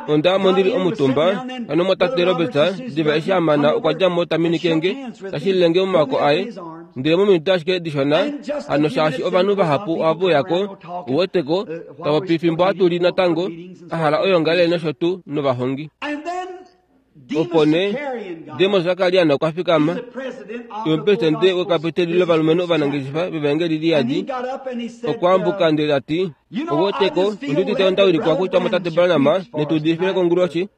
S1: onda mo ndili omutumba hano mwatate Roberts diva eshi amana okwa dja mo taminike nge tashilile momaoko aye. Ndele mominute ashike dishona hano shaashi ovanhu vahapu ohava uyako uweteko tava fimbo hatuli natango a hala oyongalele nosho tuu novahongi. Opo nee Demos Zakarian okwa fikama, omupresidente wekapiteli lovalumenhu ovanangeshefa vevaengeli liyadi. Okwa ambuka ndele tati uweteko ondiudite onda wilikwa kutya mwatate Branham netuudifile konguloshi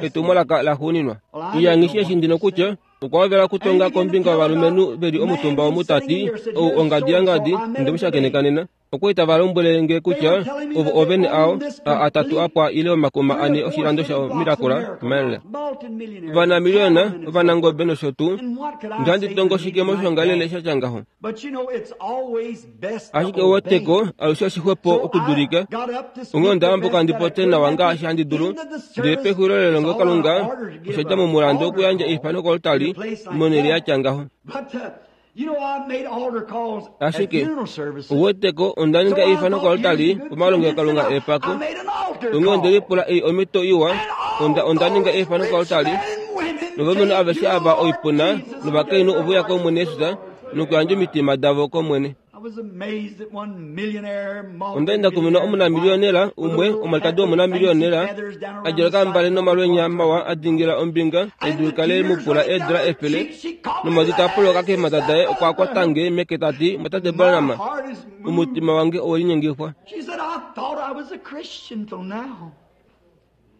S1: etumwalaka laxuuninwa. Iyangishi eshi ndino kutya okwa hovela okutonga kombinga yovalumenhu veli omutumba omu tati ou ongadi yangadi ndemushakeneka nena. Okwa tava lombwele nge kutya ovo ovene ao a atatu apwa ile omakuma ane oshilando sha Miracle Mile. Ovanamiliyona ovanangobe nosho tuu. Ndihandi tongo shike moshongalele sha ngaho. Ashike uweteko alushe oshixwepo okudulika. Onghee onda ambuka ndi pote nawa ngaashi handi dulu. Ndele pexulilo lelongelokalunga osha dja momulandu okuyandja eifano kolutali monhele yatya ngaho. Ashike uweteko onda ninga eifano kolutali pomalongelokalunga epako. Onghee onde lipula ei omhito iwa. Onda onda ninga eifano kolutali novalumenhu aveshe ava oipuna novakainhu ove uya kOmwene Jesus nokuyandja omitima davo kOmwene. Onda enda kumina omunamiliyonela umwe omwalikadi womunamiliyonela a djala okambale nomalwenya mawa a dingila ombinga edu likale mupula eedula efele nomadi taa poloka keemhata daye. Okwa kwata nge meke tati mwatate Branham, omutima wange owe linyengifwa.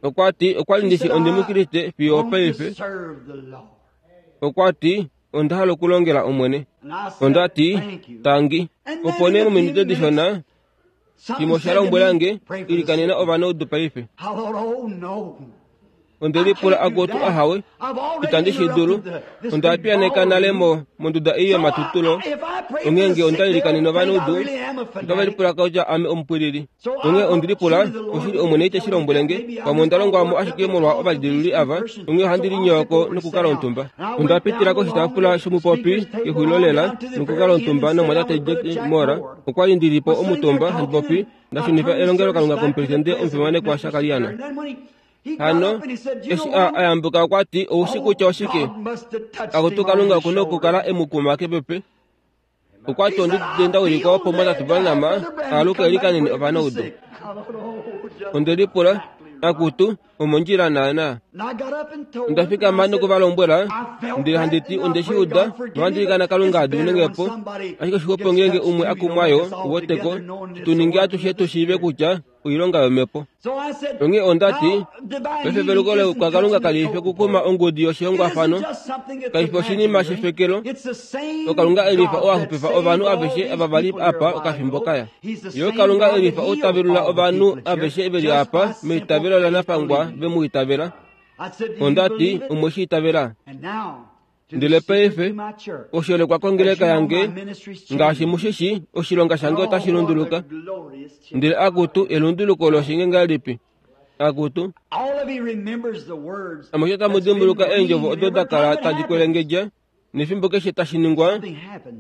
S1: Okwa ti okwa li ndishi ondi mukriste fiyo opaife. Okwa ti onda hala okulongela Omwene. Onda ti tangi. Opo nee mominute dishona shimwe osha lombwela nge ilikanena ovanaudu paife. Onde lipula akutu ahawe itandi shi dulu. Onda piyaneka nale mo monduda ei yomatutulo. Onghee nge onda ilikanena ovanaudu otava lipula kutya ame omupwilili. Onghee ondi lipula oshili Omwene ite shi lombwele nge pamwe onda longwa mo ashike molwa ovalidiluli ava. Onghee ohandi linyowako nokukala omutumba. Onda pitila koshitaafula shomupopi kexulilo lela nokukala omutumba nomwatate Jack Moore. Okwa li ndili po omutumba handi popi ndashunifa elongelokalunga komupresidente omufimanekwa Shakariana. Hano eshi a ayambuka okwa ti oushi kutya oshike akutu Kalunga okuna okukala emukuma kepepe. Okwa ti ondiudite nda wilikwa opo mwatate Branham aaluke elikanene ovanaudu. Onde lipula akutu omondjila naana. Onda fikama nokuvalombwela ndele handi ti onde shi uda nohandi ilikana Kalunga a diminenge po. Ashike oshixwepo ngeenge umwe akumwayo uweteko tuninge atushe tushiive kutya oilonga yomhepo. Onghee onda ti paife veluko kwaKalunga kali fi okukuma ongudi yoshihongwafano, kai fi oshinima shefekelo. Okalunga elifa oo a xupifa ovanhu aveshe ava vali apa okafimbo kaya. Yo Kalunga elifa ou ta velula ovanhu aveshe veli apa meitavelo lanafangwa ve mu itavela. Onda ti omwe shi itavela. Ndele paife oshoolekwa kongeleka yange ngaashi mushishi oshilonga shange otashi lunduluka. Ndele akutu elunduluko loshinge ngahelipi? Akutu amushe tamu dimbuluka eendjovo odo da kala tadi kwelengedja nefimbo keshe tashi ningwa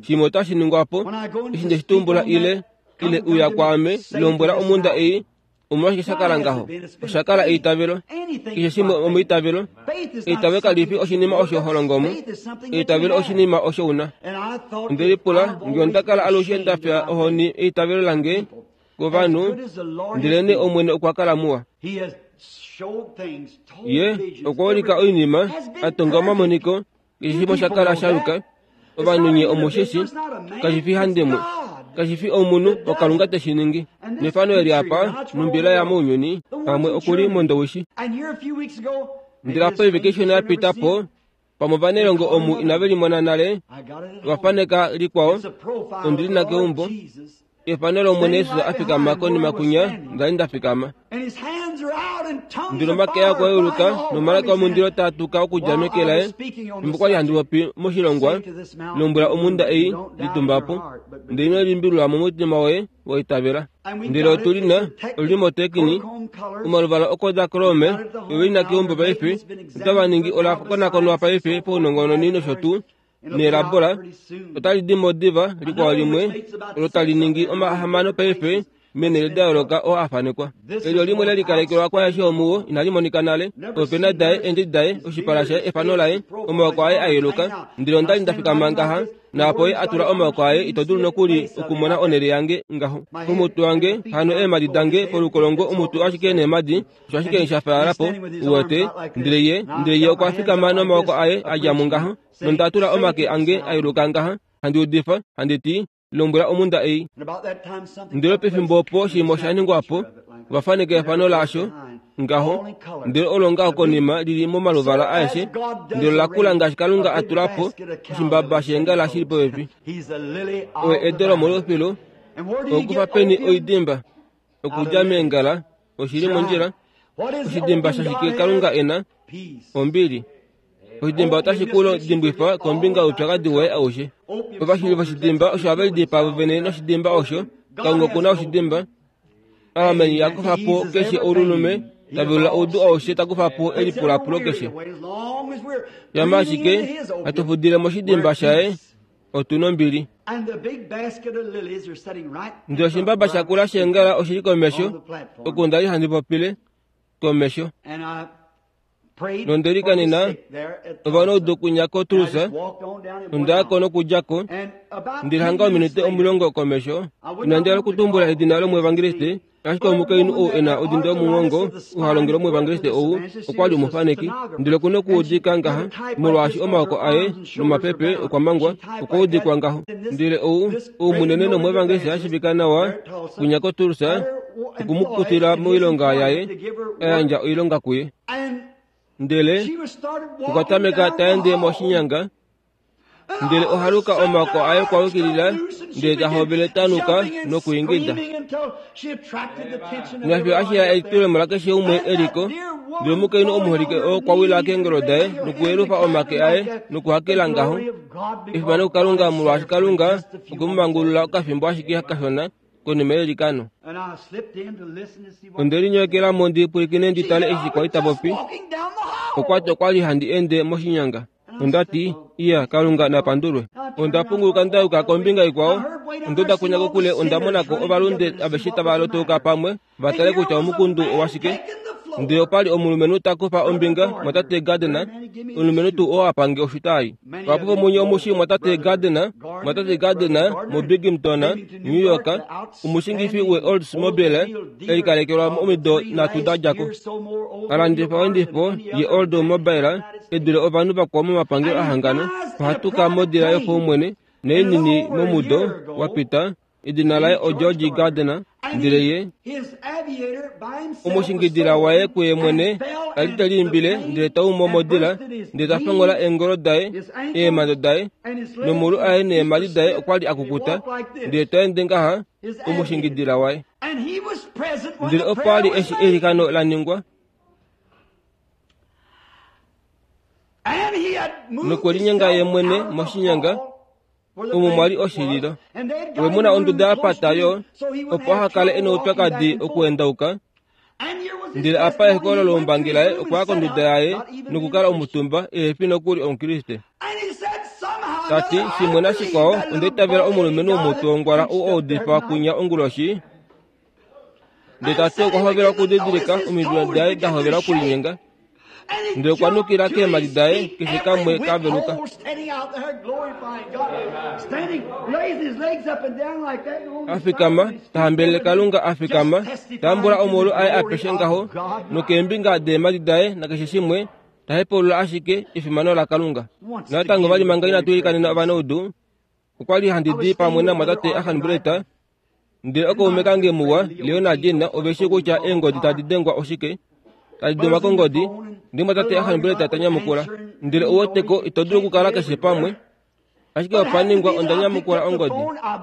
S1: shimwe otashi ningwa po. Eshi nde shi tumbula ile ile uya kwaame lombwela omunda ei omolwashike sha kala ngaho? Osha kala eitavelo. Keshe shimwe omeitavelo. Eitavelo kali fi oshinima osho ho longo mo. Eitavelo oshinima osho una. Onde lipula nge onda kala alushe nda fya ohoni eitavelo lange kovanhu, ndelene Omwene okwa kala muwa. Ye okwa ulika oinima, a tonga omamoniko, keshe shimwe osha kala sha yuka. Ovanhu nye omushishi, kashi fi handimwe. Kashi fi omunhu okalunga te shi ningi. Nefano eli apa numbila ya mounyuni pamwe okuli mondowishi. Ndele apa oivike ishona ya pita po pamwe ovanelongo omu inave limona nale vafaneka likwao ondili na keumbo efano lOmwene Yesus a fikama konima kunya ndali nda fikama. Ndele omake aye okwa yeuluka nomalaka omundilo taa tuka okudja meke laye. Fimbo kwali handi popi moshilongwa, lombwela omhunda ei, litumba po, ndele ino limbililwa momutima woye wa itavela. Ndele otu lina olili motekini omaluvala okodachrome ove lina keumbo paife otava ningi ola konakonwa paife paunongononi nosho tuu neelabola otali di mo diva likwao limwe olo tali ningi omahamano paife meenhele da yooloka oo a fanekwa. Eli olimwe le likalekelwa kwaeshe omuwo inali monika nale. Oopena daye, eendjedi daye, oshipala shaye, efano laye, omaoko aye a yeluka. Ndele onda li nda fikama ngaha, naapo ye a tula omaoko aye ito dulu nokuli okumona onhele yange ngaho. Omutwe wange, hano eemhadi dange polukolongo omutwe ashike neemhadi, osho ashike sha fyaala po, uwete. Ndele ye, ndele ye okwa fikama nomaoko aye a dja mo ngaha, nonda tula omake ange a yeluka ngaha, handi udifa, handi ti, lombwela omhunda ei. Ndele pefimbo opo oshinima osha ningwa po, vafaneka efano lasho ngaho, ndele olo ngaho konima lili momaluvala aeshe, ndele ola kula ngaashi Kalunga a tula po oshimbaba sheengala shili popepi. Oye edo lomolufilu, okufa peni oidimba, okudja meengala, oshili mondjila. Oshidimba shashike Kalunga e na? Ombili. Oshidimba otashi ku dimbwifa kombinga youpyakadi woye aushe. Ovashili voshidimba osho have lidipaa vovene noshidimba osho. Kalunga okuna oshidimba. Amen. Ya kufa po keshe oululume, ta velula oudu aushe, ta kufa po elipulapulo keshe. Yama ashike hatu fudile moshidimba shaye, otu nombili. Ndele oshimbaba shakula sheengala oshili komesho, oku ndali handi popile komesho. Nonde likanena ovanaudu kunya koTulsa, nonda ko nokudja ko, ndele hanga ominute omulongo komesho. Inandi hala okutumbula edina lomwevangeliste, ashike omukainhu ou e na odindo yomugongo ou ha longele omwevangeliste ou okwa li omufaneki. Ndele okuna okuudika ngaha, molwaashi omaoko aye nomapepe okwa mangwa, okwa udikwa ngaho. Ndele ou, ou munene nomwevangeliste a shiivika nawa kunya koTulsa, okumukutila moilonga yaye, a yandja oilonga kuye. Ndele okwa tameka ta ende moshinyanga, ndele ohaluka omaoko aye okwa yukilila, ndele ta hovele tanuka nokuingida. Nafyo ashiya elitulemo lakeshe umwe eliko. Ndele omukainhu omuholike oo okwa wila keengolo daye nokuyelufa omake aye nokuhakela ngaho. Efimano kuKalunga, molwaashi Kalunga okwe mu mangulula okafimbo ashike kashona konima yelikano. Onde linyekela mo ndi pwilikine ndi tale eshi kwali ta popi. Okwa ti okwa li handi ende moshinyanga. Onda ti, iya, Kalunga na pandulwe. Onda punguluka nda yuka kombinga ikwao. Onda kunya kokule onda monako ovalunde aveshe tava lotouka pamwe va tale kutya omukundu owashike. Ndele opa li omulumenhu ta kufa ombinga mwatate Gardner, omulumenhu tuu oo a pange oshitayi. Vahapu vomunye omushi mwatate Gardner, mwatate Gardner moBinghamton, New York, omushingifi we-Oldsmobile e likalekelwa omido nhatu da dja ko. A landifa oendifo ye-Oldsmobile e dule ovanhu vakwao momapangelo ahangana. Ohatuka modila yopaumwene neinini momudo wa pita. Edina laye oGeorge Gardner. Ndele ye omushingidila waye kuye mwene a li te liimbile, ndele ta umo modila, ndele ta fongola eengolo daye, eemhando daye, nomolu aye neemhadi daye okwa li a kukuta, ndele ta ende ngaha omushingidila waye. Ndele opo a li eshi eilikano la ningwa, nokwe linyenga ye mwene moshinyanga omo mwa li oshililo. Ove mu na onduda ya pata yo, opo aha kale e noupyakadi okuendauka. Ndele apa ehokolo loumbangi laye okwa ya konduda yaye nokukala omutumba ehe fi nokuli Omukriste. Ta ti, shimwe nashikwao, onda itavela omulumenhu womutwe wongwala ou a udifa kunya onguloshi. Ndele ta ti okwa hovela okudidilika omidilo daye da hovela okulinyenga. Ndele okwa nukila keemhadi daye keshe kamwe ka veluka. A fikama, ta hambelele Kalunga, a fikama, ta ambula omaulu aye apeshe ngaho, nokeembinga deemhadi daye nakeshe shimwe, ta hepaulula ashike efimano laKalunga. Natango vali manga inatu ilikanena ovanaudu, Okwa li handi di pamwe namwatate Ahanbreta, ndele okaume kange muwa Leonard na ove shi kutya eengodi tadi dengwa oshike, tadi dengwa kongodi, ndele mwatate Ahanbreta ta nyamukula. Ndele ouweteko ito dulu okukala keshe pamwe. Ashike opa ningwa onda nyamukula ongodi.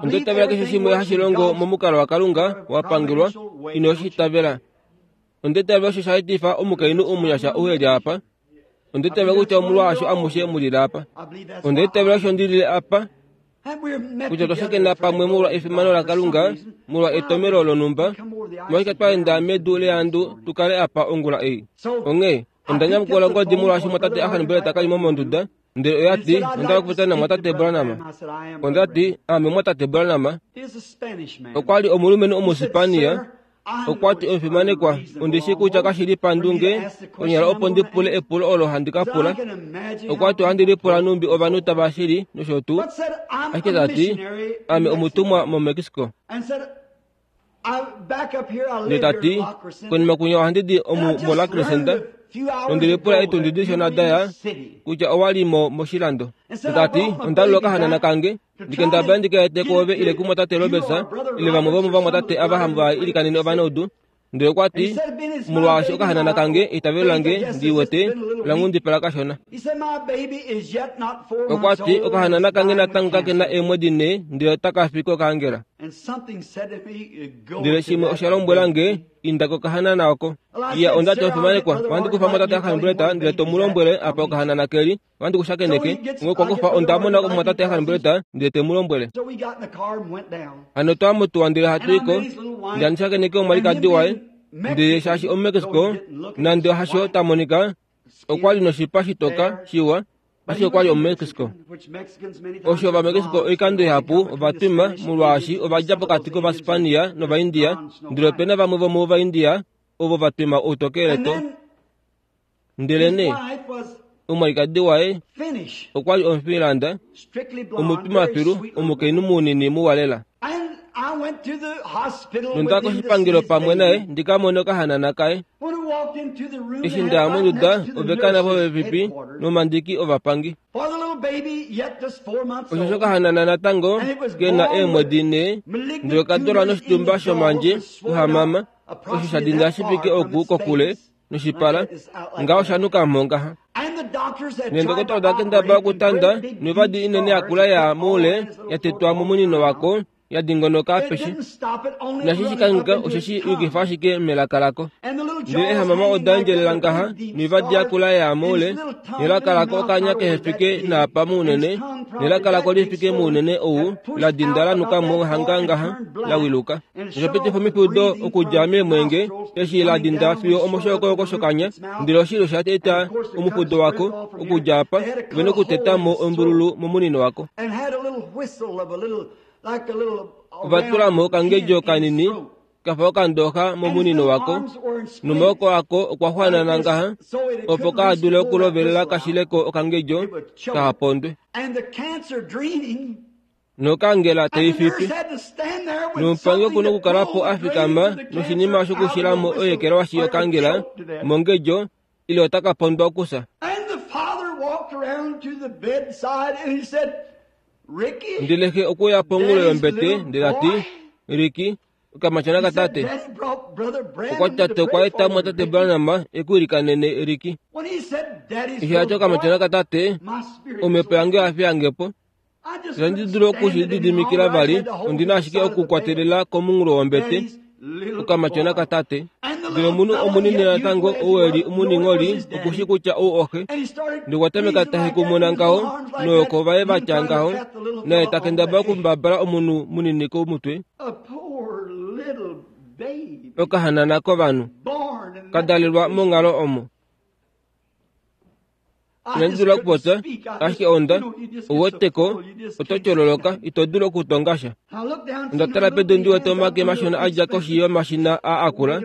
S1: Onda itavela keshe shimwe hashi longo momukalo waKalunga wa pangelwa, ino shi itavela. Onda itavela osho sha etifa omukainhu omunyasha ou eli apa. Onda itavela kutya omolwaasho amushe mu lile apa. Onda itavela osho ndi lile apa, kutya otwa shakena pamwe molwa efimano laKalunga, molwa etomelo lonhumba, molwashike twa enda medu leandu tu kale apa ongula ei. Onghee onda nyamukula ongodi molwaashi mwatate Ahanbreta kali mo monduda, ndele oya ti onda okupopya namwatate Branham. Onda ti ame mwatate Branham. Okwa li omulumenhu Omuspania. Okwa ti omufimanekwa, ondi shi kutya kashi li pandunge konyala opo ndi pule epulo olo handi ka pula. Okwa ti ohandi lipula numbi ovanhu tava shili nosho tuu. Ashike ta ti ame omutumwa moMexico. Ndele ta ti konima kunya ohandi di omu moLa Crescenta. Nondi lipula etundi dishona daya kutya owa li mo moshilando. Ta ti onda lula okahanana kange ndikendabala ndikaete kwoove ile kumwatate Roberts ile vamwe vomovamwatate ava hava ilikanene ovanaudu. Ndele okwa ti molwaashi okahanana kange eitavelo lange ndi wete la nghundipala kashona. Okwa ti okahanana kange natango kakena eemwedi nhee ndele otaka fi kokaangela. Ndele shimwe osha lombwela nge inda kokahanana oko. Iya onda ti omufimanekwa, ohandi kufa mwatate Ahanbreta ndele to mu lombwele apa okahanana keli, ohandi ku shakeneke. Onghee okwa kufa onda mona mwatate Ahanbreta ndele te mu lombwele. Hano twa mutuwa ndele hatu iko, ndele handi shakeneke omwalikadi waye, ndele shaashi omuMexico nande hasho ta monika, okwa li noshipa shitoka shiwa, ashike okwa li omuMexico. Osho Ovamexico oikando ihapu ova twima molwaashi ova dja pokati kOvaspania nOvaindia, ndele opena vamwe vomOvaindia ovo va twima outokeleto. Ndele nee omwalikadi waye okwa li Omufinlanda, omutwimafilu, omukainhu munini muwa lela. Nonda koshipangelo pamwe naye ndi ka mone okahanana kaye. Eshi nda ya monduda ove kana popepi nomandiki ovapangi. Osho shokahanana natango kena eemwedi nhee, ndele oka dalwa noshitumba shomandje kuhamama, osho sha dinda shi fike oku kokule noshipala, ngaho sha nuka mo ngaha. Neendokotola oda kendabala okutanda noivadi inene yakula ya moule ya tetwa momunino wako ya dingonoka apeshe. Nashi shikangika osheshi yukifa ashike melaka lako. Ndele ehamama oda endjelela ngaha noivadi yakula ya moule, nelaka lako okanya kehe fike naapa mounene, nelaka lako li fike mounene ou la dinda la nuka mo hanga ngaha la wiluka. Noshapitifa omifudo okudja meemwenge eshi la dinda fiyo omoshokoyoko shokanya, ndele oshilo sha eta omufudo wako okudja apa, ve nokuteta mo ombululu momunino wako. Ova tula mo okangedjo kanini kafa okandooxa momunino wako, nomaoko ako okwa xwanana ngaha opo ka dule okulovelela kashileko okangedjo kahapondwe. Nokangela teifipi. Nomupangi oku na okukala po a fikama noshinima shokushila mo oyekelwashi yokangela mongedjo ile otaka pondwa okusa. Ndele xe okuya pongulo yombete ndele ati Riki, okamatyona katate. Okwa ti tate okwa eta mwatate Branham eku ilikanene Riki. Eshi ati okamatyona katate, omhepo yange oya fiyange po. Itandi dulu okushi lididimikila vali, ondi na ashike okukwatelela komunghulo wombete, okamatyona katate. Ndele omunhu omunini natango ou eli omuningholi okushi kutya ou oxe. Ndele okwa tameka ta hekumuna ngaho noyoko vaye vatya ngaho, naye ta kendabala okumbabala omunhu munini komutwe. Okahanana kovanhu ka dalelwa monghalo omo. Inandi dula okupopya, ashike onda ouweteko oto tyololoka, ito dulu okutonga sha. Onda tala pedu ndi wete omake mashona a dja koshi yomashina aa akula,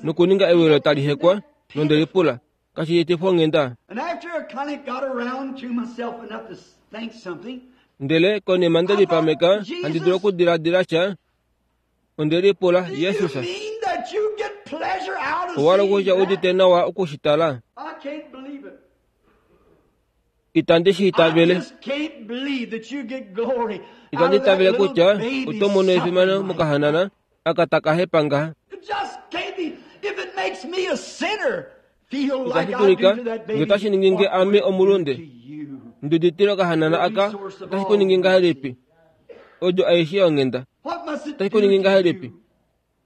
S1: nokuninga ewilo tali hekwa, nonde lipula, kashi etifa onghenda. Ndele konima nde lipameka, handi dulu okudiladila sha, onde lipula, Jesus, owa hala kutya udite nawa okushitala? Itandi shi itavele. Itandi itavele kutya oto mono efimano mokahanana aka taka hepa ngaha. Itashi dulika nge otashi ningi nge ame omulunde. Nduditile okahanana aka otashi ku ningi ngahelipi? Odjo aishe yonghenda. Otashi ku ningi ngahelipi?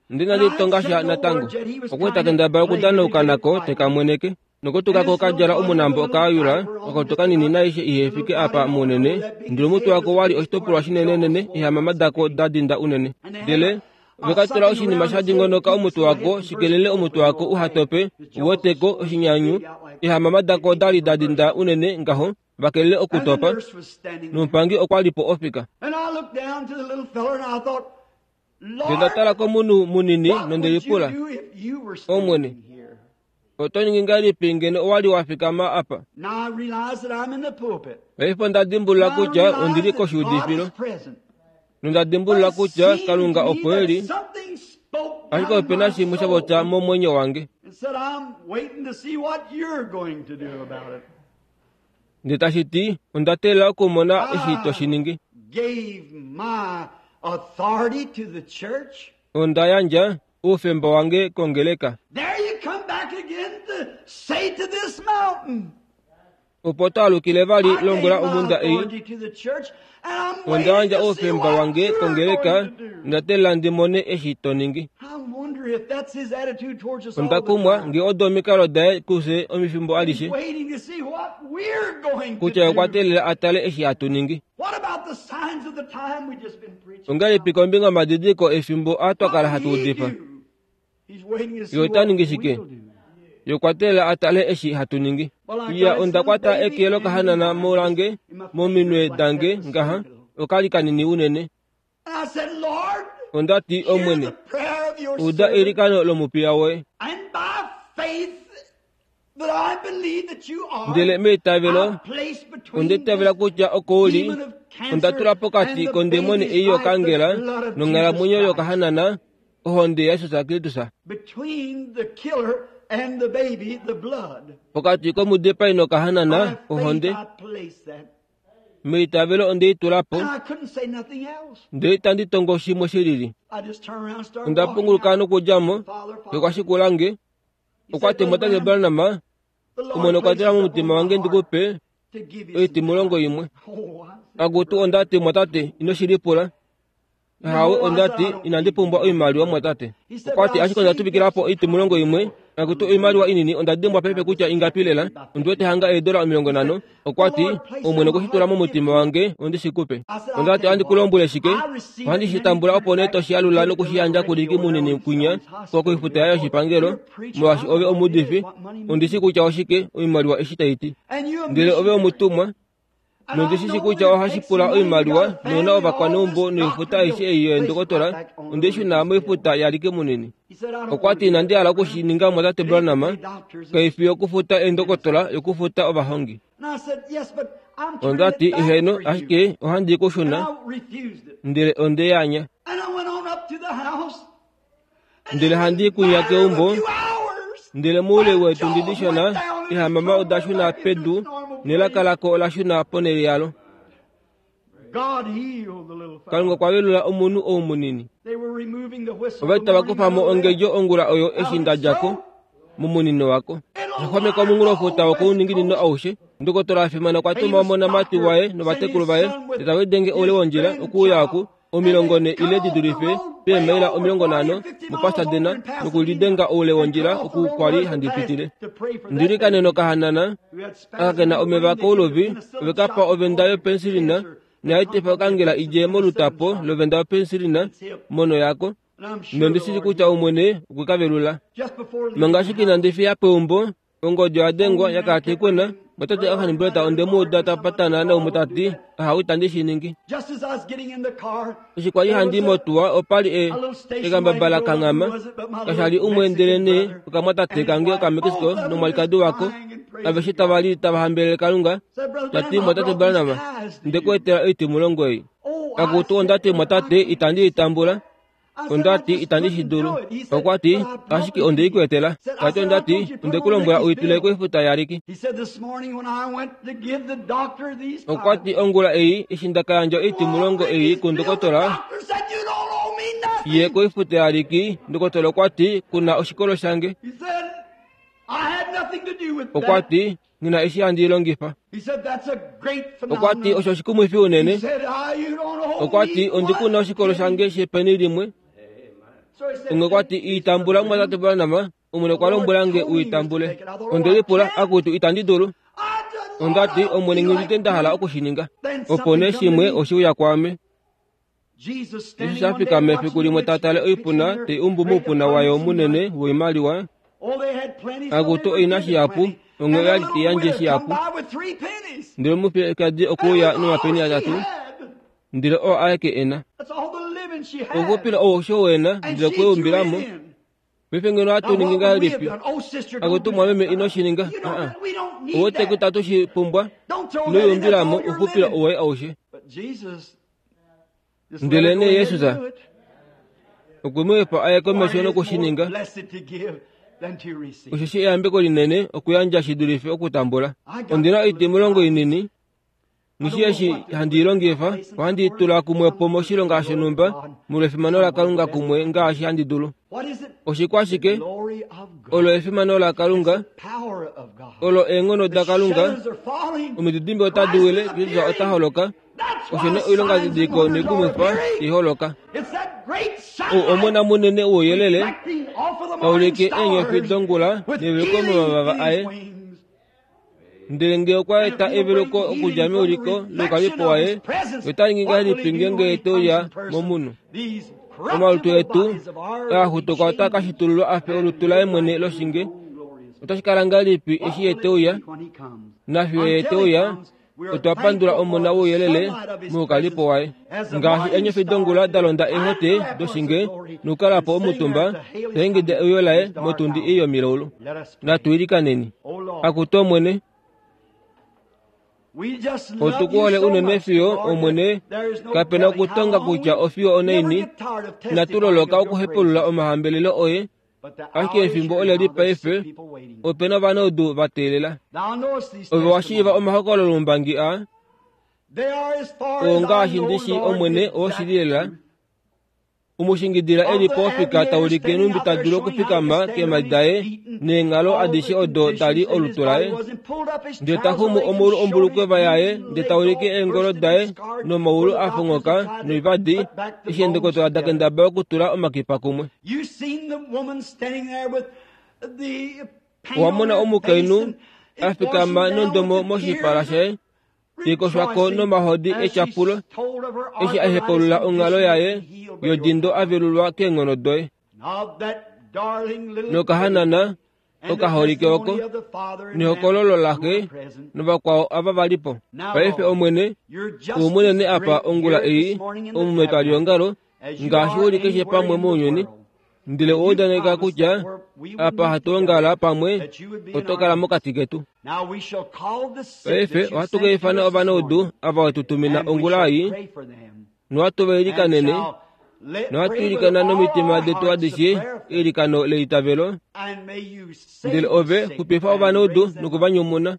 S1: Ndi inandi tonga sha natango. Okwa li ta kendabala okudanauka nako teka mweneke. Nokutuka ko kadjala omunambo okaayula okakutu kanini naaishe ihefike apa mounene. Ndele omutwe wako wali oshitopolwa shinenenene eehamama dako da dinda unene. Ndele veka tula oshinima sha dingonoka omutwe wako shikelele omutwe wako uhatope uweteko oshinyanyu. Eehamama dako dali da dinda unene ngaho vakelele okutopa. Nomupangi okwa li po ofika. Ndele nda tala komunhu munini nonde lipula, Omwene, oto ningi ngahelipi ngeno owa li wa fikama apa? Paife onda dimbulula kutya ondi li koshiudifilo. Nonda dimbulula kutya Kalunga opo e li, ashike ope na shimwe sha popya momwenyo wange. Ndele tashi ti, onda teelela okumona eshi to shi ningi. Onda yandja oufemba wange kongeleka. Opo twaalukile vali lombwela omhunda ei. Onda yandja oufemba wange kongeleka, nda teelela ndi mone eshi to ningi. Onda kumwa nge odo omikalo daye kufye omifimbo alishe, kutya okwa teelela a tale eshi hatu ningi. Ongahelipi kombinga yomadidiliko efimbo aa twa kala hatu udifa? Ye ota ningi shike? Ye okwa teelela a tale eshi hatu ningi. Iya, onda kwata eke lokahanana molange mominwe dange ngaha, okali kanini unene. Onda ti, Omwene, uda eilikano lomupiya woye. Ndele meitavelo, onda itavela kutya oko uli, onda tula pokati kondemoni ei yokangela nonghalamwenyo yokahanana ohonde yaJesus Kristus. Pokati komudipai nokahanana ohonde. Meitavelo onde i tula po, ndele itandi tongo shimwe shilili. Onda punguluka nokudja mo, okwa shikula nge. Okwa ti, Tate Branham, Omwene okwa tula momutima wange ndi ku pe oitimulongo imwe. Akutu onda ti, Mwatate, ino shi lipula. Hawe, onda ti, inandi pumbwa oimaliwa, mwatate. Okwa ti, ashike onda tuvikila po oitimulongo imwe. Akutu oimaliwa inini, onda dimbwa paife kutya ingapi lela. Ondi wete hanga eedola omilongo nhano. Okwa ti, Omwene okwe shi tula momutima wange, ondi shi ku pe. Onda ti, ohandi ku lombwele shike? Ohandi shi tambula opo nee to shi alula noku shi yandja kuliki munini kwinya koifuta yaye yoshipangelo, molwaashi ove omuudifi. Ondi shi kutya oshike oimaliwa eshi tai ti. Ndele ove omutumwa. Nondi shi shi kutya ohashi pula oimaliwa nouna ovakwaneumbo noifuta aishe ei yeendokotola, onde shuna moifuta yalike munini. Okwa ti, inandi hala okushi ninga mwatate Branham, kaifi yokufuta eendokotola, yokufuta ovahongi. Onda ti, eheno, ashike ohandi ku shuna, ndele onde yanya. Ndele handi kunya keumbo, ndele moule weetundi dishona, ehamama oda shuna pedu, nelaka lako ola shuna ponhele yalo. Kalunga okwa velula omunhu ou munini. Ova tava kufa mo ongedjo ongula oyo eshi nda dja ko momunino wako. Osha xwameka omunghulofuta wokouninginino aushe. Ndokotola a fimana okwa tuma omonamati waye novatekulu vaye, tava lidenge oule wondjila okuuya oku omilongo ne ile di dulife peemaila omilongo nhano moPasadena nokulidenga oule wondjila oku kwa li handi pitile. Ndili nokahanana aka ke na omeva kouluvi, ove ka pa ovenda yopensilina noyaetifa okangela idje molutapo lovenda yopensilina mono yako. Nondi shii kutya Omwene okwe ka velula. Manga ashike inandi fiya peumbo, ongodi oya dengwa yakala tai kwena. Mwatate Orhan Breta onde mu uda ta patana naumwe ta ti, ahawe itandi shi ningi. Eshi kwa li handi motuwa opa li e ekambaba la kanghama, kasha li umwe ndelenee okamwatate kange okaMexico nomwalikadi wako, aveshe tava li tava hambelele Kalunga. Ta ti, Mwatate Branham, nde ku etela oitimulongo ei. Akutu onda ti, mwatate, itandi i tambula. Onda ti itandi shi dulu. Okwa ti ashike onde i ku etela. Tati onda ti onde ku lombwela u i tule koifuta yaRicky.
S3: He said this morning when I went to give the doctor these
S1: Okwa ti ongula ei eshi nda ka yandja oitimulongo ei kundokotola
S3: doctor said you don't owe me nothing.
S1: ye koifuta yaRicky, ndokotola okwa ti kuna oshikolo shange.
S3: He said I had nothing to do with
S1: Okwa
S3: that.
S1: ti ngina eshi handi i longifa.
S3: He said that's a great
S1: Okwa ti
S3: phenomenon.
S1: osho oshikumwifi
S3: He
S1: unene.
S3: said I you don't owe
S1: Okwa
S3: me
S1: ti ondi kuna
S3: one
S1: oshikolo
S3: penny.
S1: shange shepeni limwe.
S3: So he said,
S1: Onge okwa ti itambula mumwatate Branham, Omwene okwa lombwela nge u itambule. Onde lipula akutu itandi dulu.
S3: I just
S1: Onda ti Omwene nghi nda hala oku shi ninga. Opo nee shimwe oshe uya kwaame.
S3: Jesus
S1: Eshi
S3: standing
S1: sha
S3: one day
S1: fikama efiku
S3: watching
S1: limwe
S3: the
S1: ta tale
S3: rich
S1: oipuna
S3: picking
S1: te
S3: their
S1: umbu
S3: great
S1: moupuna wayo
S3: abundance
S1: munene
S3: of money.
S1: woimaliwa.
S3: Oh, they had plenty, so
S1: Akutu
S3: they were
S1: oina
S3: given
S1: shihapu,
S3: plenty.
S1: onge
S3: And a
S1: oya li
S3: little
S1: te yandje
S3: widow come
S1: shihapu.
S3: by with three pennies.
S1: Ndele omufiyekadi
S3: That
S1: okwe uya
S3: was all
S1: nomapeni
S3: she
S1: atatu,
S3: had.
S1: ndele oo aeke ena.
S3: That's all the living she had.
S1: Okuxupila ou osho wena,
S3: And
S1: ndele
S3: she
S1: okwe
S3: threw it
S1: umbilamo.
S3: in.
S1: Paife ngeno
S3: Now,
S1: ohatu
S3: what
S1: ningi
S3: would we have
S1: ngahelipi?
S3: done? Oh, sister, don't
S1: Akutu
S3: do
S1: mwameme
S3: that.
S1: ino shi ninga.
S3: You know
S1: Uh-uh.
S3: that we don't need
S1: Owote
S3: that.
S1: kutatu shi pumbwa,
S3: Don't throw
S1: ino
S3: that in. That's
S1: umbilamo
S3: all your
S1: okuxupila
S3: living.
S1: owoye aushe.
S3: But Jesus just let
S1: Ndele
S3: her go
S1: nee
S3: ahead
S1: Jesus
S3: and do it.
S1: okwe mu efa aye
S3: For it
S1: komesho
S3: is
S1: noku shi
S3: more
S1: ninga.
S3: blessed to give than to receive.
S1: Osheshi eyambeko linene okuyandja shi dulife okutambula. Ondina oitimulongo inini, nishi eshi handi i longifa, ohandi i tula kumwe po moshilonga shonhumba molwa efimano laKalunga kumwe ngaashi handi dulu.
S3: What is it?
S1: Oshikwashike?
S3: Glory of God.
S1: Olo efimano laKalunga,
S3: Power of God.
S1: olo eenghono
S3: The
S1: daKalunga,
S3: shadows are falling.
S1: omididimbe otadi wile, Jesus ota holoka.
S3: That's
S1: Osho
S3: why
S1: nee oilonga
S3: signs and
S1: didiko
S3: wonders are
S1: noikumwifa
S3: appearing.
S1: iholoka.
S3: It's that great
S1: Ou
S3: sunlight
S1: omona munene wouyelele
S3: reflecting off of the morning
S1: taulike eenyofi
S3: stars
S1: dongula
S3: with
S1: neveluko
S3: healing
S1: momavava
S3: in
S1: aye.
S3: his wings.
S1: Ndele ngee okwa eta eveluko okudja meuliko loukalipo waye, ota ningi ngahelipi ngeenge te uya momunhu?
S3: These
S1: Omalutu
S3: corruptible
S1: etu
S3: bodies of ours
S1: aa
S3: will be
S1: xutuka otaa ka
S3: changed
S1: shitululwa a fe olutu laye mwene loshinge.
S3: glorious.
S1: Otashi kala ngahelipi eshi ye te uya?
S3: What will it be when he comes?
S1: Nafiyo ye te
S3: Until he
S1: uya,
S3: comes, we are
S1: otwa pandula
S3: thankful for
S1: omona
S3: the
S1: wouyelele
S3: sunlight of his
S1: moukalipo waye.
S3: presence. As the
S1: Ngaashi
S3: morning
S1: eenyofi
S3: star
S1: dongula da londa eehote
S3: shines
S1: doshinge
S3: glory
S1: nokukala po
S3: and sitting
S1: omutumba,
S3: there to hail his
S1: taingida
S3: coming
S1: euyo laye
S3: in his dark
S1: motundi
S3: hour.
S1: ei yomilaulu.
S3: Let us pray.
S1: Natu ilikaneni.
S3: O Lord,
S1: Akutu Omwene,
S3: we just love
S1: otu ku
S3: you
S1: hole
S3: so
S1: unene
S3: much,
S1: fiyo
S3: Lord,
S1: Omwene
S3: that there is no
S1: kapena
S3: telling how
S1: okutonga
S3: long
S1: kutya
S3: we
S1: ofiyo
S3: never
S1: onaini
S3: get tired of
S1: inatu
S3: testifying
S1: loloka
S3: of your
S1: okuhepulula
S3: praises.
S1: omahambelelo oye
S3: But the
S1: ashike
S3: hour is
S1: efimbo
S3: here
S1: ole li
S3: now, there's
S1: paife
S3: sick people waiting.
S1: opena ovanaudu va teelela.
S3: Thou knowest these
S1: Ove wa shiiva
S3: testimonies.
S1: omahokololombangi aa
S3: They are as far
S1: oo
S3: as I
S1: ngaashi
S3: know,
S1: ndi shi
S3: Lord,
S1: Omwene
S3: the exact
S1: owoshili lela
S3: truth.
S1: umushingidila
S3: Of
S1: eli
S3: the
S1: pofika
S3: aviator
S1: taulike
S3: standing
S1: numbi
S3: out
S1: ta
S3: there
S1: dulu
S3: showing how he could
S1: okufikama
S3: stand on
S1: keemhadi
S3: his
S1: daye
S3: feet and
S1: neenghalo
S3: all
S1: adishe
S3: the
S1: odo dali
S3: conditions in his
S1: olutu
S3: body
S1: laye.
S3: was and pulled up his
S1: Ndele ta
S3: trouser
S1: xumu
S3: legs and
S1: omaulu
S3: showed his
S1: ombulukweva yaye
S3: legs
S1: ndele ta ulike
S3: all
S1: eengolo
S3: bursted and
S1: daye
S3: scarred
S1: nomaulu
S3: where the
S1: a
S3: doctors
S1: fonghoka
S3: had tried to
S1: noivadi
S3: put back the
S1: eshi
S3: bones
S1: eendokotola da
S3: together.
S1: kendabala okutula omakipa kumwe.
S3: You seen the woman standing there with the paint
S1: Owa
S3: on
S1: mona
S3: her face
S1: omukainhu
S3: and
S1: a
S3: it
S1: fikama
S3: washing down
S1: nondomo
S3: with the
S1: moshipala
S3: tears,
S1: shaye teikoshwako
S3: rejoicing
S1: nomahodi
S3: as she
S1: etyapulo
S3: told of her
S1: eshi a
S3: arthritis
S1: hepulula onghalo
S3: condition
S1: yaye
S3: being healed by your
S1: yodindo
S3: power.
S1: a velulwa keenghono doye.
S3: And of that darling little baby
S1: Nokahanana
S3: and the
S1: okaholike oko
S3: testimony of the father and family
S1: nehokololo
S3: who
S1: laxe
S3: were present.
S1: novakwao ava va li po.
S3: Now,
S1: Paife
S3: Lord,
S1: Omwene,
S3: you're just
S1: ou munene
S3: as
S1: apa
S3: great
S1: ongula
S3: here
S1: ei
S3: this morning in the
S1: omu metwalihongalo
S3: tabernacle as you
S1: ngaashi
S3: are
S1: uli keshe
S3: anywhere
S1: pamwe
S3: in the
S1: mounyuni.
S3: world.
S1: Ndele
S3: And
S1: owa
S3: you
S1: udaneka
S3: promised
S1: kutya
S3: that where we would
S1: apa
S3: meet
S1: hatu ongala
S3: together,
S1: pamwe
S3: that you would be in
S1: oto
S3: our
S1: kala
S3: midst.
S1: mokati ketu.
S3: Now we shall call the sick
S1: Paife
S3: that you
S1: ohatu
S3: sent
S1: ka
S3: to
S1: ifana
S3: us this
S1: ovanaudu
S3: morning,
S1: ava wetu tumina
S3: and we
S1: ongula
S3: shall
S1: ei
S3: pray for them,
S1: nohatu va
S3: and
S1: ilikanene
S3: shall let,
S1: nohatu
S3: pray with
S1: ilikana
S3: all
S1: nomitima
S3: our
S1: detu
S3: hearts the
S1: adishe
S3: prayer of faith,
S1: eilikano leitavelo.
S3: and may you save
S1: Ndele
S3: the
S1: ove
S3: sick
S1: xupifa
S3: and
S1: ovanaudu
S3: raise them up.
S1: noku va nyumuna.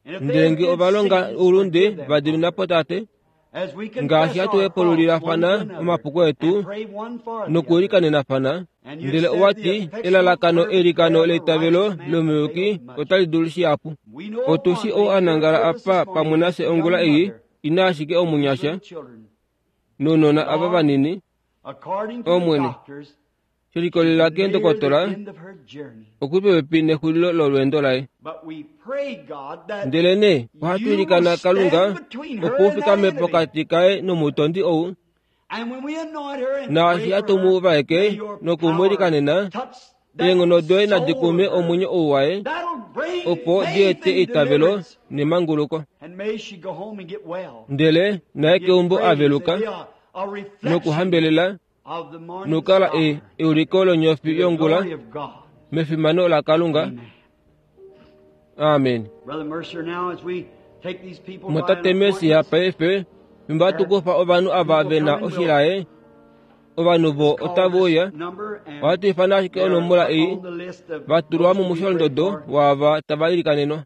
S3: And if they
S1: Ndele
S3: have
S1: ngee
S3: did
S1: ova longa
S3: sins,
S1: oulunde
S3: forgive them,
S1: va dimina
S3: Father,
S1: po Tate
S3: as we
S1: ngaashi
S3: confess
S1: hatu
S3: our faults one to
S1: hepululilafana
S3: another
S1: omapuko
S3: and
S1: etu
S3: pray one for the other.
S1: nokuilikanenafana.
S3: And you
S1: Ndele
S3: said
S1: owa
S3: the
S1: ti
S3: effectual
S1: elalakano
S3: fervent
S1: eilikano
S3: prayer of a
S1: leitavelo
S3: righteous man
S1: lomuyuki
S3: availeth much.
S1: otali dulu shihapu.
S3: We know of
S1: Otu shi
S3: one
S1: ou a
S3: thing here
S1: nangala
S3: with us
S1: apa
S3: this
S1: pamwe
S3: morning,
S1: nafye
S3: a
S1: ongula
S3: young
S1: ei
S3: mother
S1: ina ashike
S3: with
S1: omunyasha
S3: little children.
S1: nounona ava
S3: Lord,
S1: vanini.
S3: according to the
S1: Omwene,
S3: doctors,
S1: she likolelela
S3: she's near the
S1: keendokotola
S3: end of her journey.
S1: okuli popepi nexulilo lolweendo laye.
S3: But we pray, God, that
S1: Ndele nee ohatu
S3: you will
S1: ilikana Kalunga
S3: stand between her
S1: opo u
S3: and that
S1: fikame
S3: enemy.
S1: pokati kaye nomutondi ou
S3: And when we anoint her and pray
S1: naashi
S3: for
S1: hatu mu
S3: her, may
S1: vaeke
S3: your
S1: noku mu
S3: power
S1: ilikanena
S3: touch that
S1: eenghono doye nadi
S3: soul
S1: kume
S3: of her.
S1: omwenyo ou waye
S3: That'll bring
S1: opo di
S3: faith
S1: ete
S3: and
S1: eitavelo
S3: deliverance.
S1: nemanguluko.
S3: And may she go home and get well.
S1: Ndele naye
S3: Give
S1: keumbo a
S3: praise and
S1: veluka
S3: be a, a reflection
S1: nokuhambelela
S3: of the morning
S1: nokukala e
S3: star
S1: euliko
S3: to
S1: lonyofi
S3: the
S1: yongula
S3: glory of God.
S1: mefimano laKalunga.
S3: Amen.
S1: Amen.
S3: Brother Mercer, now as we take these people by an
S1: Mwatate Mesia
S3: appointment,
S1: paife fimbo hatu kufa ovanhu ava
S3: people
S1: ve na
S3: coming will
S1: oshilaye Ovanhu vo otave uya, ohatu ifana ashike onomola ei, va tulwa momusholondodo waava tava ilikanenwa.